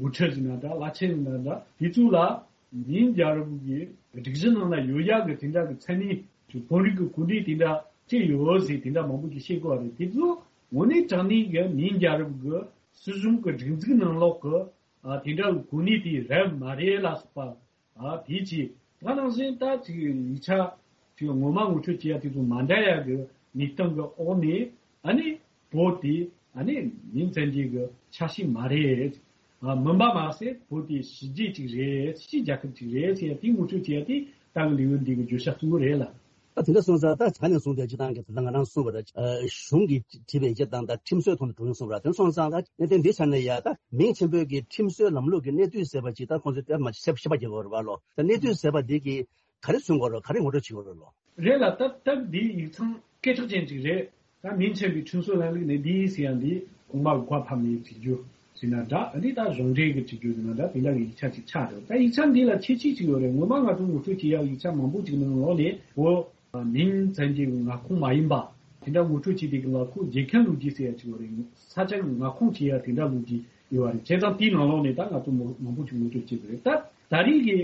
འགོ་ཁྲིད་ཟེར་ན་འདྲ་བླ་ཆེན་ཟེར་ན་འདྲ་དེ་ཚོ་ལ་མིང་རྒྱལ་རབས་ཀྱི་སྒྲིག་གཞི་ནང་ན་ཡོད་ཡག་གི་དེ་འདྲ་གི་མཚན་གནས་ཅིག་བོད་རིགས་ཀྱི་གོ་གནས་དེ་འདྲ་སྤྲད་ཡོད་ཟེར་དེ་འདྲ་མང་པོ་ཅིག་བཤད་གོ་བ་རེད། དེ་ཚོ་དངོས་གནས་དྲང་གནས་ཀྱི་མིང་རྒྱལ་རབས་ཀྱི་སྲིད་གཞུང་གི་སྒྲིག་འཛུགས་ནང་ལོགས་ཀྱི་ཨ་དེ་འདྲ་གི་གོ་གནས་དེ་རེད་མ་རེད་ལ་སོགས་པ། ཨ་དེའི་ཆེད་ད་ནང་བཞིན་ད་ཅིག་ཡིག་ཆ་ཅིག་ངོ་མ་ངོ་སྤྲོད་བྱེད་ཡ་དེ་ཚོ་མ་འདྲ་ཡ་གི་གནས་སྟངས་གི་འོག་ནས་ཨ་ནི་བོད་དེ་ཨ་ནི་མིང་བཙན་སྐྱེལ་གི་ཆ་ཤས་མ་རེད། ཨ་མིན་པ་མ་ཟད་བོད་དེ་ཕྱི་རྒྱལ་ཅིག་རེད། ཕྱི་རྒྱལ་ཁབ་ཅིག་རེད་ཟེར་ཡ་དེ་ངོ་སྤྲོད་བྱེད་ཡ་དེ་ད་གི་ལེའུ་འདི་གི་བརྗོད་བྱ་གཙོ་བོ་རེད་ལ། ད་དེ་འདྲ་སོང་ཙང་ད་ད་ནས་བཟུང་སྟེ་སྤྱི་བཏང་གི་ད་ལྟ་ང་རང་གསུངས་པ་རེད། གཞུང་གིས་བྲིས་པའི་ཡིག་ཆ་དང་ད་ཁྲིམས་སྲོལ་ཐོག་ནས་འགྲོ་ཡོང་གསུངས་པ་རེད། དེ་སོང་ཙང་ད་གནད་དོན་འདི་ཆ་ནས་ཡ་ད་མིང་ཆེན་པོའི་གི་ཁྲིམས་སྲོལ་ལམ་ལུགས་ཀྱི་གནས་བསྡུས་ཟེར་བ་ཅིག་ད་ཁོང་ཚོས་དེ་མ་ཤེས་པ་བྱེད་དགོས་རེད་བ་ལོ། ད་གནས་བསྡུས་ཟེར་བ་འདི་གི་ག་རེ་མཚོན་དགོས་རེད། ག་རེ་ངོ་སྤྲོད་བྱེད་དགོས་རེད་ལོ། རེད་ལ་ད་ད་འདི་ཡིག་ཚང་སྐད་གྲགས་ཅན་ཅིག་རེད། ད་མིང་ཆེན་པོའི་ཁྲིམས་སྲོལ་ལམ་ལུགས་གནས་བསྡུས་ཟེར་ཡ་འདི་གོང་མ་གི་བཀའ་ཕབ་ནས་བྲིས་རྒྱུ་ཟེར་ན་འདྲ། ཨ་ནི་ད་གཞུང་འབྲེལ་གྱི་བྲིས་རྒྱུ་ཟེར་ན་འདྲ། དེ་འདྲ་གི་ཡིག་ཆ་ཅིག་ཆགས་འདུག་ད་ཡིག་ཆ་འདི་ལ་ཁྱད་ཆོས་ཅིག་ཡོད་རེད། ངོ་མ་ང་ཚོ་ངོ་སྤྲོད་བྱེད་ཡག་ཡིག་ཆ་མང་པོ་ཅིག་ནང་ལོགས་ནས་བོད་མིང་བཙན་སྐྱེལ་གྱི་མངའ་ཁོངས་མ་ཡིན་པ་དེ་འདྲ་ངོ་སྤྲོད་བྱེད་དུས་སྒང་ལ་ཁོ་རྒྱལ་ཁའི་ལོ་རྒྱུས་ཟེར་ཡ་ཅིག་ཡོད་རེད། ས་ཆ་གི་མངའ་ཁོངས་བྱེད་ཡ་དེ་འདྲ་ལོ་རྒྱུས་ཡོད་པ་རེད། བྱས་ཙང་དེའི་ནང་ལོགས་ནས་ད་ང་ཚོ་མང་པོ་ཅིག་ངོ་སྤྲོད་བྱེད་དགོས་རེད། ད་ད་རེས་ཀྱི་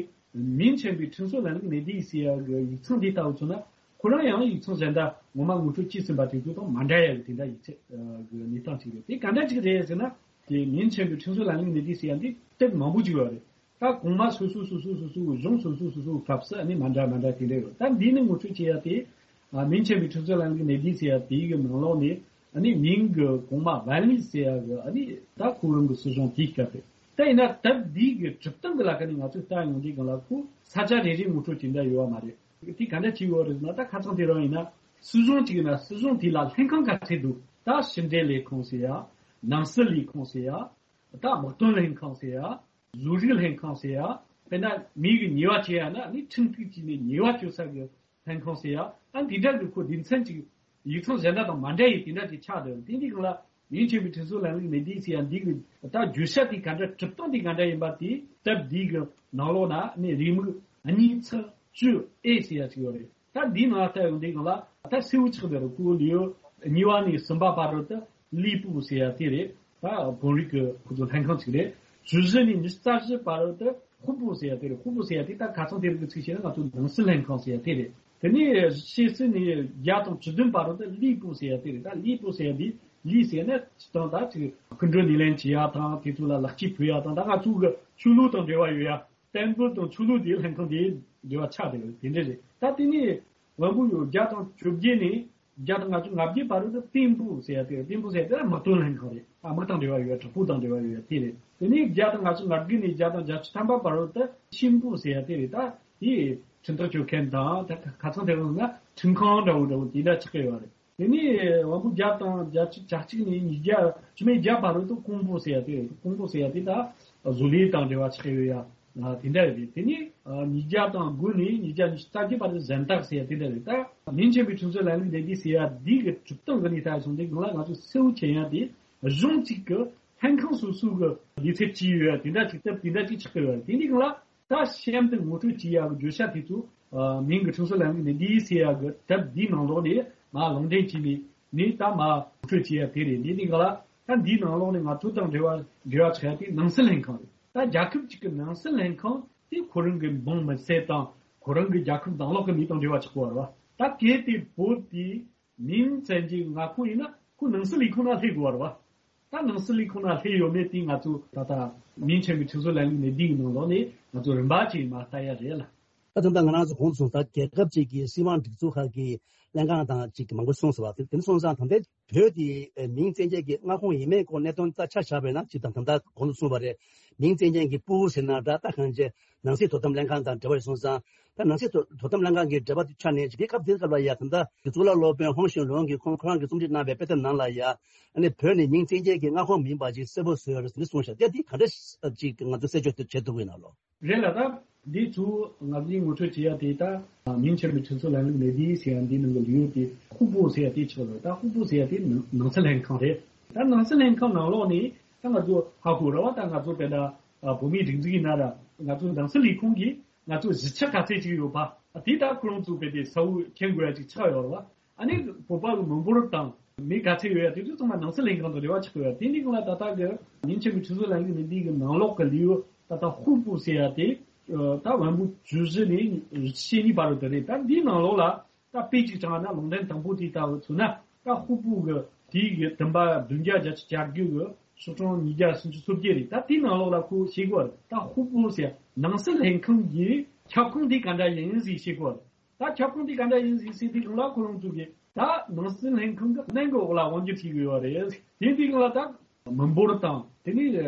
མིང་ཆེན་པོའི་ཁྲིམས་སྲོལ་ལམ་ལུགས་གནས་བསྡུས་ཟེར་ཡ་གི་ཡིག་ཚང་འདི་ལྟ་བུ་མཚོན་ན་ཁོ་རང་ཡང་ཡིག་ཚང་གཞན་དག་ངོ་མ་ངོ་སྤྲོད་བྱས་ཟིན་པ་དེ་ཚོ་དང་མ་འདྲ་ཡ་གི་དེ་འདྲ་ཡིག་ཆ་གི་གནས་སྟངས་ཅིག་རེད། དེ་ག་འདྲ་ཅིག་རེད་ཟེར་ན་དེ་མིང་ཆེན་པོའི་ཁྲིམས་སྲོལ་ལམ་ལུགས་གནས་བསྡུས་ཟེར་ཡ་འདི་དེབ་མང་པོ་ཅིག་ཡོད་རེད། ད་གོང་མ་སོ་སོ་སོ་སོ་སོ་སོ་གཞུང་སོ་སོ་སོ་སོའི་སྐབས་སུ་ཨ་ནི་མ་འདྲ་མ་འདྲ་དེ་འདྲ་ཡོད། ད་འདི་ནི་ངོ་སྤྲོད་བྱེད་ཡ་དེ་ཨ་མིང་ཆེན་པོའི་ཁྲིམས་སྲོལ་ལམ་ལུགས་གནས་བསྡུས་ཟེར་ཡ་དེའི་གི་ནང་ལོགས་ནས་ཨ་ནི་མིང་གི་གོང་མ་ཝན་ལི་ཟེར་ཡ་གི་ཨ་ནི་ད་ཁོ་རང་གི་སྲིད་གཞུང་དེའི་སྐབས་རེད། ད་ཡིན་ན་ད་འདི་གི་གྲུབ་སྟངས་གི་ལ་ཁ་ནས་ང་ཚོས་ལྟ་ཡོང་དུས་སྒང་ལ་ཁོ་ས་ཆ་རེ་རེ་ངོ་སྤྲོད་དེ་འདྲ་ཡོད་པ་མ་རེད། དེ་ག་འདྲ་བྱས་ཡོད་རེད་ཟེར་ན། ད་ཁ་སང་དེ་རིང་ཡིན་ན་སྲིད་གཞུང་གཅིག་ཡིན་ན་སྲིད་གཞུང་དེ་ལ་ལྷན་ཁང་ག་ཚད་འདུག་ད་ཕྱི་འབྲེལ་ལས་ཁུངས་ཟེར་ཡ། ནང་སྲིད་ལས་ཁུངས་ཟེར་ཡ། ད་དམག་དོན་ལྷན་ཁང་ཟེར་ཡ། བཟོ་རིག་ལྷན་ཁང་ཟེར་ཡ། དཔེར་ན་མི་གི་ཉེས་པ་བཅོས་ཡ་ན་ནི་ཁྲིམས་གཏུག་བྱས་ནས་ཉེས་པ་བཅོས་ས་གི་ལྷན་ཁང་ཟེར་ཡ། ཨ་འདི་འདྲ་གི་ཁོ་སྡེ་ཚན་གཅིག་ཡིག་ཚང་གཞན་དག་དང་མ་འདྲ་ཡི་དེ་འདྲ་ཅིག་ཆགས་འདུག་དེ་འདི་གང་ལ་མིང་ཆེན་པོའི་ཁྲིམས་སྲོལ་ལམ་ལུགས་མི་འདི་ཟེར་ཡ་འདི་གི་ད་བརྗོད་བྱ་དེ་ག་འདྲ་གྲུབ་སྟངས་དེ་ག་འདྲ་ཡིན་པ་དེ་སྟབས་འདི་གི་ནང་ལོགས་ན་ནི་རེའུ་མིག་གཉིས་ཚེག་བཅུ་ཨེ་ཟེར་ཡ་ཅིག་ཡོད་རེད། ད་འདི་ནང་ལྟ་ཡོང་དུས་སྒང་ལ་ད་གསལ་བོ་ཆགས་པའི་རུ་སྐུ་ལུས་གཉིས་པ་ནས་གསུམ་པ་བར་དུ་ད་ལི་པུ་ཟེར་ཡ་དེ་རེད། ད་བོད་རིགས་ཀྱི་ཁོ་ཚོ་ལྷན་ཁང་ཅིག་རེད། བཅུ་བཞི་ནས་ཉི་ཤུ་རྩ་བཞི་བར་དུ་ད་ཧུ་པུ་ཟེར་ཡ་དེ་རེད། ཧུ་པུ་ཟེར་ཡ་དེ་ད་ཁ་སང་དེ་རིང་གི་ཚིག་བཤད་ན་ང་ཚོ་ནང་སྲིད་ལྷན་ཁང་ཟེར་ཡ་དེ་རེད། དེ་ནས་ཕྱི་སྲིད་ནས་བརྒྱ་དང་བཅུ་བདུན་བར་དུ་ད་ལི་པུ་ཟེར་ཡ་དེ་རེད། ད་ལི་པུ་ཟེར་ཡ་དེ་ལི་ཟེར་ན་སྤྱིར་བཏང་ད་ཅིག་སྐུ་མགྲོན་སྣེ་ལེན་བྱེད་ཡ་དང་དེ་ཚོ་ལ་ལེགས་སྐྱེས་ཕུལ་ཡ་དང་ད་ང་ཚོ་གི་ཆོས་ལུགས་དང་འབྲེལ་བ་ཡོད་ཡ། བསྟན་འབུལ་དང་ཆོས་ལུགས་དེའི་ལྷན་ཁང་དེའི་འབྲེལ་བ་ཆགས་བསྡད་ཡོད་དེ་འདྲ་རེད། ད་དེ་ནས་དབོན་པོ་ཡོད་བརྒྱ་དང་བཅོ་བརྒྱད་ནས་བརྒྱ་དང་ལྔ་བཅུ་ང་བརྒྱད་བར་དུ་ཏིང་ཕུ་ཟེར་ཡ་དེ་རེད། ཏིང་ཕུ་ཟེར་ཡ་དེ་ལ་དམག་དོན་ལྷན་ཁང་རེད། ཨ་དམག་དང་འབྲེལ་བ་ཡོད་ཡ། དྲག་པོ་དང་འབྲེལ་བ་ཡོད་ཡ་དེ་རེད། དེ་ནས་བརྒྱ་དང་ལྔ་བཅུ་ང་དགུ་ནས་བརྒྱ་དང་བརྒྱད་ཅུ་ཐམ་པ་བར་དུ་ཤིན་ཕུ་ཟེར་ཡ་དེ་རེད། ད་དེ་ཁྲིམས་ཐག་གཅོད་མཁན་དང་ད་ཁ་སང་དེ་རིང་ན་ཁྲིམས་ཁང་འདྲ་བོ་འདྲ་བོ་དེ་འདྲ་ཆགས་ཀྱི་ཡོད་རེད། དེ་ནས་དབང་པོ་བརྒྱ་དང་བརྒྱད་ཅུ་གྱ་གཅིག་ནས་ཉིས་བརྒྱ་བཅུ་མེད་བརྒྱད་བར་དུ་ཀོང་པོ་ཟེར་ཡ་དེ་རེད། ཀོང་པོ་ཟེར་ཡ་དེ་ད་བཟོ་ལས་དང་འབྲེལ་བ་ཆགས་ཡོད་ཡ་དེ་འདྲ་རེད། དེ་ནས་ཉིས་བརྒྱ་དང་དགུ་ནས་ཉིས་བརྒྱ་ཉི་ཤུ་རྩ་བརྒྱད་བར་དུ་གཟེངས་རྟགས་ཟེར་ཡ་དེ་འདྲ་རེད། ད་མིང་ཆེན་པོའི་ཁྲིམས་སྲོལ་ལམ་ལུགས་འདི་འདི་ཟེར་ཡ་འདི་གི་གྲུབ་སྟངས་གི་ནས་ད་སོང་དེ་གང་ལ་ང་ཚོ་གསལ་བོ་མཁྱེན་ཡ་དེ་གཞུང་གཅིག་གི་ལྷན་ཁང་སོ་སོ་གི་ལས་ཚབ་ཅི་ཡོད་ཡ་དེ་འདྲ་ཅིག་སྟབས་དེ་འདྲ་ཅིག་ཆགས་ཀྱི་ཡོད་ཡ། དེ་འདི་གང་ལ། ད་གཤམ་དུ་ངོ་སྤྲོད་བྱེད་ཡག་གི་བརྗོད་བྱ་དེ་ཚོ་མིང་གི་ཁྲིམས་སྲོལ་ལམ་ལུགས་ནི་འདི་ཟེར་ཡག་གི་དེབ་འདིའི་ནང་ལོགས་ནས་མ་ལུང་འདྲེན་བྱས་ནས་ནི་ད་མ་ངོ་སྤྲོད་བྱེད་ཡག་དེ་རེད། འདི་ནི་ག་ལ་ད་འདིའི་ནང་ལོགས་ནས་ང་ཚོ་དང་འབྲེལ་བ་འབྲེལ་བ་ཆགས་ཡག་དེ་ནང་སྲིད་ལྷན་ཁང་རེད། ད་རྒྱལ་ཁབ་ཅིག་གི་ནང་སྲིད་ལྷན་ཁང་དེ་ཁོ་རང་གི་འབངས་མི་སེར་དང་ཁོ་རང་གི་རྒྱལ་ཁབ་ནང་ལོགས་ཀྱི་མི་དང་འབྲེལ་བ་ཆགས་པ་རེད་བ། ད་གལ་ཏེ་བོད་དེ་མིང་བཙན་གྱི་མངའ་ཁོངས་ཡིན་ན་ཁོ་ནང་སྲིད་ལས་ཁུངས་ནང་སླེབས་དགོས་པ་རེད་བ། ད་ནང་སྲིད་ལས་ཁུངས་ནང་སླེབས་ཡོད་མེད་དེ་ང་ཚོ་ད་ལྟ་མིང་ཆེན་པོའི་ཁྲིམས་སྲོལ་ལམ་ལུགས་ནི་འདིའི་ནང་ལོགས་ནས་ང་ཚོ་རིམ་པ་ཅིག་མར་ལྟ་ཡ་རེད་ལ། ད་ད་ལྟ་ང་རང་ཚོ་གོང་དུ་སོང་ད་རྒྱལ་ཁབ་ཅིག་གི་སྲིད་དབང་སྒྲིག་འཛུགས་ཁག་གི་ལྷན་ཁང་དང་ཅིག་མང་པོ་གསུངས་སོང་བ། དེ་དེ་སོང་ཙང་ད་ལྟའི་བོད་དེ་མིང་བཙན་གྱི་མངའ་ཁོངས་ཡིན་མིན་སྐོར་གནད་དོན་ད་ཆ་བཞག་པ་ཡིན་ན་ཅིག་དང་ད་ལྟ་གོང་དུ་གསུངས་པ་རེད། མིང་བཙན་གྱི་པུའུ་ཟེར་ན་འདྲ། ད་གང་ཅི་ནང་སྲིད་དོ་དམ་ལྷན་ཁང་དང་འབྲེལ་བ་ཡོད་སོང་ཙང་། ད་ནང་སྲིད་དོ་དོ་དམ་ལྷན་ཁང་གི་འབྲེལ་བ་དེ་ཆ་ནས་དེ་སྐབས་དེ་སྐབས་ལ་ཡ་ད་ལྟ་གཙུག་ལག་སློབ་དཔོན་ཧོང་ཞུན་ལུང་གིས་ཁོང་ཁོ་རང་གིས་རྩོམ་སྒྲིག་གནང་བའི་དཔེ་དེབ་ནང་ལ་ཡ་ཨ་ནི་བོད་ནི་མིང་བཙན་གྱི་མངའ་ཁོངས་མིན་པ་ཅིག་གསལ་པོ་བཟོས་ཡོད་རེད་ཟེར་ནས་གསུངས་ཤག་དེ་དེ་ག་འདྲ་ཅིག་ང་ཚོ་གསལ་བརྗོད་དུ་བྱེད་ཐུབ་ཀྱི་ཡིན་ན་ལོ། རེད་ལ་ད་འདི་ཚོ་ང་ཚོས་ངོ་སྤྲོད་བྱེད་ཡ་དེ་ད་མིང་ཆེན་པོའི་ཁྲིམས་སྲོལ་ལམ་ལུགས་ལས་འདི་ཟེར་ཡ་འདི་ནང་གི་ལེའུ་དེ་ཧུ་པུ་ཟེར་ཡ་དེ་ཆགས་ཡོད། ད་ཧུ་པུ་ཟེར་ཡ་དེ་ནང་ནང་སྲིད་ལྷན་ཁང་རེད། ད་ནང་སྲིད་ལྷན་ཁང་ནང་ལོགས་ནས་ད་ང་ཚོ་ཧ་གོ་ར་བ། ད་ང་ཚོ་དཔེར་ན་བོད་མིའི་སྒྲིག་འཛུགས་ཡིན་ན་ར་ང་ཚོ་ནང་སྲིད་ལས་ཁུངས་ཀྱིས་ང་ཚོ་གཞིས་ཆགས་ག་ཚད་ཅིག་ཡོད་པ་དེ་ད་ཁོ་རང་ཚོ་དཔེ་དེ་གསལ་བོ་མཁྱེན་དགོས་ཡ་ཅིག་ཆགས་ཡོད་ར་བ། ཨ་ནི་བོད་པ་གི་མི་འབོར་དང་མི་ག་ཚད་ཡོད་ཡ་དེ་ཚོ་ཚང་མ་ནང་སྲིད་ལྷན་ཁང་དང་འབྲེལ་བ་ཆགས་ཡོད་ཡ། དེ་འདི་གང་ལ་ད་ལྟ་གི་མིང་ཆེན་པོའི་ཁྲིམས་སྲོལ་ལམ་ལུགས་ནི་འདི་གི་ནང་ལོགས་གི་ལེའུ་ད་ལྟ་ཧུ་པུ་ཟེར་ཡ་དེ་ད་དབོན་པོ་བཅུ་བཞི་ནས་བཞི་བཅུ་ཞེ་གཉིས་བར་དུ་དེ་རེད། ད་འདིའི་ནང་ལོགས་ལ་ད་དཔེ་གཅིག་དྲངས་ན་ལུང་འདྲེན་དང་པོ་དེ་ལྟ་བུ་མཚོན་ན་ད་ཧུ་པུ་གི་དེའི་གི་བདུན་པ་བདུན་བརྒྱ་བརྒྱད་ཅུ་གྱ་དགུ་གི་ཤོག་གྲངས་ཉིས་བརྒྱ་སུམ་ཅུ་སོ་བརྒྱད་རེད། ད་དེའི་ནང་ལོགས་ལ་ཁོ་ཤེས་དགོས་རེད། ད་ཧུ་པུ་ཟེར་ནང་སྲིད་ལྷན་ཁང་གི་ཁྱབ་ཁོངས་དེ་ག་འདྲ་ཡིན་ཟེར་ཤེས་དགོས་རེད། ད་ཁྱབ་ཁོངས་དེ་ག་འདྲ་ཡིན་ཟེར་ཟེར་དུས་སྒང་ལ་ཁོ་རང་ཚོ་གིས་ད་ནང་སྲིད་ལྷན་ཁང་གི་གནད་འགག་འོག་ལ་དབང་སྒྱུར་བྱེད་ཀྱི་ཡོད་རེད། དེ་དུས་སྒང་ལ་ད་མི་འབོར་དང་དེ་ནས་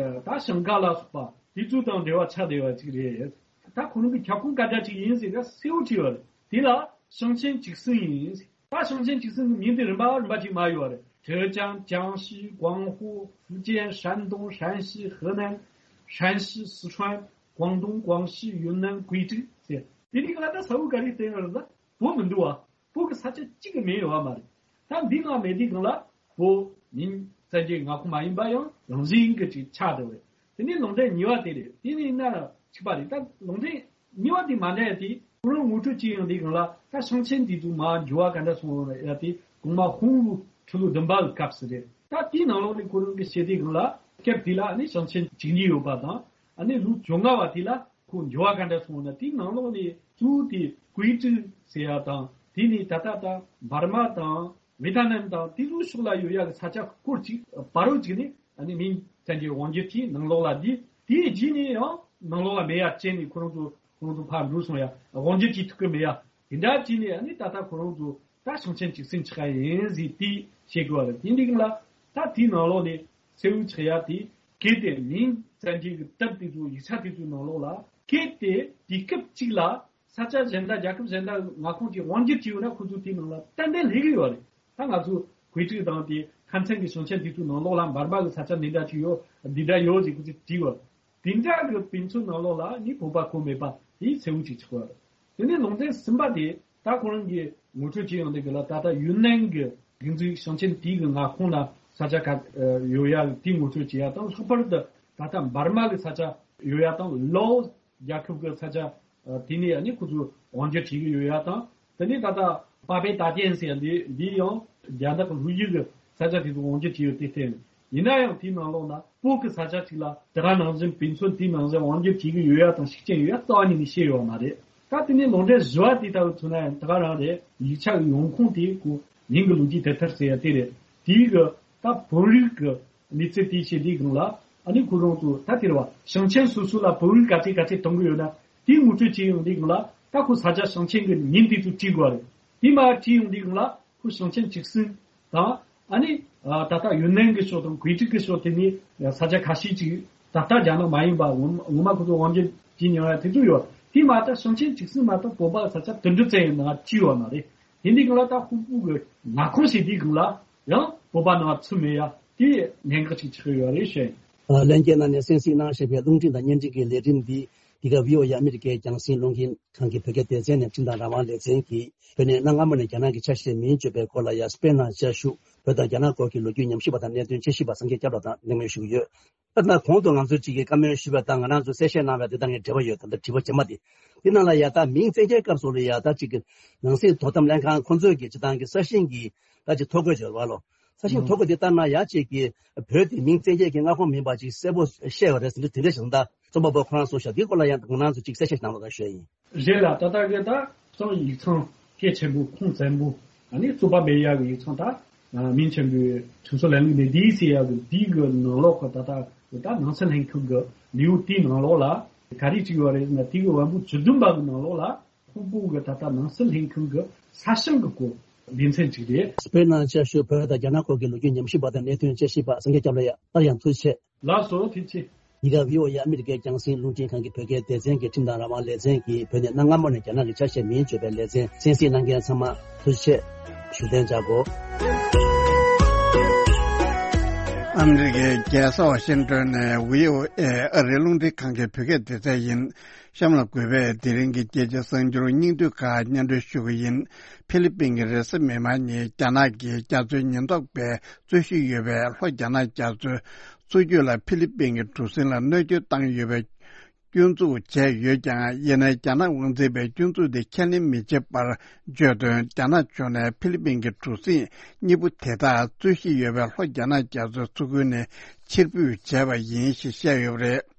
ད་ཞིང་ཁ་ལ་སོགས་པ་དེ་ཚོ་དང་འབྲེལ་བ་ཆགས་བསྡད་པ་ཅིག་རེད། ད་ཁོ་རང་གི་ཁྱབ་ཁོངས་ག་འདྲ་ཅིག་ཡིན་ཟེར་ན་གསལ་བོ་བྲིས་ཡོད་རེད། དེ་ལ་ཞིང་ཆེན་བཅུ་གསུམ་ཡིན། ད་ཞིང་ཆེན་བཅུ་གསུམ་གྱི་མིང་དེ་རིམ་པ་རིམ་པ་ཅིག་མར་ཡོད་རེད། 浙江、江西、广东、福建、山东、山西、河南、山西、四川、广东、广西、云南、贵州 ཟེར། དེ་རིགས་ལ་ད་ས་བོ་ག་རེ་བསྟན་ཡོད་རེད་ལ། བོད་མི་འདུག་བ། བོད་ཀྱི་ས་ཆ་གཅིག་གི་མིང་ཡོད་བ་མ་རེད། ད་འདི་ནང་མེད་དུས་སྒང་ལ་བོད་མིང་བཙན་གྱི་མངའ་ཁོངས་མ་ཡིན་པ་ཡང་རང་བཞིན་གྱི་ཅིག་ཆགས་བསྡད་པ་རེད། དེ་ནས་ལུང་འདྲེན་གཉིས་པ་དེ་རེད། དེ་ནས་ན་གཅིག་པ་རེད། ད་ལུང་འདྲེན་གཉིས་པ་དེ་མ་འདྲ་ཡ་དེ་ཁོ་རང་ངོ་སྤྲོད་བྱེད་ཡོང་དུས་སྒང་ལ་ད་ཞིང་ཆེན་དེ་ཚོ་མར་འགྱུར་བ་ག་འདྲ་སོང་ཡ་དེ་གོང་མ་ཧུང་ལུའུ་ཁྲི་ལོ་བདུན་པ་གི་སྐབས་སུ་རེད། ད་དེའི་ནང་ལོགས་ནས་ཁོ་རང་གི་བཤད་དུས་སྒང་ལ་སྐབས་དེ་ལ་ནི་ཞིང་ཆེན་བཅུ་གཉིས་ཡོད་པ་དང་ཨ་ནི་ལོ་བཅོ་ལྔ་བ་དེ་ལ་ཁོ་འགྱུར་བ་ག་འདྲ་སོང་ན་དེའི་ནང་ལོགས་ནས་གཙོ་བོ་དེ་ཀུའེ་ཀྲི་ཟེར་ཡ་དང་དེ་ནས་ད་ལྟ་ད་འབར་མ་དང་། ཝེ་ཐ་ནམ་དང་དེ་ཚོའི་ཕྱོགས་ལ་ཡོད་ཡག་གི་ས་ཆ་སྐོར་ཅིག་བར་རོ་ཅིག་ནས་ཨ་ནི་མིང་བཙན་གྱི་དབང་སྒྱུར་གྱིས་ནང་ལོགས་ལ་བསྡུས། དེའི་རྗེས་ནས་ཡང་ནང་ལོགས་ལ་མེད་ཡ་བྱས་ནས་ཁོ་རང་ཚོ་ཁོ་རང་ཚོ་ཕར་འགྲོ་སོང་ཡ། དབང་སྒྱུར་གྱིས་ཐུབ་ཀྱི་མེད་ཡ། དེ་འདྲ་བྱས་ནས་ཨ་ནི་ད་ལྟ་ཁོ་རང་ཚོ་ད་ཞིང་ཆེན་བཅུ་གསུམ་ཆགས་ཡ་ཡིན་ཟེར་དེ་བཤད་དགོས་པ་རེད། དེ་འདི་གང་ལ་ད་དེའི་ནང་ལོགས་ནས་གསལ་བོ་ཆགས་ཡ་དེ་གལ་ཏེ་མིང་བཙན་གྱི་གི་དེབ་དེ་ཚོ་ཡིག་ཆ་དེ་ཚོའི་ནང་ལོགས་ལ་གལ་ཏེ་དུས་སྐབས་གཅིག་ལ། ས་ཆ་གཞན་དག་རྒྱལ་ཁབ་གཞན་དག་མངའ་ཁོངས་ཀྱི་དབང་སྒྱུར་བྱས་ཡོད་ན་ཁོ་ཚོ་དེའི་ནང་ལ་ཏན་ཏན་སླེབས་ཀྱི་ཡོད་རེད། ད་ང་ཚོ་ཀུའེ་ཀྲི་དང་དེ་ཁ་ཚན་གྱི་ཞིང་ཆེན་དེ་ཚོའི་ནང་ལོགས་ལ་འབར་མ་གི་ས་ཆ་འདི་འདྲ་ཅིག་ཡོད། འདི་འདྲ་ཡོད་ཅེས་ཁོ་ཚོས་བྲིས་ཡོད། དེ་འདྲ་གི་དཔེ་མཚོན་ནང་ལོགས་ལ་ནི་བོད་པ་གོ་མེད་པ་དེ་གསལ་བོ་ཅིག་ཆགས་ཡོད་རེད། དེ་ནས་ལུང་ཚན་གསུམ་པ་དེ་ད་ཁོ་རང་གིས་ངོ་སྤྲོད་བྱས་ཡོང་དུས་གི་ལ། ད་ལྟ་ཡུན་ནན་གྱི་སྒེར་འཛུགས་ཞིང་ཆེན་དེའི་གི་མངའ་ཁོངས་ལ་ས་ཆ་ག་ཡོད་ཡ་དེ་ངོ་སྤྲོད་བྱེད་ཡ་དང་། ལྷག་པར་དུ་ད་ལྟ་འབར་མ་གི་ས་ཆ་ཡོད་ཡ་དང་། ལའོ་སི་རྒྱལ་ཁབ་ཀྱི་ས་ཆ་དེ་ནས་ཡ་ནི་ཁོ་ཚོས་དབང་སྒྱུར་བྱེད་ཀྱི་ཡོད་ཡ་དང་། དེ་ནས་ད་ལྟ་པ་པེ་ཏཱ་ཅན་ཟེར་ཡ་འདི་འདི་ཡང་རྒྱ་ནག་གི་ལྷོ་ཡུལ་གྱི་ས་ཆ་དེ་ཚོ་དབང་སྒྱུར་བྱས་ཡོད། དེ་བརྟེན་ཡིན་ན་ཡང་དེའི་ནང་ལོགས་ན་བོད་ཀྱི་ས་ཆ་གཅིག་ལ་དེ་ག་ནང་བཞིན་དཔེ་མཚོན་དེའི་ནང་བཞིན་དབང་སྒྱུར་བྱེད་ཀྱི་ཡོད་ཡ་དང་ཤུགས་རྐྱེན་ཡོད་ཡ་རྩ་བ་ཉིད་ནས་བཤད་ཡོད་མ་རེད། ད་དེ་ནས་ལུང་འདྲེན་བཞི་བ་དེ་ལྟ་བུ་མཚོན་ན་ཡང་དེ་ག་རང་རེད། ཡིག་ཆ་གི་ཡོང་ཁུངས་དེ་ཁོ་མིང་གི་ལོ་རྒྱུས་དེབ་ཐེར་ཟེར་ཡ་དེ་རེད། དེའི་གི་ད་བོད་རིགས་ཀྱི་གནས་ཚུལ་དེ་བཤད་དུས་སྒང་ལ། ཨ་ནི་ཁོ་རང་ཚོ་ད་དེ་རེད་བ། ཞིང་ཆེན་སོ་སོ་ལ་བོད་རིགས་ག་ཚད་ག་ཚད་གཏོང་གི་ཡོད་ན་དེ་ངོ་སྤྲོད་བྱེད་ཡོང་དུས་སྒང་ལ། ད་ཁོ་ས་ཆ་ཞིང་ཆེན་གྱི་མིང་དེ་ཚོ་བྲིས་དགོས་རེད། དེ་མ་བྲིས་ཡོང་དུས་སྒང་ལ་ཁོ་ཞིང་ཆེན་བཅུ་གསུམ་དང་། ཨ་ནི་ད་ལྟ་ཡུན་ནན་གྱི་ཕྱོགས་དང་ཀུའེ་ཀྲི་གི་ཕྱོགས་དེ་ནས་ས་ཆ་ཁ་ཤས་ཅིག་ད་ལྟ་རྒྱ་ནག་མ་ཡིན་པ་ངོ་ངོ་མ་ཁོ་ཚོ་དབང་སྒྱུར་བྱེད་མྱོང་ཡ་དེ་ཚོ་ཡོད། དེ་མ་གཏོགས་ཞིང་ཆེན་བཅུ་གསུམ་མ་གཏོགས་བོད་པ་ས་ཆ་དུད་འགྲོ་ཙམ་ཡང་ནང་བྲིས་ཡོད་མ་རེད། དེ་འདི་གི་ལ་ད་ཧུང་པུའུ་གི་མངའ་ཁོངས་ཞེས་དེའི་སྒང་ལ་ཡང་བོད་པ་ནང་ཚུད་མེད་ཡ་དེ་གནད་འགག་ཅིག་ཆགས་ཡོད་རེད་ཤག། ལྷན་རྒྱས་རྣམས་ནས་གསན་གཟིགས་གནང་བཞིན་པའི་རླུང་འཕྲིན་དང་བརྙན་འཕྲིན་གྱི་ལས་རིམ་འདི་འདི་ག་བྷི་ཨོ་ཨེ་ཨ་མི་རི་ཀའི་རྒྱང་སྲིང་རླུང་འཕྲིན་ཁང་གི་བོད་སྐད་སྡེ་ཚན་ནས་འཕྲིན་དང་རང་དབང་ལེ་ཚན་གྱིས་བོད་ནས་གནའ་སྔ་མོ་ནས་རྒྱ་ནག་གི་ཆ་ཤས་མིན་བརྗོད་པའི་སྐོར་ལ་ཡ། སྤེན་ནང་བཅའ་བཞུགས་བོད་དང་རྒྱ་ནག་སྐོར་གྱི་ལོ་རྒྱུས་ཉམས་ཞིབ་པ་དང་གནད་དོན་དཔྱད་ཞིབ་པ་སངས་རྒྱས་སྐྱབས་ལགས་དང་གླེང་མོལ་ཞུ་གི་ཡོད། ད་ལྟ་གོང་དུ་ང་ཚོས་གཅིག་གི་བཀའ་མོལ་ཞུས་པ་དང་ང་རང་ཚོས་གསལ་བཤད་གནང་བའི་དེ་དང་གི་འབྲེལ་བ་ཡོད། ད་ལྟ་དྲི་བ་རྗེས་མ་དེ། དེ་ནང་ལ་ཡ་ད་མིང་བཙན་ཁྱེར་སྐབས་སུ་ལ་ཡ་ད་གཅིག་གི་ནང་སྲིད་དོ་དམ་ལྷན་ཁང་ཁོང་ཚོས་ཀྱི་སྤྱི་བཏང་གི་ས་ཞིང་གི་ད་ཅིག་ཐོ་འགོད་བྱོས་པ་ལོ། ས་ཞིང་ཐོ་འགོད་དེ་ལྟར་ན་ཡ་གཅིག་གི་བོད་དེ་མིང་བཙན་ཁྱེར་གྱི་མངའ་ཁོངས་མིན་པ་ཅིག་གསལ་པོ་བཤད་ཡོད་རེད་ཟེར་འདི་དེ་འདྲ་ཞིག་ད་རྩོམ་པ་པོ་ཁོ་རང་གསུངས་ཤག། འདིའི་སྐོར་ལ་ཡང་ང་རང་ཚོ་ཅིག་གསལ་བཤད་གནང་རོགས་གནང་ཞུ་ཡ་ཡིན། རེད་ལ། ད་ལྟ་གི་ད་གཙང་ཡིག་ཚང་སྐད་ཆེན་པོ་ཁུངས་བཙན་པོ། ཨ་ནི་རྩོད་པ་མེད་ཡག་གི་ཡིག་ཚང་། ད་མིང་ཆེན་པོའི་ཁྲིམས་སྲོལ་ལམ་ལུགས་འདི་འདིའི་ཟེར་ཡག་གི་འདི་གི་ནང་ལོགས་ཀྱི་ད་ལྟ་ད་ནང་སྲིད་ལྷན་ཁང་གི་ལེའུ་དེའི་ནང་ལོགས་ལ་ག་རེ་བྲིས་ཡོད་རེད་ཟེར་ན། དེ་གི་བམ་པོ་བཅུ་བདུན་པ་གི་ནང་ལོགས་ལ་ཧུང་པུའུ་གི་ད་ལྟ་ནང་སྲིད་ལྷན་ཁང་གི་ས་ཞིང་གི་སྐོར་སྡེ་ཚན་གཅིག་རེད། དཔེར་ན་བཅའ་བཞུགས་བོད་དང་རྒྱ་ནག་སྐོར་གྱི་ལོ་རྒྱུས་ཉམས་ཞིབ་པ་དང་གནད་དོན་དཔྱད་ཞིབ་པ་སངས་རྒྱས་སྐྱབས་ལགས། ཡ་སླར་ཡང་ཐུགས་རྗེ་ཆེ། ལགས་སོ། ཐུགས་རྗེ་ཆེ། འདི་ག་བྷི་ཨོ་ཨེ་ཨ་མི་རི་ཀའི་རྒྱང་སྲིང་རླུང་འཕྲིན་ཁང་གི་བོད་སྐད་སྡེ་ཚན་གྱི་ཁྲིམས་དང་རང་དབང་ལེ་ཚན་གྱིས་བོད་ནས་གནའ་སྔ་མོ་ནས་རྒྱ་ནག་གི་ཆ་ཤས་མིན་བརྗོད་པའི་ལེ་ཚན་གསན་གཟིགས་གནང་མཁན་ཚང་མ་ཐུགས་རྗེ་ཆེ་ཞུ་གཏན་འཇགས་གོ། ཨ་མི་རི་ཀའི་རྒྱལ་ས་ཝ་ཤིང་ཏོན་ནས་བྷི་ཨོ་ཨེ་ཨ་རིའི་རླུང་འཕྲིན་ཁང་གི་བོད་སྐད་སྡེ་ཚན་ཡིན། གཤམ་ལ་གུས་པས་དེ་རིང་གི་རྒྱལ་སྤྱིའི་གསར་འགྱུར་སྙིང་བསྡུས་ཁག་སྙན་སྒྲོན་ཞུ་གི་ཡིན། ཧྥི་ལི་པིན་གྱི་རེས་གཟའ་མིག་དམར་ཉིན་རྒྱ་ནག་གི་རྒྱ་མཚོའི་ཉེན་རྟོག་པས་རྩོད་གཞི་ཡོད་པའི་ལྷོ་རྒྱ་ནག་རྒྱ་མཚོའི་མཚོ་རྒྱུད་ལ་ཧྥི་ལི་པིན་གྱི་གྲུ་གཟིངས་ལ་གནོད་སྐྱོན་བཏང་ཡོད་པའི་སྐྱོན་འཛུགས་བྱས་ཡོད་ཀྱང་། ཡིན་ནའི་རྒྱ་ནག་དབང་འཛིན་པས་སྐྱོན་འཛུགས་དེ་ཁས་ལེན་མི་བྱེད་པར་བརྗོད་དོན། རྒྱ་ནག་ཕྱོགས་ནས་ཧྥི་ལི་པིན་གྱི་གྲུ་གཟིངས་གཉིས་པོ་དེ་དག་རྩོད་གཞི་ཡོད་པའི་ལྷོ་རྒྱ་ནག་རྒྱ་མཚོའི་མཚོ་ཁུལ་ནས་ཕྱིར་འབུད་བྱས་པ་ཡིན་ཞེས་བཤད་ཡོད་པ་རེད།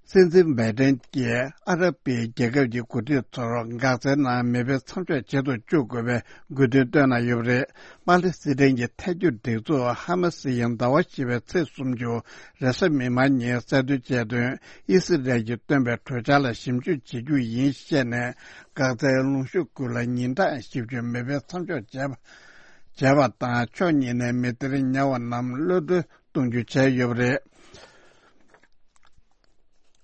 སྲིད་འཛིན་བྷའི་ཏན་གྱིས་ཨ་རབ་པའི་རྒྱལ་ཁབ་ཀྱི་འགོ་ཁྲིད་ཚོར་འགག་རྩའི་ནང་མེ་འཕེན་མཚམས་འཇོག་བྱེད་དུ་བཅུག་དགོས་པའི་དགོས་འདུན་བཏོན་གནང་ཡོད་པ་རེད། པ་ལི་སི་ཐན་གྱི་ཐལ་འགྱུར་སྒྲིག་འཛུགས་ཧ་མ་སི་ཡིས་ཟླ་བ་བཞི་པའི་ཚེས་སུམ་ཅུ་རེས་གཟའ་མིག་དམར་ཉིན་གསལ་སྟོན་བྱས་དོན། ཨི་སི་རལ་གྱིས་བཏོན་པའི་གྲོས་འཆར་ལ་ཞིབ་འཇུག་བྱེད་རྒྱུ་ཡིན་བཤད་ནས། འགག་རྩའི་ལངས་ཕྱོགས་ཀུན་ལ་ཉིན་གྲངས་བཞི་བཅུ་མེ་འཕེན་མཚམས་འཇོག་བྱས་པ་བྱས་པ་དང་། ཕྱོགས་གཉིས་ནས་མི་སྡེར་ཉེ་བ་རྣམས་གློད་གྲོལ་གཏོང་རྒྱུ་བྱས་ཡོད་པ་རེད།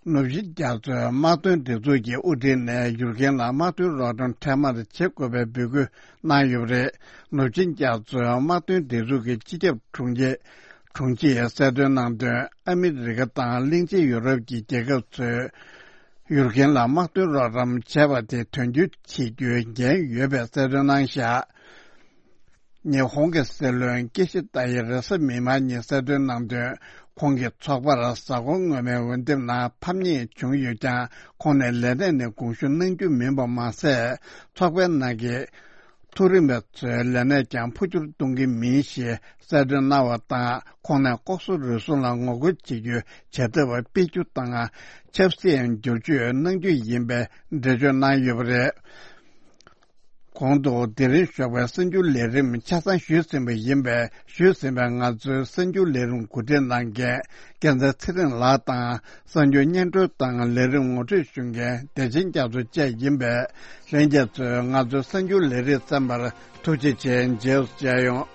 ནུབ་ཆིངས་རྒྱ་མཚོའི་དམག་དོན་སྒྲིག་འཛུགས་ཀྱི་དབུ་ཁྲིད་ནས་ཡུཀ་རེན་ལ་དམག་དོན་རོགས་རམ་འཕྲལ་མར་བྱེད་དགོས་པའི་འབོད་སྐུལ་གནང་ཡོད་པ་རེད། ནུབ་ཆིངས་རྒྱ་མཚོའི་དམག་དོན་སྒྲིག་འཛུགས་ཀྱི་སྤྱི་ཁྱབ་དྲུང་ཆེ་དྲུང་ཆེས་གསལ་སྟོན་གནང་དོན། ཨ་མི་རི་ཀ་དང་གླིང་ཆེན་ཡུ་རོབ་ཀྱི་རྒྱལ་ཁབ་ཚོས་ཡུཀ་རེན་ལ་དམག་དོན་རོགས་རམ་བྱས་པ་དེ་དོན་འཁྱོལ་བྱེད་རྒྱུའི་འགན་ཡོད་པའི་གསལ་སྟོན་གནང་བཞག། ཉི་ཧོང་གི་སྲིད་བློན་ཀི་ཤི་ད་ཡིས་རེས་གཟའ་མིག་དམར་ཉིན་གསལ་སྟོན་གནང་དོན། ཁོང་གི་ཚོགས་པར་གཟའ་འཁོར་སྔོན་མའི་འོས་འདེམས་ནང་ཕམ་ཉེས་བྱུང་ཡོད་ཀྱང་། ཁོང་ནས་ལས་གནས་ནས་དགོངས་ཞུ་གནང་རྒྱུ་མིན་པ་མ་ཟད། ཚོགས་པའི་ནང་གི་མཐོ་རིམ་པ་ཚོའི་ལས་གནས་ཀྱང་འཕོ་འགྱུར་གཏོང་གི་མིན་ཞེས་གསལ་སྟོན་གནང་བ་དང་། ཁོང་ནས་ལྐོག་ཟ་རུལ་སུངས་ལ་ངོ་རྒོལ་བྱེད་རྒྱུའི་བྱ་ཐབས་སྤེལ་རྒྱུ་དང་། ཆབ་སྲིད་བསྒྱུར་བཅོས་གནང་རྒྱུ་ཡིན་པའི་འགྲེལ་བརྗོད་གནང་ཡོད་པ་རེད། གོང་དུ་དེ་རིང་ཞོགས་པའི་གསར་འགྱུར་ལས་རིམ་ཆ་ཚང་ཞུས་ཟིན་པ་ཡིན་པས། ཞུས་ཟིན་པའི་ང་ཚོའི་གསར་འགྱུར་ལས་རིམ་གོ་སྒྲིག་གནང་མཁན་སྐལ་བཟང་ཚེ་རིང་ལགས་དང་། གསར་འགྱུར་སྙན་སྒྲོན་དང་ལས་རིམ་ངོ་སྤྲོད་ཞུ་མཁན་བདེ་ཆེན་རྒྱ་མཚོ་བཅས་ཡིན་པས། ལྷན་རྒྱས་ཚོས་ང་ཚོའི་གསར་འགྱུར་ལས་རིམ་གསན་པར་ཐུགས་རྗེ་ཆེ། མཇལ་ཡོང་།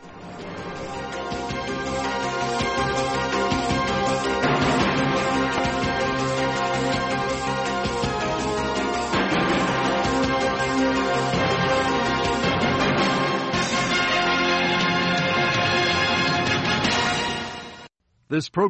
This program